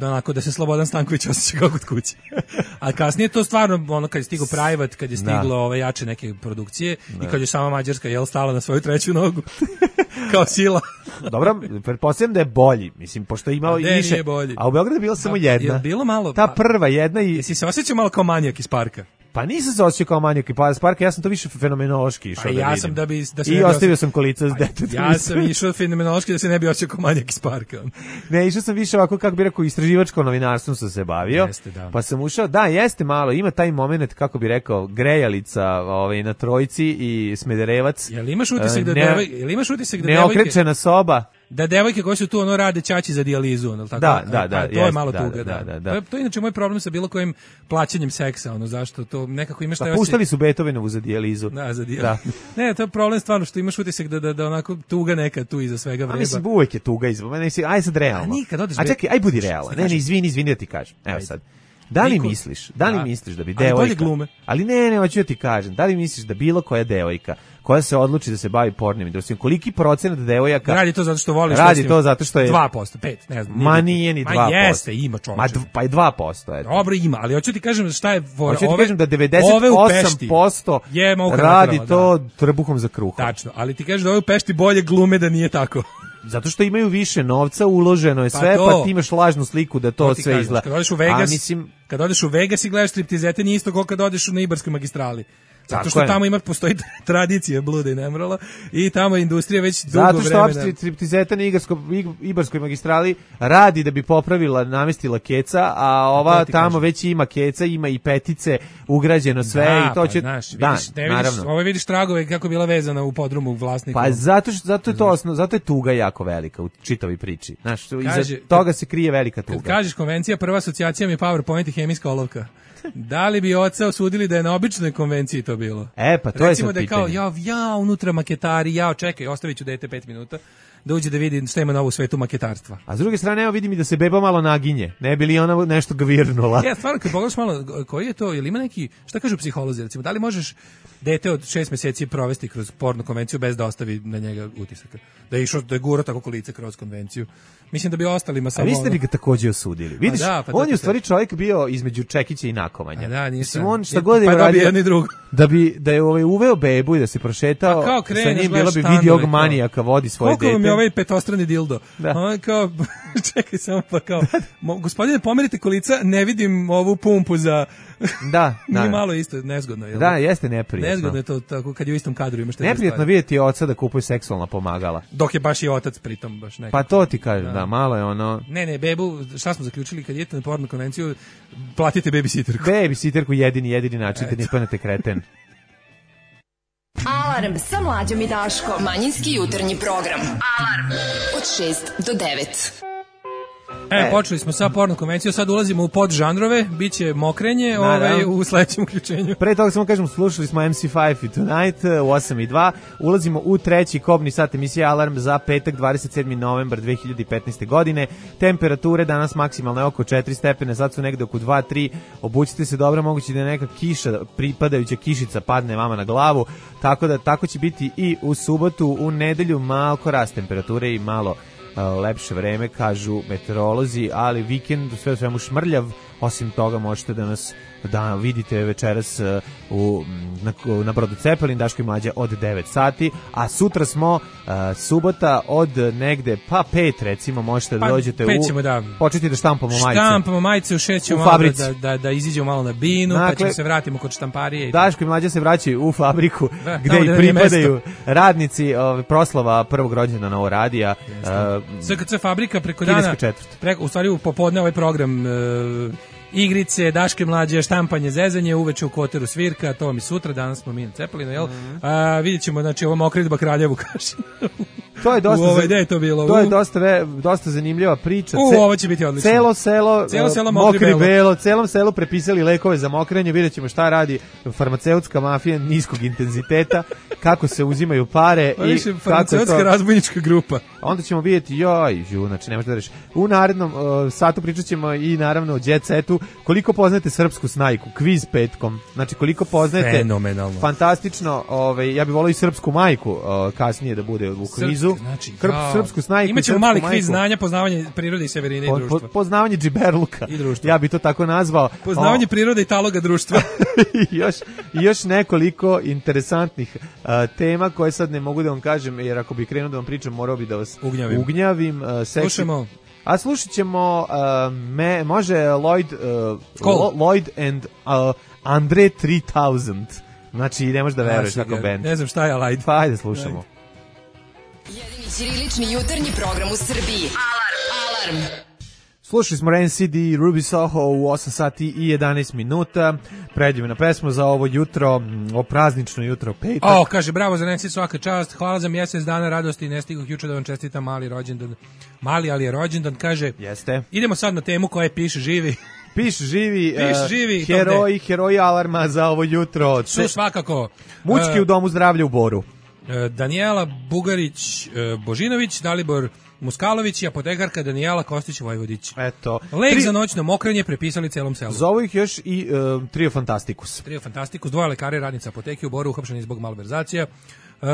Speaker 6: onako da se Slobodan Stanković osjeća kao kod kuće. A kasnije to stvarno ono kad je stigao Private, kad je stiglo ove jače neke produkcije da. I kad je sama Mađarska jel stala na svoju treću nogu kao sila.
Speaker 5: Dobro, pretpostavljam da je bolji, mislim pošto je imao i više. A u Beogradu je bila samo jedna.
Speaker 6: Je bilo malo.
Speaker 5: Ta prva jedna i
Speaker 6: jesi se osjećao malo kao manijak iz parka?
Speaker 5: Pa nisam se osjećao kao manijak iz parka, ja sam to više fenomenološki išao pa da
Speaker 6: ja
Speaker 5: vidim.
Speaker 6: Sam da bi, da se
Speaker 5: I ostavio osje... sam kolica s detetom.
Speaker 6: Ja sam išao fenomenološki da se ne bi osjećao kao manijak iz parka.
Speaker 5: Ne, išao sam više ovako, kako bi rekao, istraživačko novinarstvom sam se bavio.
Speaker 6: Jeste, da.
Speaker 5: Pa sam ušao, da, jeste malo, ima taj moment, kako bi rekao, grejalica ovaj, na Trojci i Smederevac.
Speaker 6: Jel imaš utisak da
Speaker 5: ne,
Speaker 6: devoj, jel imaš utisak da
Speaker 5: neokrečena soba.
Speaker 6: da devojke koje su tu ono rade ćaći za dijalizu, ono, tako?
Speaker 5: Da, da, da.
Speaker 6: A, to
Speaker 5: jest,
Speaker 6: je malo
Speaker 5: da,
Speaker 6: tuga,
Speaker 5: da,
Speaker 6: da.
Speaker 5: da, da.
Speaker 6: To, je, to je inače moj problem sa bilo kojim plaćanjem seksa, ono, zašto to nekako imaš taj
Speaker 5: pa, puštali su Beethovenovu za dijalizu.
Speaker 6: Da, za dijalizu. Da. Ne, to je problem stvarno što imaš utisak da, da, da onako tuga neka tu iza svega vreba.
Speaker 5: A mislim, uvijek je tuga iza, ne, aj sad realno.
Speaker 6: A nikad odeš.
Speaker 5: A čekaj, aj budi realan. Ne, ne, izvini, izvini da ti kažem. Evo sad. Da li Niko, misliš, da li da. misliš da bi devojka... Ali bolje
Speaker 6: glume.
Speaker 5: Ali ne, ne, hoću da ti kažem, da li misliš da bilo koja devojka koja se odluči da se bavi pornim industrijom, koliki procenat devojaka...
Speaker 6: Radi to zato što voliš...
Speaker 5: Radi to zato što je...
Speaker 6: dva posto, pet, ne znam.
Speaker 5: Ma nije ni dva posto.
Speaker 6: Ma jeste, ima čovječe.
Speaker 5: Ma dv, pa i dva posto. Eto.
Speaker 6: Dobro, ima, ali hoću ti kažem šta je...
Speaker 5: Hoću ti kažem da devedeset osam posto je radi to da. trbuhom za kruhom.
Speaker 6: Tačno, ali ti kažeš da ove u Pešti bolje glume da nije tako.
Speaker 5: Zato što imaju više novca, uloženo je sve, pa, pa ti imaš lažnu sliku da to, to sve izgleda.
Speaker 6: Kad odeš u Vegas, mislim... kad odeš u Vegas i gledaš striptizete, nije isto kao kad odeš na Ibarskoj magistrali. Zato što tamo ima, postoji tradicija bluda i nemrala i tamo industrija već dugo vremena.
Speaker 5: Zato što opšte striptizeta na Ibarskoj magistrali radi da bi popravila, namestila keca, a ova tamo kažem. Već ima keca, ima i petice, ugrađeno sve da, i to će...
Speaker 6: Pa, znaš, da, vidiš, ne vidiš, ovo vidiš tragove kako je bila vezana u podrumu vlasnika.
Speaker 5: Pa zato, što, zato, je to osno, zato je tuga jako velika u čitavi priči. Znaš, kaže, iza toga se krije velika tuga.
Speaker 6: Kad kažeš konvencija, prva asocijacija mi je PowerPoint i hemijska olovka. Da li bi oca osudili da je na običnoj konvenciji to bilo?
Speaker 5: E, pa to
Speaker 6: recimo
Speaker 5: je sad
Speaker 6: da je
Speaker 5: pitanje.
Speaker 6: kao, ja, ja, unutra maketari, ja, čekaj, ostavit ću dete pet minuta, da uđe da vidi šta ima novo u svetu maketarstva.
Speaker 5: A s druge strane, evo vidim i da se beba malo naginje. Ne bi li ona nešto gvirnula?
Speaker 6: Ja, stvarno, kad pogledaš malo, koji je to, ili ima neki, šta kažu psiholozi, recimo, da li možeš dete od šest meseci provesti kroz porno konvenciju bez da ostavi na njega utisak? Da je išao, da je gura tako kolice kroz konvenciju. Mislim da bi ostalima samo...
Speaker 5: A vi ste bi ga takođe osudili. Vidiš, da, pa on je u stvari čovjek bio između čekića i nakomanja.
Speaker 6: A da, nisam.
Speaker 5: Mislim, on šta god je
Speaker 6: pa
Speaker 5: uradio,
Speaker 6: da bi drugo.
Speaker 5: Da bi, da je ovaj uveo bebu i da se prošetao,
Speaker 6: pa kreneš,
Speaker 5: sa njim bila bi video manijaka, vodi svoje dete.
Speaker 6: Koliko vam je ovaj petostrani dildo? Da. On kao, čekaj samo pa kao, mo, gospodine, pomerite kolica, ne vidim ovu pumpu za...
Speaker 5: Da, da.
Speaker 6: Nije malo isto nezgodno, jel?
Speaker 5: Da, jeste neprijatno.
Speaker 6: Nezgodno je to tako kad je u istom kadru imaš te
Speaker 5: neprijatno vidjeti oca da kupuje seksualna pomagala.
Speaker 6: Dok je baš i otac pritom baš nekako.
Speaker 5: Pa to ti kažem, da, da malo je ono.
Speaker 6: Ne, ne, bebu, šta smo zaključili kad idete na porno konvenciju, platite babysitterku.
Speaker 5: Babysitterku jedini jedini način da ne ispanete kreten.
Speaker 4: Alarm sa Mlađom i Daškom. Manjinski jutarnji program. Alarm od šest do devet.
Speaker 6: E, e, počeli smo sa porno konvencijom, sad ulazimo u podžanrove, bit će mokrenje ovaj, u sledećem uključenju.
Speaker 5: Pre toga samo kažemo, slušali smo em si pet i Tonight u osam i dva, ulazimo u treći kobni sat emisije Alarm za petak dvadeset sedmi novembar dve hiljade petnaeste. godine. Temperature danas maksimalno je oko četiri stepene, sad su negde oko dva tri, obucite se dobro, moguće da je neka kiša, pripadajuća kišica padne vama na glavu, tako da tako će biti i u subotu, u nedelju malko rast temperature i malo lepše vreme, kažu meteorolozi, ali vikend sve u svemu šmrljav. Osim toga možete da nas da vidite večeras u, na, na brodu Cepelin, Daško i Mlađa od devet sati, a sutra smo uh, subota od negde pa pet recimo, možete da dođete
Speaker 6: u
Speaker 5: da. Početi da štampamo majice.
Speaker 6: Štampamo majice, u šest ćemo malo da, da, da iziđemo malo na binu, dakle, pa ćemo se vratimo kod štamparije.
Speaker 5: Daško i Mlađa se vraćaju u fabriku da, gde i pripadaju radnici ove, proslava prvog rođendana ovo radija.
Speaker 6: Uh, S K C fabrika preko dana, preko, u stvari u popodne ovaj program uh, igrice, Daške Mlađe, štampanje, zezanje, uveče u Koteru svirka, to mi sutra, danas smo mi na Cepelinu, jel? Mm-hmm. A, vidjet ćemo, znači, ovo mokridba Kraljevu kaši.
Speaker 5: To je dosta,
Speaker 6: ovaj, je to bilo?
Speaker 5: To je dosta, ve, dosta zanimljiva priča.
Speaker 6: U, ovo će biti odlično.
Speaker 5: Celo selo,
Speaker 6: celo selo
Speaker 5: mokri, mokri belo. belo, celom selu prepisali lekove za mokrenje, vidjet ćemo šta radi farmaceutska mafija niskog intenziteta, kako se uzimaju pare
Speaker 6: pa,
Speaker 5: i
Speaker 6: više,
Speaker 5: kako
Speaker 6: farmaceutska
Speaker 5: to...
Speaker 6: razbojnička grupa.
Speaker 5: Onda ćemo vidjeti, joj, žu, znači ne možete da reši. U narednom uh, satu pričat ćemo i naravno o Jet Setu, koliko poznajete srpsku snajku, kviz petkom, znači koliko poznajete,
Speaker 6: fenomenalno,
Speaker 5: fantastično, ovaj, ja bih volio i srpsku majku uh, kasnije da bude u kvizu.
Speaker 6: Srpska, znači,
Speaker 5: Krp, srpsku snajku.
Speaker 6: Imaćemo mali kviz znanja, poznavanje prirode i severine po, i društva. Po,
Speaker 5: poznavanje džiberluka.
Speaker 6: I društva.
Speaker 5: Ja bih to tako nazvao.
Speaker 6: Poznavanje o, prirode i taloga društva.
Speaker 5: I još, još nekoliko interesantnih uh, tema koje sad ne mogu da vam kažem, jer ako bih krenuo da vam pričam, morao bih da vas
Speaker 6: ugnjavim.
Speaker 5: ugnjavim uh, seksi...
Speaker 6: Slušamo.
Speaker 5: A slušat ćemo, uh, me, može Lloyd, uh, Lloyd and uh, Andre tri tisuće. Znači, ne možeš da veruješ kako band.
Speaker 6: Ne znam šta je Lloyd.
Speaker 5: Pa ajde slušamo.
Speaker 4: Jedini ćirilični jutarnji program u Srbiji. Alarm! Alarm!
Speaker 5: Slušali smo Ren C D i Ruby Soho u osam sati i jedanaest minuta. Pređemo na pesmu za ovo jutro, o praznično jutro, petak.
Speaker 6: O, kaže, bravo za Nancy, svaka čast, hvala za mjesec dana radosti, ne stigoh juče da vam čestitam mali rođendan. Mali, ali je rođendan, kaže.
Speaker 5: Jeste.
Speaker 6: Idemo sad na temu koja piše živi.
Speaker 5: Piš živi,
Speaker 6: Piš živi
Speaker 5: uh, heroji, heroji alarma za ovo jutro.
Speaker 6: Su svakako.
Speaker 5: Mučki uh, u domu zdravlja u Boru.
Speaker 6: Uh, Danijela Bugarić, uh, Božinović, Dalibor Muskalović i apotekarka Danijela Kostić-Vojvodić.
Speaker 5: Eto.
Speaker 6: Lek
Speaker 5: tri...
Speaker 6: za noćno mokrenje prepisali celom selu.
Speaker 5: Zovu ih još i uh, Trio Fantastikus.
Speaker 6: Trio Fantastikus, dvoje lekare, radnica apoteke u Boru, uhapšeni zbog malverzacija. Uh,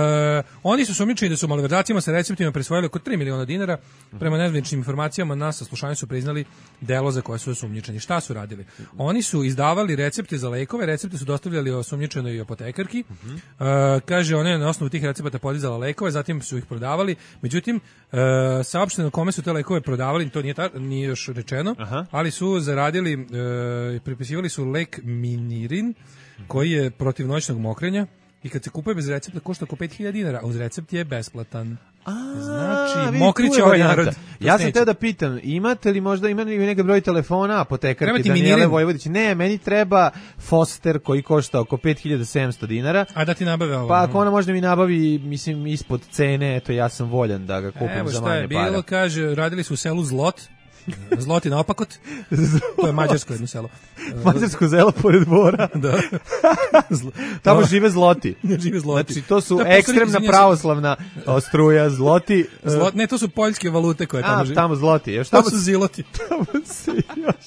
Speaker 6: oni su sumnjičeni da su malverzacijama sa receptima prisvojili oko tri miliona dinara. Prema nezvaničnim informacijama na saslušanju su priznali delo za koje su osumnjičeni. Šta su radili? Oni su izdavali recepte za lekove, recepte su dostavljali osumnjičenoj apotekarki. Uh, kaže, ona je na osnovu tih recepata podizala lekove, zatim su ih prodavali. Međutim, uh, saopšteno kome su te lekove prodavali, to nije, ta, nije još rečeno, Aha. ali su zaradili, uh, pripisivali su lek Minirin, koji je protiv noćnog mokrenja. I kad se kupuje bez recepta košta oko pet hiljada dinara, a uz recept je besplatan.
Speaker 5: A,
Speaker 6: znači, mokriće ovaj narod.
Speaker 5: Ja sam teo da pitam, imate li možda, ima li neka broj telefona apotekarke Danijele Vojvodić? Ne, meni treba Foster koji košta oko pet hiljada sedamsto dinara.
Speaker 6: A da ti nabave ovo?
Speaker 5: Pa ako ona možda mi nabavi, mislim, ispod cene, eto ja sam voljan da ga kupim
Speaker 6: Evo
Speaker 5: za manje para.
Speaker 6: Evo šta je bilo, kaže, radili su u selu Zlot, Zloti na opakot. To je mađarsko jedno selo.
Speaker 5: Mađarsko selo pored Bora.
Speaker 6: Da.
Speaker 5: Tamo žive Zloti.
Speaker 6: Žive Zloti.
Speaker 5: Znači to su to ekstremna pravoslavna struja Zloti.
Speaker 6: Zlot, ne, to su poljske valute koje tamo žive.
Speaker 5: A, tamo Zloti. Još
Speaker 6: tamo su Ziloti.
Speaker 5: Tamo se još.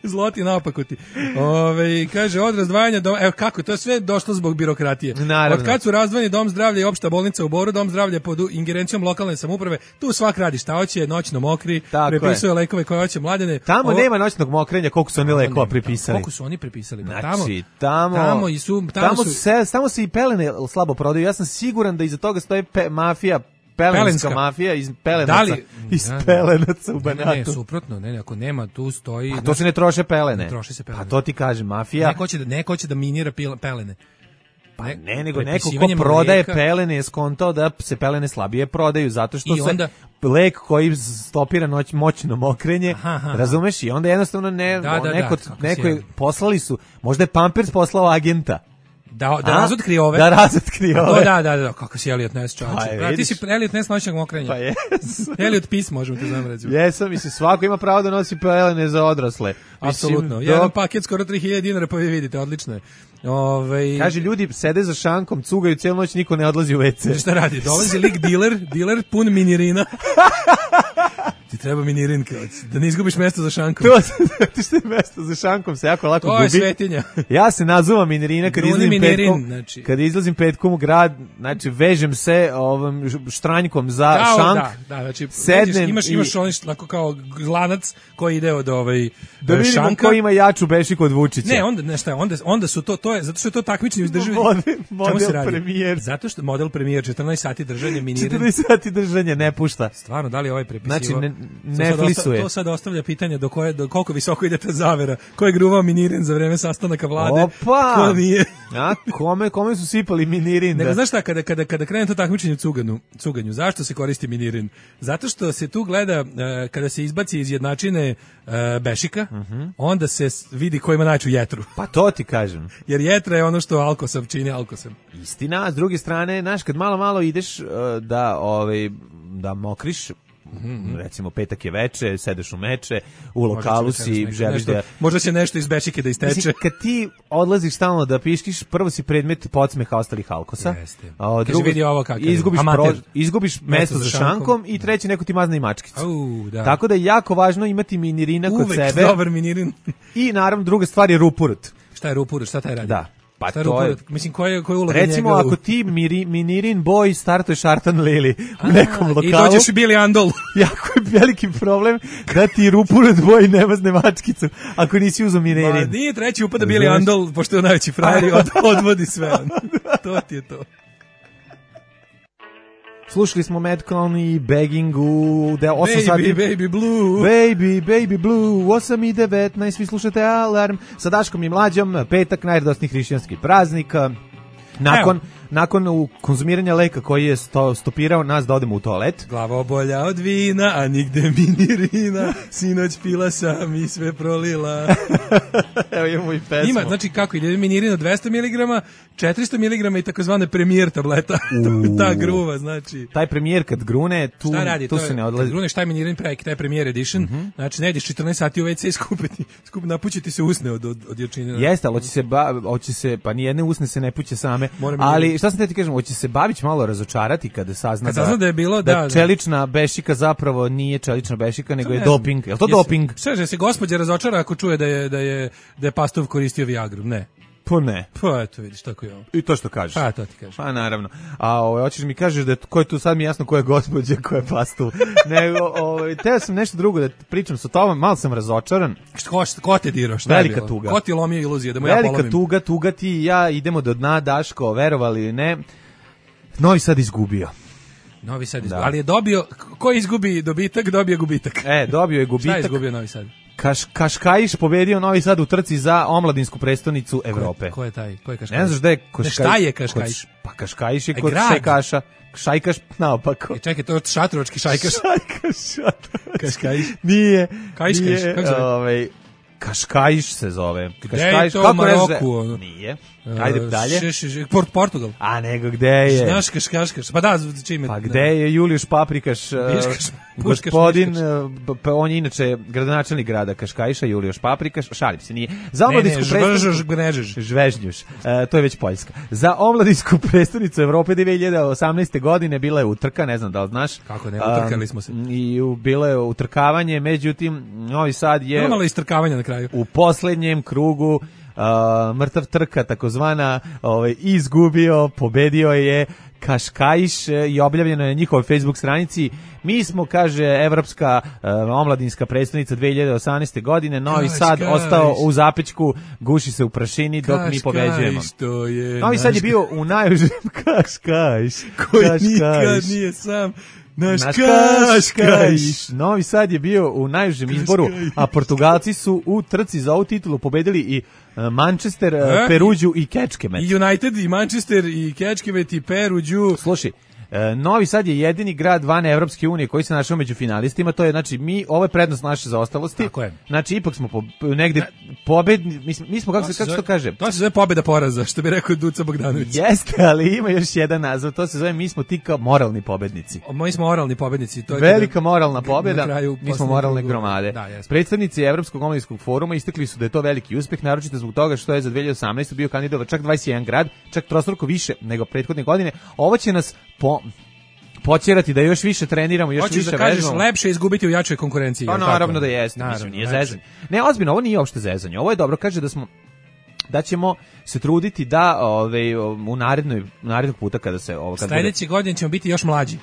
Speaker 6: Zloti na opakoti. Ove, kaže, od razdvajanja doma, evo kako, to je sve došlo zbog birokratije.
Speaker 5: Naravno.
Speaker 6: Od kad su razdvojeni dom zdravlja i opšta bolnica u Boru, dom zdravlja pod ingerencijom lokalne samouprave, tu svak radi šta hoće, noćno mokri, prepisuje lekove koje hoće mladene.
Speaker 5: Tamo
Speaker 6: Ovo,
Speaker 5: nema noćnog mokrenja, koliko su oni lekova prepisali.
Speaker 6: Koliko su oni prepisali?
Speaker 5: Znači,
Speaker 6: tamo,
Speaker 5: tamo,
Speaker 6: tamo, i su, tamo,
Speaker 5: tamo,
Speaker 6: su,
Speaker 5: se, tamo se i pelene slabo prodaju. Ja sam siguran da iza toga stoji pe, mafija, pelenska, pelenska mafija iz Pelenaca, da li, iz da, Pelenaca u Banatu.
Speaker 6: Ne, ne, suprotno, ne, ne, ako nema, tu stoji...
Speaker 5: A to se ne troše pelene.
Speaker 6: Ne troše se pelene.
Speaker 5: Pa to ti kaže, mafija...
Speaker 6: Neko će da, neko će da minira pelene.
Speaker 5: Pa ne, nego neko ko prodaje mlijeka, pelene je skontao da se pelene slabije prodaju, zato što se onda, lek koji stopira noć, moćno mokrenje, aha, aha. razumeš, i onda jednostavno ne, da, da, neko, da, neko je, poslali su, možda je Pampers poslao agenta.
Speaker 6: Da, da razotkri ove.
Speaker 5: Da razotkri ove.
Speaker 6: Da, da, da, kako si Elliot Ness, čovječe. Pa, ti si Elliot Ness noćnog mokrenja.
Speaker 5: Pa jes.
Speaker 6: Elliot Peace, možemo te znam reći.
Speaker 5: Jesam, mislim, svako ima pravo da nosi pelene za odrasle.
Speaker 6: Apsolutno. Jedan do... paket skoro tri hiljade dinara, pa vi vidite, odlično je. Ove...
Speaker 5: Kaže, ljudi sede za šankom, cugaju cijelu noć, niko ne odlazi u ve ce.
Speaker 6: Šta radi? Dolazi lik dealer, dealer pun minirina. Ti treba minirin, da ne izgubiš mesto za šankom.
Speaker 5: To ti što je mesto za šankom se jako lako gubi.
Speaker 6: To je svetinja.
Speaker 5: Ja se nazuvam minirina kad izlazim
Speaker 6: minirin,
Speaker 5: petkom,
Speaker 6: znači.
Speaker 5: kad izlazim petkom u grad, znači vežem se ovom štranjkom za
Speaker 6: da,
Speaker 5: šank.
Speaker 6: Da, da, znači
Speaker 5: sednem
Speaker 6: imaš
Speaker 5: i...
Speaker 6: imaš onaj tako kao lanac koji ide od ovaj
Speaker 5: da vidimo
Speaker 6: šanka.
Speaker 5: Ko ima jaču bešiku od Vučića.
Speaker 6: Ne, onda ne šta, onda onda su to to je zato što je to takmičenje izdrživi.
Speaker 5: Model, model premijer.
Speaker 6: Zato što model premijer četrnaest sati držanja minirin.
Speaker 5: četrnaest sati držanja ne pušta.
Speaker 6: Stvarno, da li ovaj prepisivo?
Speaker 5: Znači ne, ne flisuje.
Speaker 6: To sad ostavlja pitanje do koje do koliko visoko ide ta zavera. Ko je gruvao minirin za vreme sastanaka vlade?
Speaker 5: Opa!
Speaker 6: Ko nije?
Speaker 5: A kome kome su sipali minirin?
Speaker 6: Ne, znaš šta, kada kada kada krene to takmičenje u cuganju, cuganju, zašto se koristi minirin? Zato što se tu gleda uh, kada se izbaci iz jednačine uh, bešika, uh -huh. onda se vidi ko ima najveću jetru.
Speaker 5: Pa to ti kažem.
Speaker 6: Jer jetra je ono što alkosav čini alkosem.
Speaker 5: Istina, a s druge strane, znaš, kad malo malo ideš uh, da ovaj da mokriš, mm-hmm. recimo petak je veče, sedeš u meče, u lokalu si, želiš da...
Speaker 6: Možda će nešto iz bešike da isteče.
Speaker 5: Mislim, kad ti odlaziš stalno da piškiš, prvo si predmet podsmeha ostalih alkosa.
Speaker 6: Jeste.
Speaker 5: A drugo,
Speaker 6: vidi ovo kako je.
Speaker 5: Izgubiš, pro, izgubiš mesto za šankom, šankom i treći neko ti mazne i mačkicu.
Speaker 6: Au, da.
Speaker 5: Tako da je jako važno imati minirina kod
Speaker 6: Uvek
Speaker 5: sebe.
Speaker 6: Dobar minirin.
Speaker 5: I naravno druga stvar je rupurut.
Speaker 6: Šta je rupurut? Šta taj radi?
Speaker 5: Da. Pa
Speaker 6: šta
Speaker 5: to je,
Speaker 6: mislim, koja je uloga
Speaker 5: recimo,
Speaker 6: njega?
Speaker 5: ako ti miri, minirin boj startuješ Artan Lili u A, nekom lokalu.
Speaker 6: I dođeš u Billy Andol.
Speaker 5: Jako je veliki problem da ti rupurut boj ne mazne mačkicu ako nisi uzeo minirin.
Speaker 6: Ma nije treći upada Billy Andol, pošto je najveći frajer i od, odvodi sve. To ti je to.
Speaker 5: Slušali smo Madcon i Begging u osam
Speaker 6: baby,
Speaker 5: sati.
Speaker 6: Baby Blue.
Speaker 5: Baby, Baby Blue, osam i devetnaest, vi slušate Alarm sa Daškom i Mlađom, petak, najradosniji hrišćanski praznik. Nakon, nakon konzumiranja leka koji je sto, stopirao nas da odemo u toalet.
Speaker 6: Glavobolja od vina, a nigde mi ni rina, sinoć pila sam i sve prolila.
Speaker 5: Evo imamo i pesmu.
Speaker 6: Ima, znači kako ide minirina dvesta miligrama, četiristo miligrama i takozvane premijer tableta. Ta gruva, znači.
Speaker 5: Taj premijer kad grune, tu,
Speaker 6: radi,
Speaker 5: tu se ne odlazi.
Speaker 6: Grune šta je minirin prek, taj premijer edition, mm-hmm. znači ne ideš četrnaest sati u ve ce i skupiti, skup, napućiti se usne od, od, od jačine.
Speaker 5: Jeste, ali hoće se, ba, hoće se, pa nijedne usne se ne puće same, ali šta sam te ti kažem, hoće se Babić malo razočarati kada sazna,
Speaker 6: kad sazna da, da je bilo,
Speaker 5: da,
Speaker 6: da,
Speaker 5: čelična bešika zapravo nije čelična bešika, nego je doping. Je li to Jesi, doping?
Speaker 6: Sve že se gospođa razočara ako čuje da je, da je, da je Pastov koristio Viagru, ne.
Speaker 5: Pa ne.
Speaker 6: Pa eto vidiš, tako je ovo.
Speaker 5: I to što kažeš.
Speaker 6: Pa to ti kažeš.
Speaker 5: Pa naravno. A ovaj hoćeš mi kažeš da ko je tu sad mi jasno ko je gospođa, ko je Pastov. Nego ovaj teo sam nešto drugo da pričam sa tobom, malo sam razočaran.
Speaker 6: Što ko te dirao, šta
Speaker 5: Velika
Speaker 6: je bilo?
Speaker 5: tuga.
Speaker 6: Ko ti lomio iluzije da mu ja polomim?
Speaker 5: Velika tuga, tuga ti i ja idemo do dna, Daško, verovali ili ne. Novi Sad izgubio.
Speaker 6: Novi Sad izgubio. Da. Ali je dobio, ko izgubi dobitak, dobije gubitak.
Speaker 5: E, dobio je gubitak.
Speaker 6: Šta je izgubio Novi Sad?
Speaker 5: Kaš, Kaškajiš pobedio Novi Sad u trci za omladinsku prestonicu Evrope.
Speaker 6: Ko je, ko je taj? Ko je Kaškajiš?
Speaker 5: Ne znaš da je Kaškajiš?
Speaker 6: Šta je Kaškajiš?
Speaker 5: Pa Kaškajiš je kod Šajkaša. Šajkaš naopako.
Speaker 6: E, čekaj, to je šatrovački Šajkaš.
Speaker 5: Šajkaš, šatrovački.
Speaker 6: Kaškajiš?
Speaker 5: Nije.
Speaker 6: Kajškaš,
Speaker 5: nije,
Speaker 6: kako se zove?
Speaker 5: Ovaj, Kaškajiš se zove.
Speaker 6: Gde je to u Maroku? Ono?
Speaker 5: Nije. Ajde dalje.
Speaker 6: Š, š, š, Port, Portugal.
Speaker 5: A nego gde je?
Speaker 6: Znaš Kaškaškaš. Pa da, čime.
Speaker 5: Pa gde je Julijuš Paprikaš?
Speaker 6: Biškaš,
Speaker 5: gospodin, pa on je inače gradonačelnik grada Kaškajiša, Julijuš Paprikaš. Šalim se, nije. Za omladinsku prestonicu. Žvežnjuš. To je već Poljska. Za omladinsku prestonicu Evrope dve hiljade osamnaeste. godine bila je utrka, ne znam da li znaš.
Speaker 6: Kako ne, utrkali smo se.
Speaker 5: I bilo je utrkavanje, međutim, Novi Sad je...
Speaker 6: Imalo istrkavanja na kraju.
Speaker 5: U poslednjem krugu Uh, mrtav trka takozvana ovaj, izgubio, pobedio je Kaškajiš i objavljeno je na njihovoj Facebook stranici. Mi smo, kaže, evropska uh, omladinska predstavnica dve hiljade osamnaeste. godine, Novi Kaškajiš. Sad ostao u zapećku, guši se u prašini dok Kaškajiš, mi pobeđujemo.
Speaker 6: Je
Speaker 5: Novi Sad je bio u najužem Kaškajiš.
Speaker 6: Koji Kaškajiš. Nikad nije sam naš Kaškajiš.
Speaker 5: Novi Sad je bio u najužem izboru, a Portugalci su u trci za ovu titulu pobedili i Manchester, e? Peruđu i Kečkemet.
Speaker 6: I United, i Manchester, i Kečkemet, i Peruđu.
Speaker 5: Slušaj, Novi Sad je jedini grad van Evropske unije koji se našao među finalistima, to je, znači, mi, ovo je prednost naše zaostalosti.
Speaker 6: Tako je.
Speaker 5: Znači, ipak smo po, negde ne. pobedni, mi, mi smo, kako to se, kako se to kaže?
Speaker 6: To se zove pobeda poraza, što bi rekao Duca Bogdanović.
Speaker 5: Jeste, ali ima još jedan naziv, to se zove, mi smo ti kao moralni pobednici.
Speaker 6: Mi smo moralni pobednici. To je
Speaker 5: velika moralna pobeda, mi smo moralne gromade. Da, predstavnici Evropskog omladinskog foruma istakli su da je to veliki uspeh, naročito zbog toga što je za dve hiljade osamnaeste. bio kandidat čak dvadeset jedan grad, čak trostruko više nego prethodne godine. Ovo će nas po počerati da još više treniramo, još
Speaker 6: Hoćeš
Speaker 5: više
Speaker 6: da kažeš
Speaker 5: vežbamo.
Speaker 6: Lepše izgubiti u jačoj konkurenciji.
Speaker 5: Pa naravno da jeste, mislim, nije zezanje. Ne, ozbiljno, ovo nije uopšte zezanje. Ovo je dobro, kaže da smo da ćemo se truditi da ove, u narednoj narednog puta kada se ovo kad
Speaker 6: sledeće godine ćemo biti još mlađi.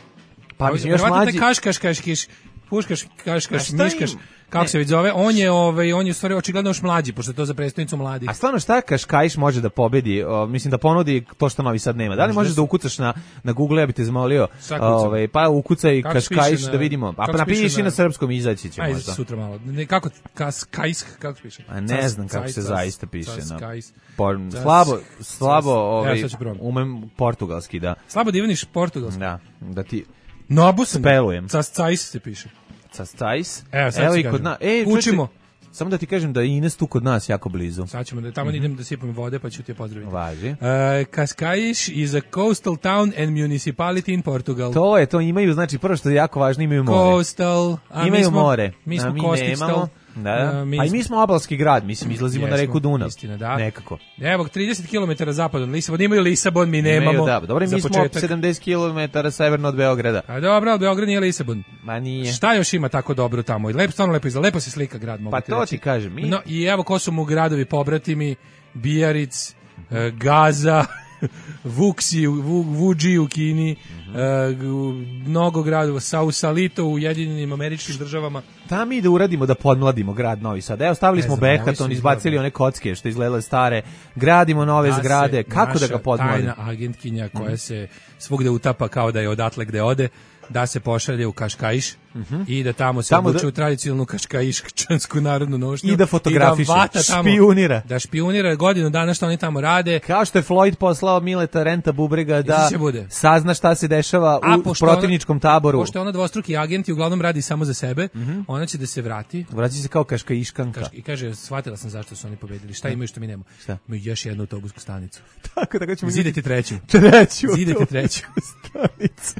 Speaker 5: Pa mislim još mlađi.
Speaker 6: Kaškaš, kaškiš, puškaš, kaškaš, miškaš. Kako se već zove, on je, ovaj, on je u stvari očigledno još mlađi, pošto je to za predstavnicu mladih.
Speaker 5: A stvarno šta Kaškajiš može da pobedi, o, mislim da ponudi to što Novi Sad nema. Da li možeš da ukucaš na, na Google, ja bi te zamolio, ovaj, pa ukucaj Kaškajiš da vidimo. A pa napiši na, na srpskom, izaći će
Speaker 6: ajde,
Speaker 5: možda.
Speaker 6: Sutra malo. Ne, kako, Kaskajs, kako se piše?
Speaker 5: A ne znam kako se zaista piše. Slabo, slabo ovaj, umem portugalski, da.
Speaker 6: Slabo da ivaniš portugalski?
Speaker 5: Da, da ti
Speaker 6: Nobusan,
Speaker 5: spelujem.
Speaker 6: Cascajs se piše.
Speaker 5: Cascajs.
Speaker 6: Evo, sad i kod nas.
Speaker 5: E,
Speaker 6: učimo.
Speaker 5: Samo da ti kažem da je Ines tu kod nas jako blizu.
Speaker 6: Sad ćemo da tamo mm-hmm. idem da sipam vode, pa ću te pozdraviti.
Speaker 5: Važi.
Speaker 6: Uh, Cascais is a coastal town and municipality in Portugal.
Speaker 5: To je, to imaju, znači prvo što je jako važno, imaju more.
Speaker 6: Coastal. A
Speaker 5: imaju
Speaker 6: mi smo,
Speaker 5: more.
Speaker 6: Mi smo
Speaker 5: a mi
Speaker 6: Kostistal.
Speaker 5: nemamo. Da, uh, mi pa i mi smo obalski grad, mislim, izlazimo jesmo, na reku Dunav.
Speaker 6: Istina, da.
Speaker 5: Nekako.
Speaker 6: Evo, trideset kilometara zapadno od Lisabona, imaju Lisabon, mi nemamo. Imaju,
Speaker 5: da, dobro, mi smo početak. sedamdeset kilometara severno od Beograda.
Speaker 6: A dobro, od Beograd nije Lisabon.
Speaker 5: Ma nije.
Speaker 6: Šta još ima tako dobro tamo? Lepo, stvarno lepo izgleda, lepo se slika grad, mogu
Speaker 5: pa
Speaker 6: ti
Speaker 5: to
Speaker 6: reći.
Speaker 5: ti kažem. Mi...
Speaker 6: No, i evo ko su mu gradovi pobratimi, Bijaric, uh, Gaza, Vuksi, Vu, Vuđi u Kini, mm -hmm. uh, mnogo gradova, Sausalito u Ujedinjenim Američkim Državama.
Speaker 5: Da mi da uradimo da podmladimo grad Novi Sad. Evo stavili ne smo Behaton, izbacili one kocke što izgledale stare, gradimo nove da zgrade, kako da ga podmladimo?
Speaker 6: Tajna agentkinja koja mm. se svugde utapa kao da je odatle gde ode. da se pošalje u Kaškaiš
Speaker 5: uh-huh.
Speaker 6: i da tamo se obuče da... u tradicionalnu kaškaiščansku narodnu nošnju
Speaker 5: i da fotografiše,
Speaker 6: i da tamo,
Speaker 5: špijunira.
Speaker 6: Da špijunira godinu dana što oni tamo rade.
Speaker 5: Kao što je Floyd poslao Mileta Renta Bubrega da sazna šta se dešava A, u protivničkom ona, taboru.
Speaker 6: Pošto je ona dvostruki agent i uglavnom radi samo za sebe, uh-huh. ona će da se vrati.
Speaker 5: Vraća se kao kaškaiškanka.
Speaker 6: Kaška, I kaže, shvatila sam zašto su oni pobedili. Šta imaju što mi nemamo?
Speaker 5: Šta?
Speaker 6: Imaju još jednu autobusku stanicu.
Speaker 5: Tako, tako ćemo...
Speaker 6: Zidete treću.
Speaker 5: Treću.
Speaker 6: Zidete treću.
Speaker 5: Stanicu.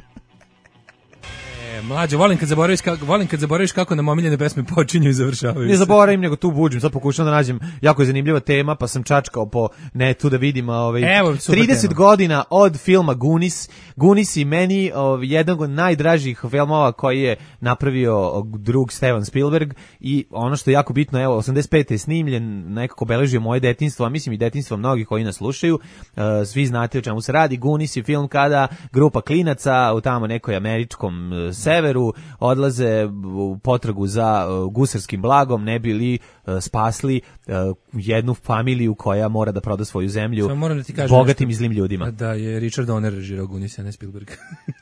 Speaker 6: Mlađo, volim kad zaboraviš kako volim kad zaboraviš kako nam omiljene pesme počinju i završavaju.
Speaker 5: Ne zaboravim, nego tu budžim, sad pokušavam da nađem jako je zanimljiva tema, pa sam čačkao po netu da vidim ovaj
Speaker 6: Evo,
Speaker 5: trideset
Speaker 6: tema.
Speaker 5: godina od filma Goonies. Goonies i meni ovaj, jedan od najdražih filmova koji je napravio drug Steven Spielberg i ono što je jako bitno, evo osamdeset pete je snimljen, nekako beležio moje detinjstvo, a mislim i detinjstvo mnogih koji nas slušaju. Uh, svi znate o čemu se radi. Goonies je film kada grupa klinaca u tamo nekoj američkom uh, severu odlaze u potragu za uh, gusarskim blagom, ne bi li uh, spasli uh, jednu familiju koja mora da proda svoju zemlju
Speaker 6: da ti kažem
Speaker 5: bogatim
Speaker 6: nešto,
Speaker 5: i zlim ljudima.
Speaker 6: Da je Richard Donner režirao Goonies, a ne Spielberg.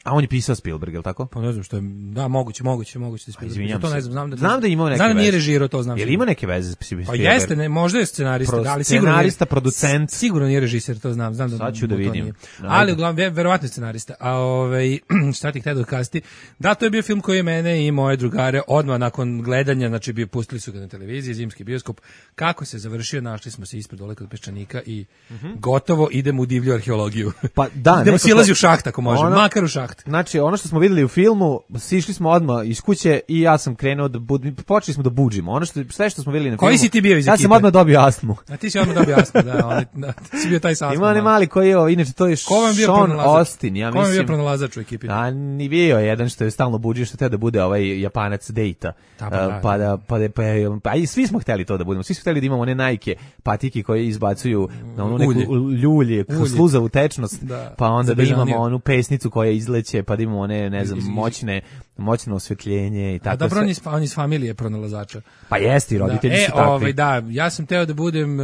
Speaker 5: A on je pisao Spielberg, je li tako?
Speaker 6: Pa ne znam što je, da, moguće, moguće, moguće da Spielberg.
Speaker 5: Izvinjam
Speaker 6: to
Speaker 5: se.
Speaker 6: ne znam, znam da,
Speaker 5: znam da ima neke
Speaker 6: znam da nije
Speaker 5: veze.
Speaker 6: režirao, to znam.
Speaker 5: Je li ima neke veze s Spielberg?
Speaker 6: Pa jeste, ne, možda je scenarista,
Speaker 5: Pro,
Speaker 6: da, ali sigurno
Speaker 5: scenarista, producent.
Speaker 6: Sigurno nije režiser, to znam, znam da.
Speaker 5: Sad ću da vidim.
Speaker 6: Ali uglavnom verovatno je scenarista. A ovaj šta ti htio da kasti? Da, to je bio film koji je mene i moje drugare odmah nakon gledanja, znači bio pustili su ga na televiziji, zimski bioskop. Kako se završio, našli smo se ispred dole kod Peščanika i uh-huh. gotovo idemo u divlju arheologiju.
Speaker 5: Pa da,
Speaker 6: idemo silazi u šaht ako može, ono, makar u šaht.
Speaker 5: Znači, ono što smo videli u filmu, sišli smo odmah iz kuće i ja sam krenuo da bud, počeli smo da buđimo. Ono što sve što smo videli na
Speaker 6: Koji
Speaker 5: filmu.
Speaker 6: Si ti bio iz
Speaker 5: ja
Speaker 6: ekipe?
Speaker 5: sam odmah dobio astmu.
Speaker 6: A ti si odmah dobio astmu, da, on, da, ti si bio taj sa astmom.
Speaker 5: Ima ne mali koji je, inače to je Sean Austin, ja mislim.
Speaker 6: Ko vam bio pronalazač u ekipi?
Speaker 5: A ni bio jedan što je stalno buđio, što teo da bude ovaj Japanac Dejta.
Speaker 6: Pa da,
Speaker 5: pa da pa da pa, pa i svi smo hteli to da budemo. Svi smo hteli da imamo one Nike patike koje izbacuju na onu neku ljulje, sluzavu tečnost, da, pa onda da imamo onu pesnicu koja izleće, pa da imamo one, ne znam, moćne moćno osvetljenje i tako.
Speaker 6: A dobro, on iz, on iz familije pronalazača.
Speaker 5: Pa jeste, i roditelji
Speaker 6: da,
Speaker 5: su
Speaker 6: e,
Speaker 5: takvi.
Speaker 6: Ovaj, da, ja sam teo da budem,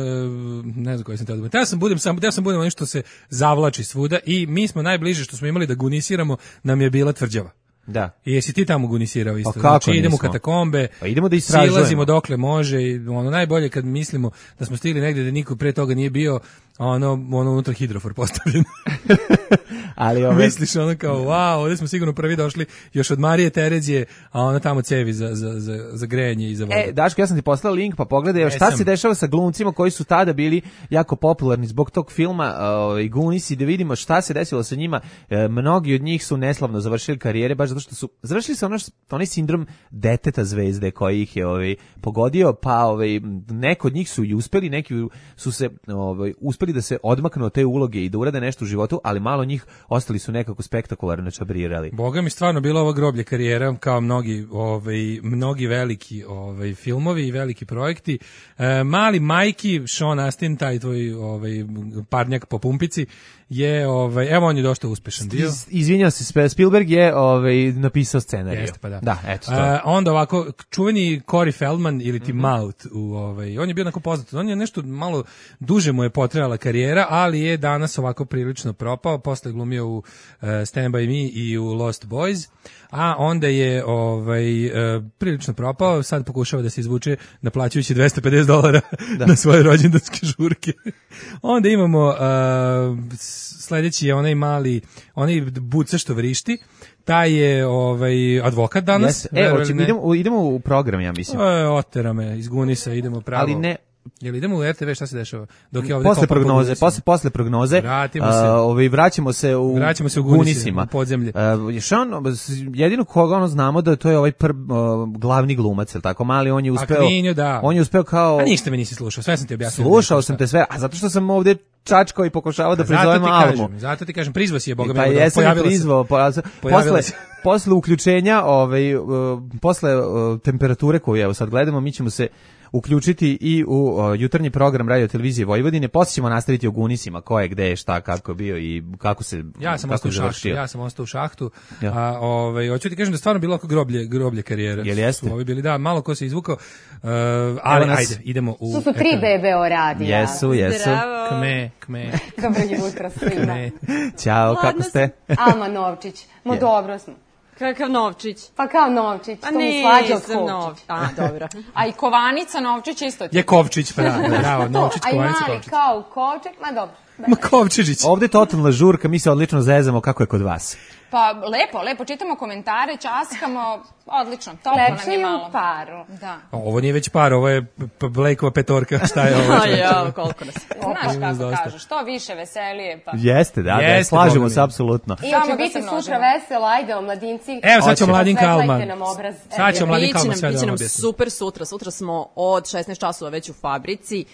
Speaker 6: ne znam koji sam teo da budem, teo sam budem, sam, teo sam budem ono što se zavlači svuda i mi smo najbliže što smo imali da gunisiramo, nam je bila Tvrđava.
Speaker 5: Da.
Speaker 6: I jesi ti tamo gunisirao isto?
Speaker 5: Pa kako
Speaker 6: znači, idemo u katakombe,
Speaker 5: pa idemo da istražujemo.
Speaker 6: Silazimo dokle može i ono najbolje kad mislimo da smo stigli negde da niko pre toga nije bio, ono, ono unutra hidrofor postavljen.
Speaker 5: Ali ove...
Speaker 6: Misliš ono kao, wow, ovdje smo sigurno prvi došli još od Marije Terezije, a ona tamo cevi za, za, za, za grejanje i za vodu.
Speaker 5: E, Daško, ja sam ti poslao link, pa pogledaj šta se dešava sa glumcima koji su tada bili jako popularni zbog tog filma uh, Goonies i da vidimo šta se desilo sa njima. E, mnogi od njih su neslavno završili karijere, baš zato što su završili se ono što, onaj sindrom deteta zvezde koji ih je ovaj, pogodio, pa ovaj, neko od njih su i uspeli, neki su se ovaj, uspeli da se odmaknu od te uloge i da urade nešto u životu, ali malo njih ostali su nekako spektakularno čabrirali.
Speaker 6: Boga mi stvarno bilo ovo groblje karijera kao mnogi ovaj mnogi veliki ovaj filmovi i veliki projekti. E, mali Majki, Sean Astin, taj tvoj ovaj parnjak po pumpici je ovaj evo on je dosta uspešan bio.
Speaker 5: Iz, izvinjavam se, Spielberg je ovaj napisao scenarij.
Speaker 6: Jeste, pa da.
Speaker 5: Da, eto to.
Speaker 6: E, onda ovako čuveni Corey Feldman ili ti mm-hmm. Mouth u ovaj on je bio onako poznat. On je nešto malo duže mu je potrajala karijera, ali je danas ovako prilično propao. Posle glumio u uh, Stand by Me i u Lost Boys, a onda je ovaj uh, prilično propao, sad pokušava da se izvuče naplaćujući dvesta pedeset dolara na svoje rođendanske žurke. Onda imamo uh, sledeći je onaj mali, onaj buca što vrišti, taj je ovaj advokat danas.
Speaker 5: Yes. E, hoćemo, idemo, idemo u program, ja mislim.
Speaker 6: E, otera me iz Gunisa, idemo pravo.
Speaker 5: Ali ne,
Speaker 6: jel idemo u er te ve, šta se dešava? Dok je ovde
Speaker 5: posle prognoze, posle posle prognoze,
Speaker 6: vratimo se.
Speaker 5: Uh, ovaj vraćamo se u
Speaker 6: vraćamo se u
Speaker 5: Gunisima,
Speaker 6: u podzemlje.
Speaker 5: Uh, Sean, jedino koga ono znamo da to je ovaj pr, uh, glavni glumac, el tako mali, on je uspeo.
Speaker 6: Klinju, da.
Speaker 5: On je uspeo kao.
Speaker 6: A ništa me nisi slušao, sve sam ti objasnio.
Speaker 5: Slušao sam te sve, a zato što sam ovde čačkao i pokušavao da prizovem Almu.
Speaker 6: Kažem, zato ti kažem, prizvao si je, boga mi,
Speaker 5: pa
Speaker 6: da pojavila
Speaker 5: prizvao,
Speaker 6: se.
Speaker 5: Posle, posle uključenja, ovaj, uh, posle uh, temperature koju evo sad gledamo, mi ćemo se uključiti i u uh, jutarnji program Radio Televizije Vojvodine. Posle ćemo nastaviti o Gunisima, ko je, gde je, šta, kako je bio i kako se
Speaker 6: ja sam
Speaker 5: kako
Speaker 6: ostao u šahtu, ja sam ostao u šahtu. Ja. A ovaj hoću ti kažem da stvarno bilo oko groblje, groblje karijere.
Speaker 5: Jel jeste?
Speaker 6: Ovi bili da, malo ko se izvukao. Uh, ali nas... ajde, idemo u.
Speaker 10: Su su tri bebe o radija.
Speaker 5: Jesu, jesu.
Speaker 9: Zdravo.
Speaker 6: Kme, kme.
Speaker 10: Dobro jutro svima.
Speaker 5: Ćao, kako ste?
Speaker 10: Alma Novčić. Mo
Speaker 5: yeah.
Speaker 10: dobro smo.
Speaker 11: Kakav Novčić?
Speaker 10: Pa kao Novčić,
Speaker 11: pa
Speaker 10: to mi slađe od Kovčić.
Speaker 11: Nov... A, dobro.
Speaker 9: A i Kovanica Novčić isto ti.
Speaker 6: Je Kovčić, pravo, bravo, Novčić, Kovanica,
Speaker 10: Kovčić. A i mali kao Kovček, ma dobro.
Speaker 6: Ma Kovčižić.
Speaker 5: Ovde je totalna žurka, mi se odlično zezamo, kako je kod vas?
Speaker 9: Pa lepo, lepo, čitamo komentare, časkamo, odlično, toplo nam je malo.
Speaker 10: Lepše u paru.
Speaker 9: Da.
Speaker 6: Ovo nije već par, ovo je Blakeova petorka, šta je ovo?
Speaker 11: Ja, koliko nas.
Speaker 9: Znaš kako kažu, što više veselije, pa.
Speaker 5: Jeste, da, da, slažemo se apsolutno.
Speaker 10: I hoće biti sutra veselo, ajde, omladinci.
Speaker 6: Evo, sad će Mladinka Alman.
Speaker 10: Sad
Speaker 6: će Mladinka Alman sve da
Speaker 11: nam objasni. Super sutra, sutra smo od šesnaest časova već u fabrici.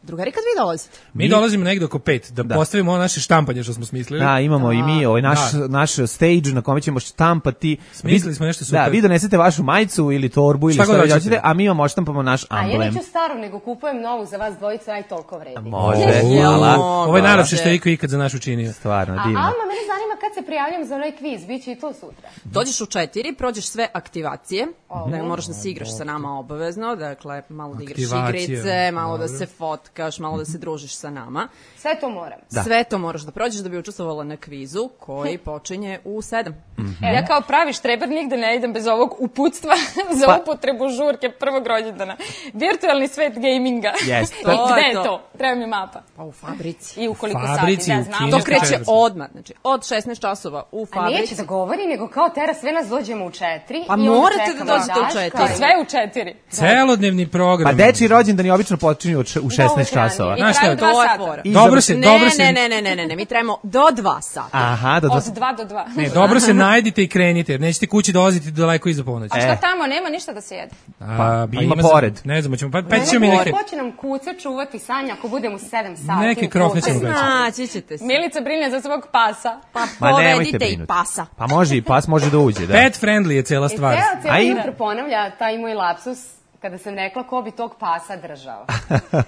Speaker 11: Drugari, kad vi dolazite?
Speaker 6: Mi, mi dolazimo negdje oko pet, da, da postavimo ono naše štampanje što smo smislili.
Speaker 5: Da, imamo da. i mi ovaj naš, da. naš stage na kome ćemo štampati.
Speaker 6: Smislili smo nešto super.
Speaker 5: Da, vi donesete vašu majicu ili torbu ili šta hoćete, a mi vam odštampamo naš amblem.
Speaker 10: A ja neću staru, nego kupujem novu za vas dvojicu, aj toliko vredi.
Speaker 5: Može, hvala.
Speaker 6: Ovo je najlepše što je iko ikad za nas učinio.
Speaker 5: Stvarno, divno.
Speaker 10: A Alma, mene zanima kad se prijavljam za onaj kviz, bit će i to sutra.
Speaker 11: Dođeš u četiri, prođeš sve aktivacije, mm-hmm. da moraš da se igraš sa nama obavezno, dakle malo da igraš igrice, malo da se fotkaš, malo da se družiš sa nama.
Speaker 10: Sve to moram.
Speaker 11: Da. Sve to moraš da prođeš da bi učestvovala na kvizu koji počinje u sedam.
Speaker 9: Mm-hmm. Ja kao pravi štreber nigde ne idem bez ovog uputstva za pa. upotrebu žurke prvog rođendana. Virtualni svet gaminga.
Speaker 5: Yes.
Speaker 9: I gde je to? to? Treba mi mapa.
Speaker 11: Pa u fabrici.
Speaker 9: I u koliko
Speaker 6: fabrici,
Speaker 9: sati, da znam.
Speaker 11: To kreće odmah, znači od šesnaest časova u fabrici.
Speaker 10: A neće da govori, nego kao tera sve nas dođemo u četiri.
Speaker 11: Pa morate da dođete u četiri.
Speaker 9: Sve u četiri.
Speaker 6: Celodnevni program.
Speaker 5: Pa dečiji rođendani obično počinju u šesnaest časova.
Speaker 9: I traju dva sata.
Speaker 6: Dobro se, dobro se.
Speaker 11: Ne, ne, ne, ne, ne, ne, mi trebamo do dva sata.
Speaker 5: Aha, do dva.
Speaker 9: Od dva do dva.
Speaker 6: Ne, dobro se najdite i krenite, jer nećete kući dolaziti daleko iza ponoći.
Speaker 9: A šta tamo, nema ništa da se jede?
Speaker 5: Pa, ima pored.
Speaker 6: Ne znam, ćemo, pa ćemo mi neke.
Speaker 10: Ko će nam kuca čuvati Sanja ako budemo u sedam sati?
Speaker 6: Neke krofne ćemo
Speaker 11: gaći. Naći ćete se.
Speaker 9: Milica brine za svog pasa.
Speaker 11: Pa povedite i pasa.
Speaker 5: Pa može i pas može da uđe, da.
Speaker 6: Pet friendly je cela stvar.
Speaker 10: I ceo cijelo jutro ponavlja taj moj lapsus kada sam rekla ko bi tog pasa držao.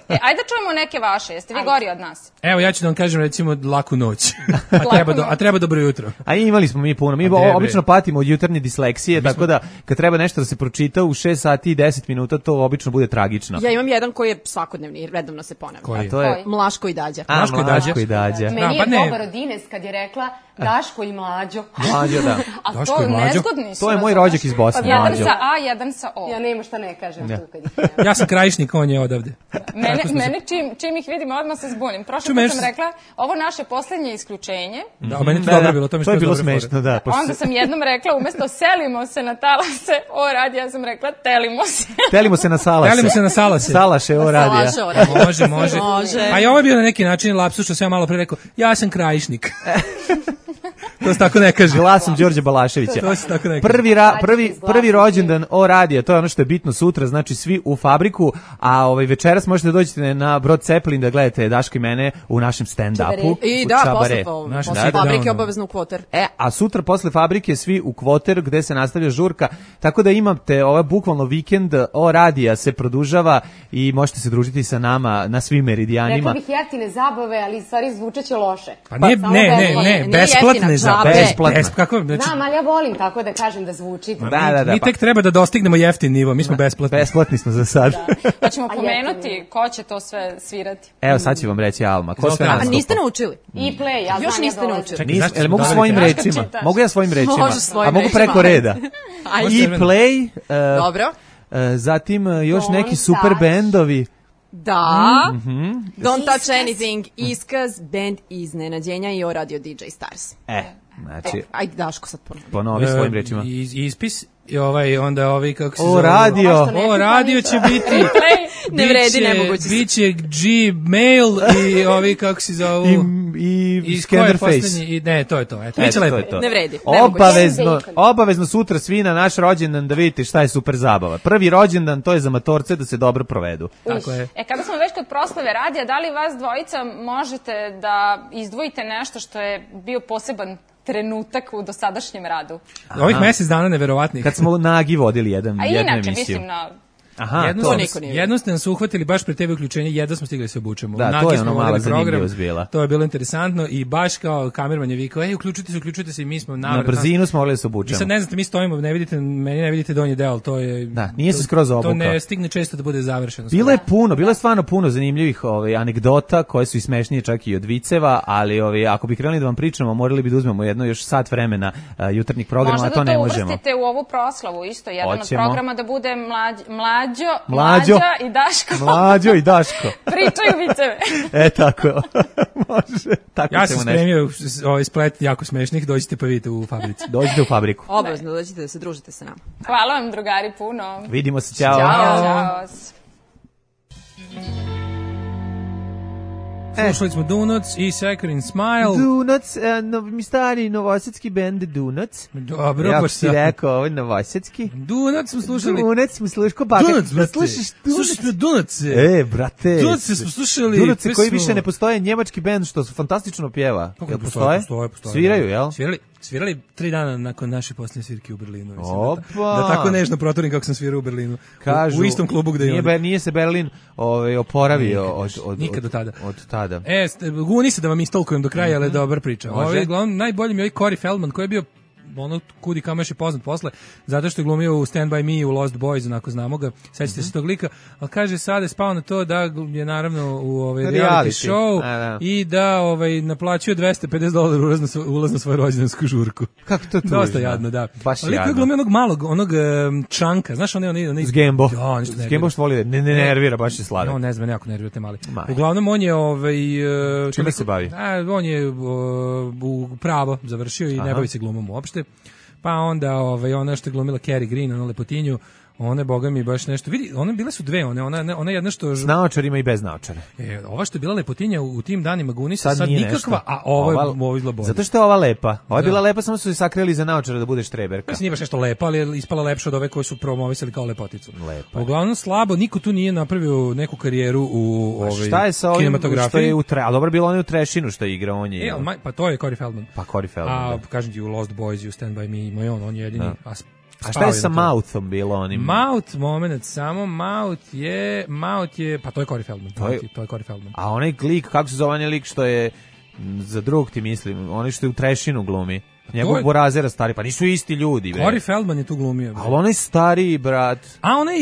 Speaker 9: E, ajde čujemo neke vaše, jeste vi ajde. Gori od nas?
Speaker 6: Evo, ja ću da vam kažem recimo laku noć, a, treba do, a treba dobro jutro.
Speaker 5: A imali smo mi puno, mi o, obično patimo od jutarnje disleksije, mi tako smo... da kad treba nešto da se pročita u šest sati i deset minuta, to obično bude tragično.
Speaker 11: Ja imam jedan koji je svakodnevni, redovno se ponavlja.
Speaker 6: Koji?
Speaker 5: A to je
Speaker 11: Mlaško i Dađa.
Speaker 5: A, Mlaško, Mlaško i Dađa.
Speaker 10: Meni je dobar od Ines kad je rekla Daško i Mlađo.
Speaker 5: Mlađo, da.
Speaker 9: A Daško to nezgodni su.
Speaker 5: To je moj rođak iz Bosne,
Speaker 9: jedan
Speaker 5: Mlađo.
Speaker 9: Jedan sa A, jedan sa O.
Speaker 10: Ja nema šta ne kažem
Speaker 5: ja.
Speaker 10: tu kad ih nema.
Speaker 6: Ja sam Krajišnik, on je odavde.
Speaker 9: Mene, mene čim, čim ih vidim, odmah se zbunim. Prošle put sam rekla, ovo naše poslednje isključenje.
Speaker 6: Da, meni je to dobro bilo, to mi
Speaker 5: to je bilo smešno, da.
Speaker 9: Onda sam jednom rekla, umesto selimo se na talase, o radi, ja sam rekla, telimo se.
Speaker 5: Telimo se na salase.
Speaker 6: Telimo se na salase.
Speaker 5: Salaše, o radi.
Speaker 6: Može, može. A i ovo je bio na neki način lapsus, što sam ja malo pre rekao, ja sam Krajišnik. To se tako ne kaže.
Speaker 5: Glasom Đorđe Balaševića.
Speaker 6: To se tako ne
Speaker 5: kaže. Prvi, ra, prvi, prvi rođendan o radija, to je ono što je bitno sutra, znači svi u fabriku, a ovaj večeras možete doći na Brod Zeppelin da gledate Daško i mene u našem stand-upu.
Speaker 11: I da, posle, posle da, fabrike obavezno u Kvoter.
Speaker 5: E, a sutra posle fabrike svi u Kvoter gde se nastavlja žurka, tako da imate ovaj bukvalno vikend o radija se produžava i možete se družiti sa nama na svim meridijanima.
Speaker 10: Rekla bih jeftine zabave, ali stvari zvučeće loše.
Speaker 6: Pa ne, ne, ne, ne, besplatne zabave.
Speaker 5: Besplatno.
Speaker 6: Besp, kako, znači...
Speaker 10: Znam, ali ja volim tako da kažem da zvuči.
Speaker 5: Da, da, da,
Speaker 6: mi tek treba da dostignemo jeftin nivo, mi smo da. besplatni.
Speaker 5: Besplatni smo za sad.
Speaker 9: Da. Pa ćemo pomenuti ko će to sve svirati.
Speaker 5: Evo sad će vam reći Alma. Ko sve nastupa?
Speaker 11: A niste naučili?
Speaker 10: I play, ja
Speaker 11: još
Speaker 10: znam
Speaker 11: niste
Speaker 10: ja
Speaker 11: naučili.
Speaker 5: Nis, jel mogu svojim rečima? Mogu ja svojim rečima?
Speaker 11: Može svojim
Speaker 5: A mogu
Speaker 11: rečima.
Speaker 5: preko reda. I play. Uh,
Speaker 11: Dobro.
Speaker 5: Uh, zatim uh, još
Speaker 10: Don't
Speaker 5: neki super
Speaker 10: touch.
Speaker 5: bendovi.
Speaker 11: Da.
Speaker 5: Mm-hmm.
Speaker 11: Don't touch anything. Iskaz, band iznenađenja i o radio D J Stars.
Speaker 5: E, znači...
Speaker 11: E, ajde Daško sad ponovi.
Speaker 5: Ponovi svojim rečima.
Speaker 6: Iz, ispis i ovaj, onda ovaj, kako se
Speaker 5: o,
Speaker 6: zove?
Speaker 5: Radio.
Speaker 6: O, radio će biti...
Speaker 11: Ne vredi, nemoguće.
Speaker 6: Biće Gmail i ovi, kako se zovu...
Speaker 5: I, i, i Scanderface.
Speaker 6: I, ne, to je to. Eto, biće lepo.
Speaker 11: Ne vredi.
Speaker 5: Obavezno, obavezno sutra svi na naš rođendan da vidite šta je super zabava. Prvi rođendan, to je za matorce da se dobro provedu.
Speaker 6: Tako je.
Speaker 9: E, kada smo već kod proslave radija, da li vas dvojica možete da izdvojite nešto što je bio poseban trenutak u dosadašnjem radu?
Speaker 6: Ovih mjesec dana neverovatnih.
Speaker 5: Kad smo nagi vodili jedan,
Speaker 9: a
Speaker 5: jednu
Speaker 9: inače,
Speaker 5: emisiju.
Speaker 9: mislim na
Speaker 5: Aha,
Speaker 6: jedno,
Speaker 5: to
Speaker 6: niko nije. Jedno ste nas uhvatili baš pre te uključenje, jedno smo stigli se obučemo.
Speaker 5: Da,
Speaker 6: Nagi
Speaker 5: to je ono mala zanimljivost bila.
Speaker 6: To je bilo interesantno i baš kao kamerman je vikao, ej, uključite se, uključite se i mi smo
Speaker 5: na Na brzinu smo mogli da se obučemo.
Speaker 6: I sad ne znate, mi stojimo, ne vidite, meni ne vidite donji deo, to je...
Speaker 5: Da, nije se skroz obukao.
Speaker 6: To ne stigne često da bude završeno.
Speaker 5: Bilo je puno, bilo je stvarno puno zanimljivih ovaj, anegdota koje su i smešnije čak i od viceva, ali ovaj, ako bi krenuli da vam pričamo, morali bi da uzmemo jedno još sat vremena uh, jutarnjih programa, a to ne možemo.
Speaker 9: Možda da to uvrstite u ovu proslavu isto, jedan
Speaker 5: Hoćemo.
Speaker 9: od programa da bude mlađ, mlađo,
Speaker 5: Mlađo,
Speaker 9: mlađa i Daško.
Speaker 5: Mlađo i Daško.
Speaker 9: Pričaju viceve.
Speaker 5: E, tako. Može. Tako
Speaker 6: ja sam spremio ovaj splet jako smešnih, dođite pa vidite u fabrici.
Speaker 5: Dođite u fabriku.
Speaker 11: Obavezno dođite da se družite sa nama.
Speaker 9: Hvala vam, drugari, puno.
Speaker 5: Vidimo se, ćao.
Speaker 9: Ćao. Ćao.
Speaker 6: Slušali smo Donuts i Saccharine Smile.
Speaker 5: Donuts, uh, no, mi stari novosadski bend Donuts.
Speaker 6: Dobro,
Speaker 5: ja
Speaker 6: pa
Speaker 5: si rekao, ovo je novosadski.
Speaker 6: Donuts smo slušali.
Speaker 5: Donuts smo slušali. Ko baka?
Speaker 6: Donuts, brate.
Speaker 5: Slušaš Donuts?
Speaker 6: Slušaš me Donuts.
Speaker 5: E, brate.
Speaker 6: Donuts smo slušali.
Speaker 5: Donuts koji više ne postoje, njemački bend što su fantastično pjeva.
Speaker 6: Kako postoje? Postoje, postoje.
Speaker 5: Sviraju, jel?
Speaker 6: Svirali. Svirali tri dana nakon naše posljednje svirke u Berlinu. Mislim,
Speaker 5: Opa!
Speaker 6: Da, da tako nežno protorim kako sam svirao u Berlinu.
Speaker 5: Kažu,
Speaker 6: u, u istom klubu gde je
Speaker 5: nije, nije se Berlin ovaj, oporavio
Speaker 6: nikad,
Speaker 5: od, od,
Speaker 6: nikad do tada.
Speaker 5: Od tada.
Speaker 6: E, guni se da vam istolkujem do kraja, ali je dobra priča. Ovaj, glavno, najbolji mi je ovaj Corey Feldman koji je bio ono kudi kamo još je poznat posle, zato što je glumio u Stand By Me, u Lost Boys, onako znamo ga, sećate mm-hmm. se tog lika, ali kaže sada je spao na to da je naravno u ovaj reality, reality show a, da. I da ovaj naplaćuje dvesta pedeset dolara ulaz na, ulaz na svoju rođendansku žurku.
Speaker 5: Kako to tužno?
Speaker 6: Dosta jadno, da.
Speaker 5: Baš
Speaker 6: ali
Speaker 5: jadno.
Speaker 6: glumio onog malog, onog um, čanka, znaš onaj onaj onaj
Speaker 5: Zgembo.
Speaker 6: Ja,
Speaker 5: Zgembo što voli, ne, ne nervira, baš je sladak.
Speaker 6: On ne znam, jako nervira te mali. Maj. Uglavnom on je ovaj
Speaker 5: čime se bavi?
Speaker 6: A, on je uh, u pravo završio i Aha. ne bavi se glumom uopšte. Pa onda ovaj ona što je glumila Cary Green, ona lepotinju, one boga mi baš nešto. Vidi, one bile su dve, one ona ona jedna što
Speaker 5: s naočarima i bez naočara.
Speaker 6: E, ova što je bila lepotinja u, u tim danima Gunisa sad, sad nikakva, nešto. A ova je ovo izgleda.
Speaker 5: Zato što je ova lepa. Ova je bila lepa, samo su se sakrili za naočara da bude štreberka.
Speaker 6: Mislim nije baš nešto lepa, ali je ispala lepša od ove koje su promovisali kao lepoticu.
Speaker 5: Lepa.
Speaker 6: Uglavnom slabo, niko tu nije napravio neku karijeru u ovaj
Speaker 5: šta je sa ovim što je u tre, a dobro bilo on je u Trešinu što igra, on je.
Speaker 6: E, ma, pa to je Corey Feldman.
Speaker 5: Pa Corey Feldman.
Speaker 6: A
Speaker 5: da.
Speaker 6: kažem ti u Lost Boys i u Stand By Me, ima on, on je jedini.
Speaker 5: Da. A šta je sa Mouthom bilo onim?
Speaker 6: Mouth, moment, samo Mouth je, Mouth je, pa to je Corey Feldman, to je, to je Corey Feldman.
Speaker 5: A onaj lik, kako se zove onaj lik što je, za drug ti mislim, onaj što je u Trešinu glumi, njegov je... Borazera stari, pa nisu isti ljudi.
Speaker 6: Corey Feldman je tu glumio.
Speaker 5: Ali onaj stariji brat.
Speaker 6: A onaj,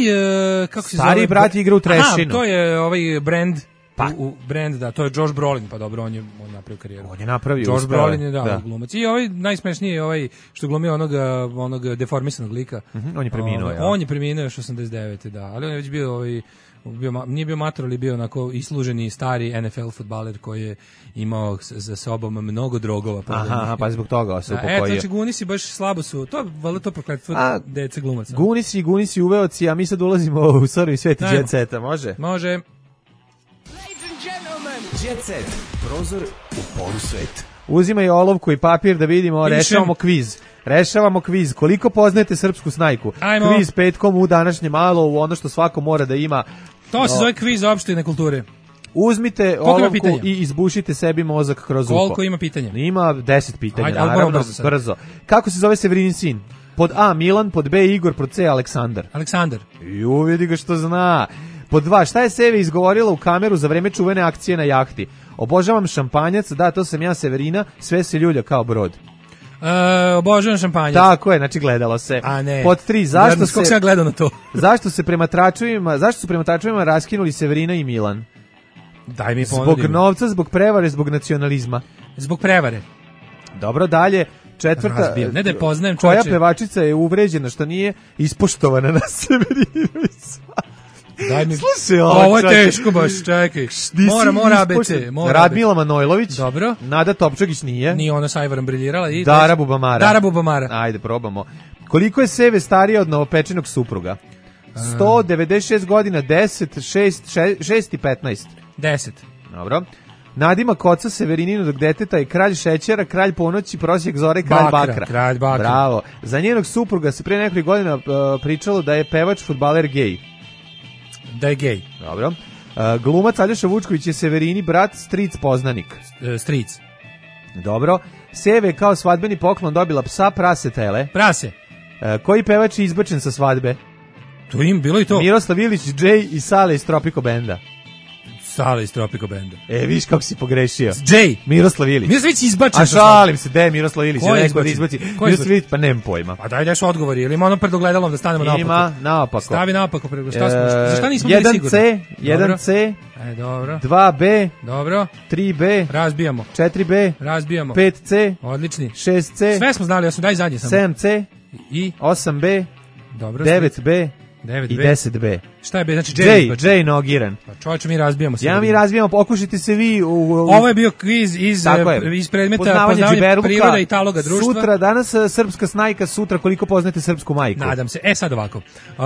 Speaker 6: kako se zove?
Speaker 5: Stariji brat igra u Trešinu.
Speaker 6: Aha, to je ovaj Brand. Pa. U, u Brand, da, to je Josh Brolin, pa dobro, on je on napravio karijeru.
Speaker 5: On je napravio.
Speaker 6: Josh Brolin je da, da. glumac. I ovaj najsmešniji je ovaj što glumio onog onog deformisanog lika.
Speaker 5: Mm-hmm, on je preminuo,
Speaker 6: ovaj,
Speaker 5: ja.
Speaker 6: On je preminuo još osamdeset devete da, ali on je već bio ovaj bio, nije bio mator, ali bio onako isluženi stari N F L fudbaler koji je imao za sobom mnogo drogova.
Speaker 5: Pa aha, pa zbog toga se upokojio.
Speaker 6: Eto, znači Gunisi baš slabo su, to valjda to prokletstvo dece glumaca.
Speaker 5: Gunisi i Gunisi uveoci, a mi sad ulazimo u sorry svet Jet Seta, može?
Speaker 6: Može.
Speaker 7: Jet Set, prozor u polusvet.
Speaker 5: Uzimaj olovku i papir da vidimo, Pišem. rešavamo kviz. Rešavamo kviz. Koliko poznajete srpsku snajku?
Speaker 6: Ajmo.
Speaker 5: Kviz petkom u današnje malo, u ono što svako mora da ima.
Speaker 6: To se zove kviz opštine kulture.
Speaker 5: Uzmite Koliko olovku i izbušite sebi mozak kroz uho.
Speaker 6: Koliko ima pitanja?
Speaker 5: Ima deset pitanja,
Speaker 6: Ajde,
Speaker 5: naravno,
Speaker 6: brzo,
Speaker 5: brzo. Kako se zove Severinin sin? Pod A Milan, pod B Igor, pod C Aleksandar.
Speaker 6: Aleksandar.
Speaker 5: Ju, vidi ga što zna. Pod dva, šta je Seve izgovorila u kameru za vreme čuvene akcije na jahti? Obožavam šampanjac, da, to sam ja Severina, sve se ljulja kao brod.
Speaker 6: E, obožavam šampanjac.
Speaker 5: Tako je, znači gledalo se.
Speaker 6: A ne.
Speaker 5: Pod tri, zašto
Speaker 6: Gledam,
Speaker 5: se...
Speaker 6: se ja gledao na to?
Speaker 5: zašto se prema tračevima, zašto su prema tračevima raskinuli Severina i Milan?
Speaker 6: Daj mi ponudim.
Speaker 5: Zbog novca, zbog prevare, zbog nacionalizma.
Speaker 6: Zbog prevare.
Speaker 5: Dobro, dalje. Četvrta,
Speaker 6: Razbijem. Ne da je poznajem
Speaker 5: koja
Speaker 6: čoveče.
Speaker 5: pevačica je uvređena što nije ispoštovana na Severinu.
Speaker 6: Daj mi.
Speaker 5: Slušaj,
Speaker 6: ovo je teško baš, čekaj. Mora, mora A B C. Mora
Speaker 5: Radmila Manojlović.
Speaker 6: Dobro.
Speaker 5: Nada Topčagić nije.
Speaker 6: Nije ona sa Ivarom briljirala. I
Speaker 5: Dara Bubamara.
Speaker 6: Dara Bubamara.
Speaker 5: Ajde, probamo. Koliko je Seve starija od novopečenog supruga? sto devedeset šest godina, deset, šest, šest i petnaest.
Speaker 6: deset.
Speaker 5: Dobro. Nadima Koca Severininodog deteta i kralj šećera, kralj ponoći, prosjek zore, kralj
Speaker 6: bakra.
Speaker 5: bakra.
Speaker 6: Kralj bakra.
Speaker 5: Bravo. Za njenog supruga se pre nekoliko godina uh, pričalo da je pevač, fudbaler gej.
Speaker 6: Da je gej.
Speaker 5: Dobro. Uh, glumac Aljoša Vučković je Severini brat, stric poznanik.
Speaker 6: E, stric.
Speaker 5: Dobro. Seve je kao svadbeni poklon dobila psa, prase, tele.
Speaker 6: Prase.
Speaker 5: Uh, koji pevač je izbačen sa svadbe?
Speaker 6: To im bilo i to.
Speaker 5: Miroslav Ilić, Jay i Sale iz Tropico Benda.
Speaker 6: Sale iz Tropico Benda.
Speaker 5: E, viš kako si pogrešio.
Speaker 6: Jay.
Speaker 5: Miroslav Ilić.
Speaker 6: Miroslav Ilić izbačen.
Speaker 5: A šalim se, de Miroslav Ilić.
Speaker 6: Ko je
Speaker 5: izbaci? izbaci? Miroslav Ilić, pa nemam pojma.
Speaker 6: Pa daj nešto odgovori, ili ima ono pred ogledalom da stanemo naopako?
Speaker 5: Ima, naopako.
Speaker 6: Stavi naopako, pred šta smo, za šta nismo bili sigurni?
Speaker 5: jedan C, jedan C,
Speaker 6: e, dobro.
Speaker 5: dva B,
Speaker 6: dobro.
Speaker 5: tri B,
Speaker 6: razbijamo.
Speaker 5: četiri B,
Speaker 6: razbijamo.
Speaker 5: pet C,
Speaker 6: odlični.
Speaker 5: šest C,
Speaker 6: sve smo znali, ja sam daj zadnje samo.
Speaker 5: sedam C,
Speaker 6: i
Speaker 5: osam B,
Speaker 6: dobro,
Speaker 5: devet B,
Speaker 6: devet B
Speaker 5: i deset B.
Speaker 6: Šta je B? Znači
Speaker 5: Jay, Jay, Jay nogiran.
Speaker 6: Pa čovječe, mi razbijamo se.
Speaker 5: Ja mi razbijamo, pokušajte se vi. U, u,
Speaker 6: Ovo je bio kviz iz, iz predmeta poznavanje, poznavanje priroda i taloga društva.
Speaker 5: Sutra, danas srpska snajka, sutra koliko poznate srpsku majku.
Speaker 6: Nadam se. E sad ovako.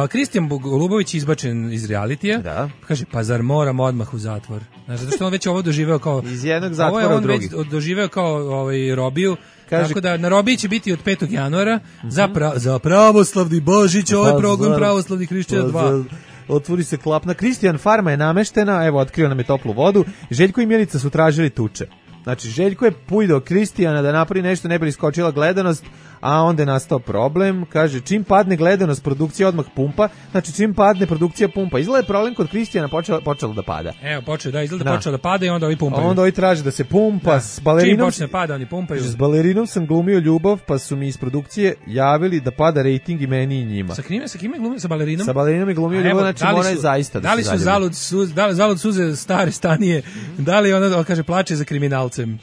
Speaker 6: Kristijan Golubović izbačen iz realitija.
Speaker 5: Da.
Speaker 6: Kaže, pa zar moram odmah u zatvor? Znaš, zato što on već ovo doživeo kao...
Speaker 5: Iz jednog zatvora u drugi.
Speaker 6: Ovo je on već doživeo kao ovaj, robiju. Kaže, tako da na robiji će biti od petog januara uh-huh. za, pra, za pravoslavni Božić, ovaj pa, program za, pravoslavnih hrišćana dva.
Speaker 5: Otvori se klapna. Kristijan Farma je nameštena, evo, otkrio nam je toplu vodu. Željko i Milica su tražili tuče. Znači, Željko je pujdao Kristijana da napravi nešto, ne bi iskočila gledanost, a onda je nastao problem. Kaže, čim padne gledanost, produkcija odmah pumpa. Znači, čim padne produkcija pumpa. Izgleda je problem kod Kristijana počelo, počelo da pada.
Speaker 6: Evo, počeo da izgleda da počeo da pada i onda ovi pumpaju.
Speaker 5: A onda ovi traže da se pumpa.
Speaker 6: Da.
Speaker 5: S balerinom,
Speaker 6: čim počne pada, oni pumpaju.
Speaker 5: S balerinom sam glumio ljubav, pa su mi iz produkcije javili da pada rejting i meni i njima.
Speaker 6: Sa kime, sa kime glumio? Sa balerinom?
Speaker 5: Sa balerinom je glumio ljubav, znači mora je zaista da
Speaker 6: da li su zalud, suz, da li, zalud suze stare stanije, da li ona, kaže, plače za kriminalcem?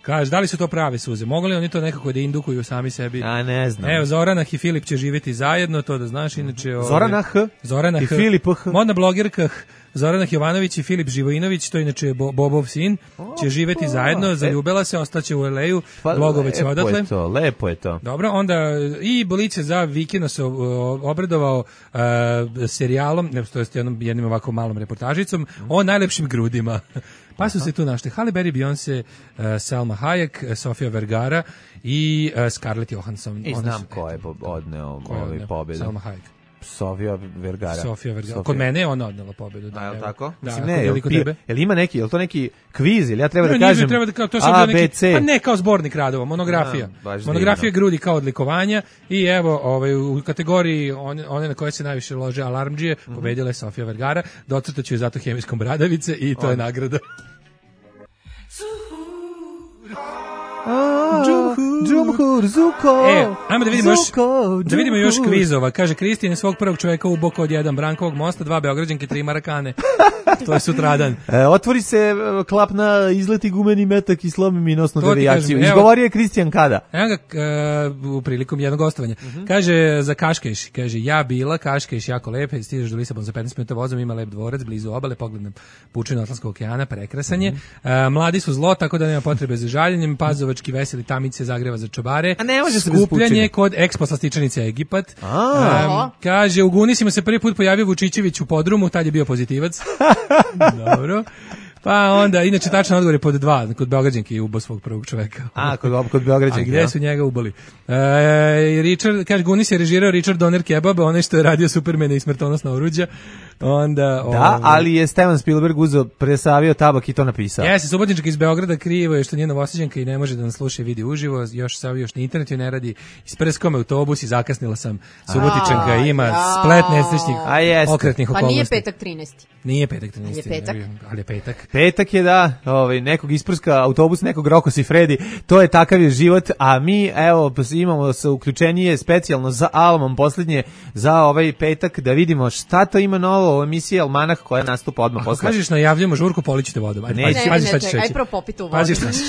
Speaker 6: Kaže, da li su to prave suze? Mogu li oni to nekako da indukuju sami sebi?
Speaker 5: A ne znam.
Speaker 6: Evo, Zorana i Filip će živjeti zajedno, to da znaš, inače...
Speaker 5: Zorana H.
Speaker 6: Zorana
Speaker 5: i H. Filip H.
Speaker 6: Modna blogerka Zorana Jovanović i Filip Živojinović, to je inače Bo, Bobov sin, o, će živjeti o, zajedno, zaljubila se, ostaće u el ej u,
Speaker 5: pa,
Speaker 6: blogoveć odatle.
Speaker 5: Lepo je to, lepo je to.
Speaker 6: Dobro, onda i Bolice za vikend se obradovao uh, serijalom, ne, to je jednom, jednim ovako malom reportažicom, mm. o najlepšim grudima. Pa su se tu našli Halle Berry, Beyoncé, uh, Salma Hayek, Sofia Vergara i uh, Scarlett Johansson.
Speaker 5: I znam ko je odneo ovaj pobjedu.
Speaker 6: Salma Hayek.
Speaker 5: Sofia Vergara.
Speaker 6: Sofia Vergara. Sofia. Kod mene je ona odnela pobedu. Da,
Speaker 5: a, je li tako?
Speaker 6: Da,
Speaker 5: mislim, ne, jel, pi, jel ima neki, jel to neki kviz, ili ja treba
Speaker 6: ne,
Speaker 5: da kažem
Speaker 6: treba da, kao, to
Speaker 5: A,
Speaker 6: neki,
Speaker 5: B, C?
Speaker 6: Pa ne, kao zbornik radova, monografija. A, monografija divno. Grudi kao odlikovanja i evo, ovaj, u kategoriji one, one na koje se najviše lože alarmdžije, mm-hmm. pobedila je Sofia Vergara, docrtaću je zato hemijskom bradavice i to on. Je nagrada.
Speaker 5: Džumhur, Zuko.
Speaker 6: E, ajmo da vidimo još, da vidimo još kvizova. Kaže, Kristijan je svog prvog čovjeka uboko od jedan Brankovog mosta, dva Beograđanke, tri Marakane. To je sutradan.
Speaker 5: E, otvori se klap na izleti gumeni metak i slomi mi nosnu devijaciju. Izgovorio je Kristijan kada?
Speaker 6: Evo ga, uh, u prilikom jednog gostovanja. Uh-huh. Kaže, za Kaškeš, kaže, ja bila, Kaškeš jako lepe, stižeš do Lisabon za petnaest minuta vozom, ima lep dvorac, blizu obale, pogledam pučinu Atlantskog okeana, prekrasan je. Uh-huh. Uh, mladi su zlo, tako da nema potrebe za žaljenjem, Pazovački veseli tamice Zagreva za čobare.
Speaker 5: A ne može se
Speaker 6: skupljanje kod Expo slastičanice Egipat. Um, kaže, u Gunisima se prvi put pojavio Vučićević u podrumu, tad je bio pozitivac. Dobro. Pa onda, inače tačan odgovor je pod dva, kod Beograđanke je ubao svog prvog čoveka.
Speaker 5: A, kod, kod Beograđanke.
Speaker 6: A gde su njega ubali? E, Richard, kaže, Gunis je režirao Richard Donner Kebab, onaj što je radio Supermana i smrtonosna oruđa. Onda,
Speaker 5: da,
Speaker 6: ovaj,
Speaker 5: ali je Steven Spielberg uzeo, presavio tabak i to napisao.
Speaker 6: Jeste, Subotička iz Beograda krivo je što nije Novosađanka i ne može da nas sluša i vidi uživo, još sav još na internetu ne radi. Isprskao me autobus i zakasnila sam. Subotičanka ima ja. splet nesrećnih okretnih okolnosti.
Speaker 11: Pa nije petak trinaesti.
Speaker 6: Nije petak trinaesti.
Speaker 11: Je petak.
Speaker 6: Ali je petak.
Speaker 5: Petak je da, ovaj, nekog isprska autobus, nekog Rokos i Fredi, to je takav je život, a mi, evo, imamo sa uključenije specijalno za Almom posljednje, za ovaj petak, da vidimo šta to ima novo u emisiji Almanah koja nastupa odmah posle.
Speaker 6: Ako kažeš najavljamo žurku, polićete vodu. Ajde,
Speaker 11: ne, pazi, ne, pazi šta ćeš reći. Aj prvo popitu vodu.
Speaker 6: Pazi šta ćeš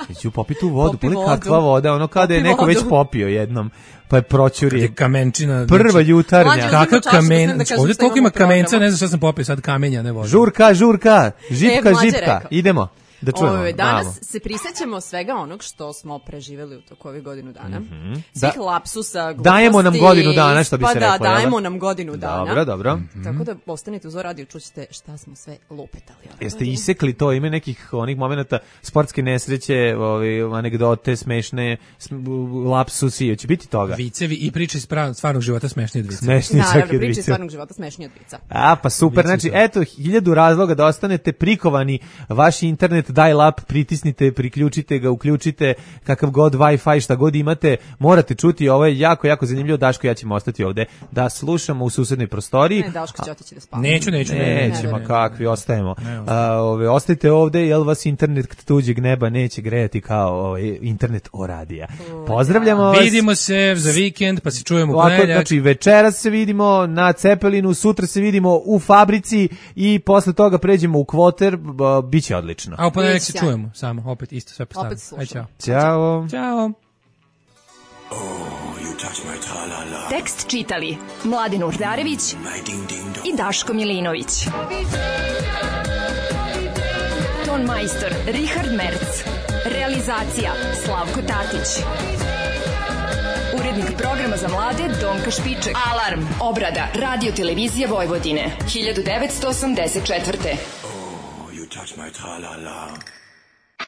Speaker 5: reći. Ću popitu vodu, poli kakva voda, ono kada je neko već popio jednom. Pa je proćuri.
Speaker 6: Kamenčina.
Speaker 5: Prva jutarnja.
Speaker 6: Kakav kamen. Da ovdje koliko ima kamenca, ne znam šta sam popio, sad kamenja, ne voda.
Speaker 5: Žurka, žurka, žipka, e, žipka. Idemo. Da čujemo.
Speaker 11: Ove, danas malo. Se prisjećamo svega onog što smo preživjeli u toku ove godinu dana. Mm-hmm. Svih da, lapsusa, gluposti.
Speaker 5: Dajemo nam godinu dana, što bi
Speaker 11: pa
Speaker 5: se rekla.
Speaker 11: Pa da, dajemo nam godinu dana.
Speaker 5: Dobro, dobro.
Speaker 11: Mm-hmm. Tako da ostanite uz radio, čućete šta smo sve lupetali.
Speaker 5: Jeste godine. Isekli to, ima nekih onih momenata sportske nesreće, ovi, anegdote, smešne, lapsusi, će biti toga.
Speaker 6: Vicevi i priče iz stvarnog života smešnije od vica.
Speaker 5: Smešnije
Speaker 11: Naravno, priče iz stvarnog života smešnije od vica.
Speaker 5: A, pa super, znači, eto, hiljadu razloga da ostanete prikovani vaši internet internet dial-up, pritisnite, priključite ga, uključite, kakav god Wi-Fi, šta god imate, morate čuti, ovo je jako, jako zanimljivo. Daško, ja ćemo ostati ovde da slušamo u susednoj prostoriji.
Speaker 11: Ne, Daško će otići da spava.
Speaker 6: Neću, neću.
Speaker 5: Nećemo, kakvi, ostajemo. A, ove, ostajte ovde, jel vas internet tuđeg neba neće grejati kao ovaj, internet o radija. Pozdravljamo vas.
Speaker 6: Vidimo se za vikend, pa se čujemo u
Speaker 5: Ovako,
Speaker 6: ponedeljak.
Speaker 5: znači, večeras se vidimo na Cepelinu, sutra se vidimo u fabrici i posle toga pređemo u Kvoter, biće odlično.
Speaker 6: A u ponedeljak se čujemo, samo, opet isto sve postavljamo.
Speaker 11: Opet slušamo.
Speaker 5: Ćao.
Speaker 6: Ćao.
Speaker 4: Tekst čitali Mladin Urdarević i Daško Milinović. Ton majstor Richard Merc. Realizacija Slavko Tatić. Urednik programa za mlade Donka Špiček. Alarm. Obrada Radio Televizije Vojvodine. hiljadu devetsto osamdeset četvrte.
Speaker 12: Oh, you touch my tra-la-la.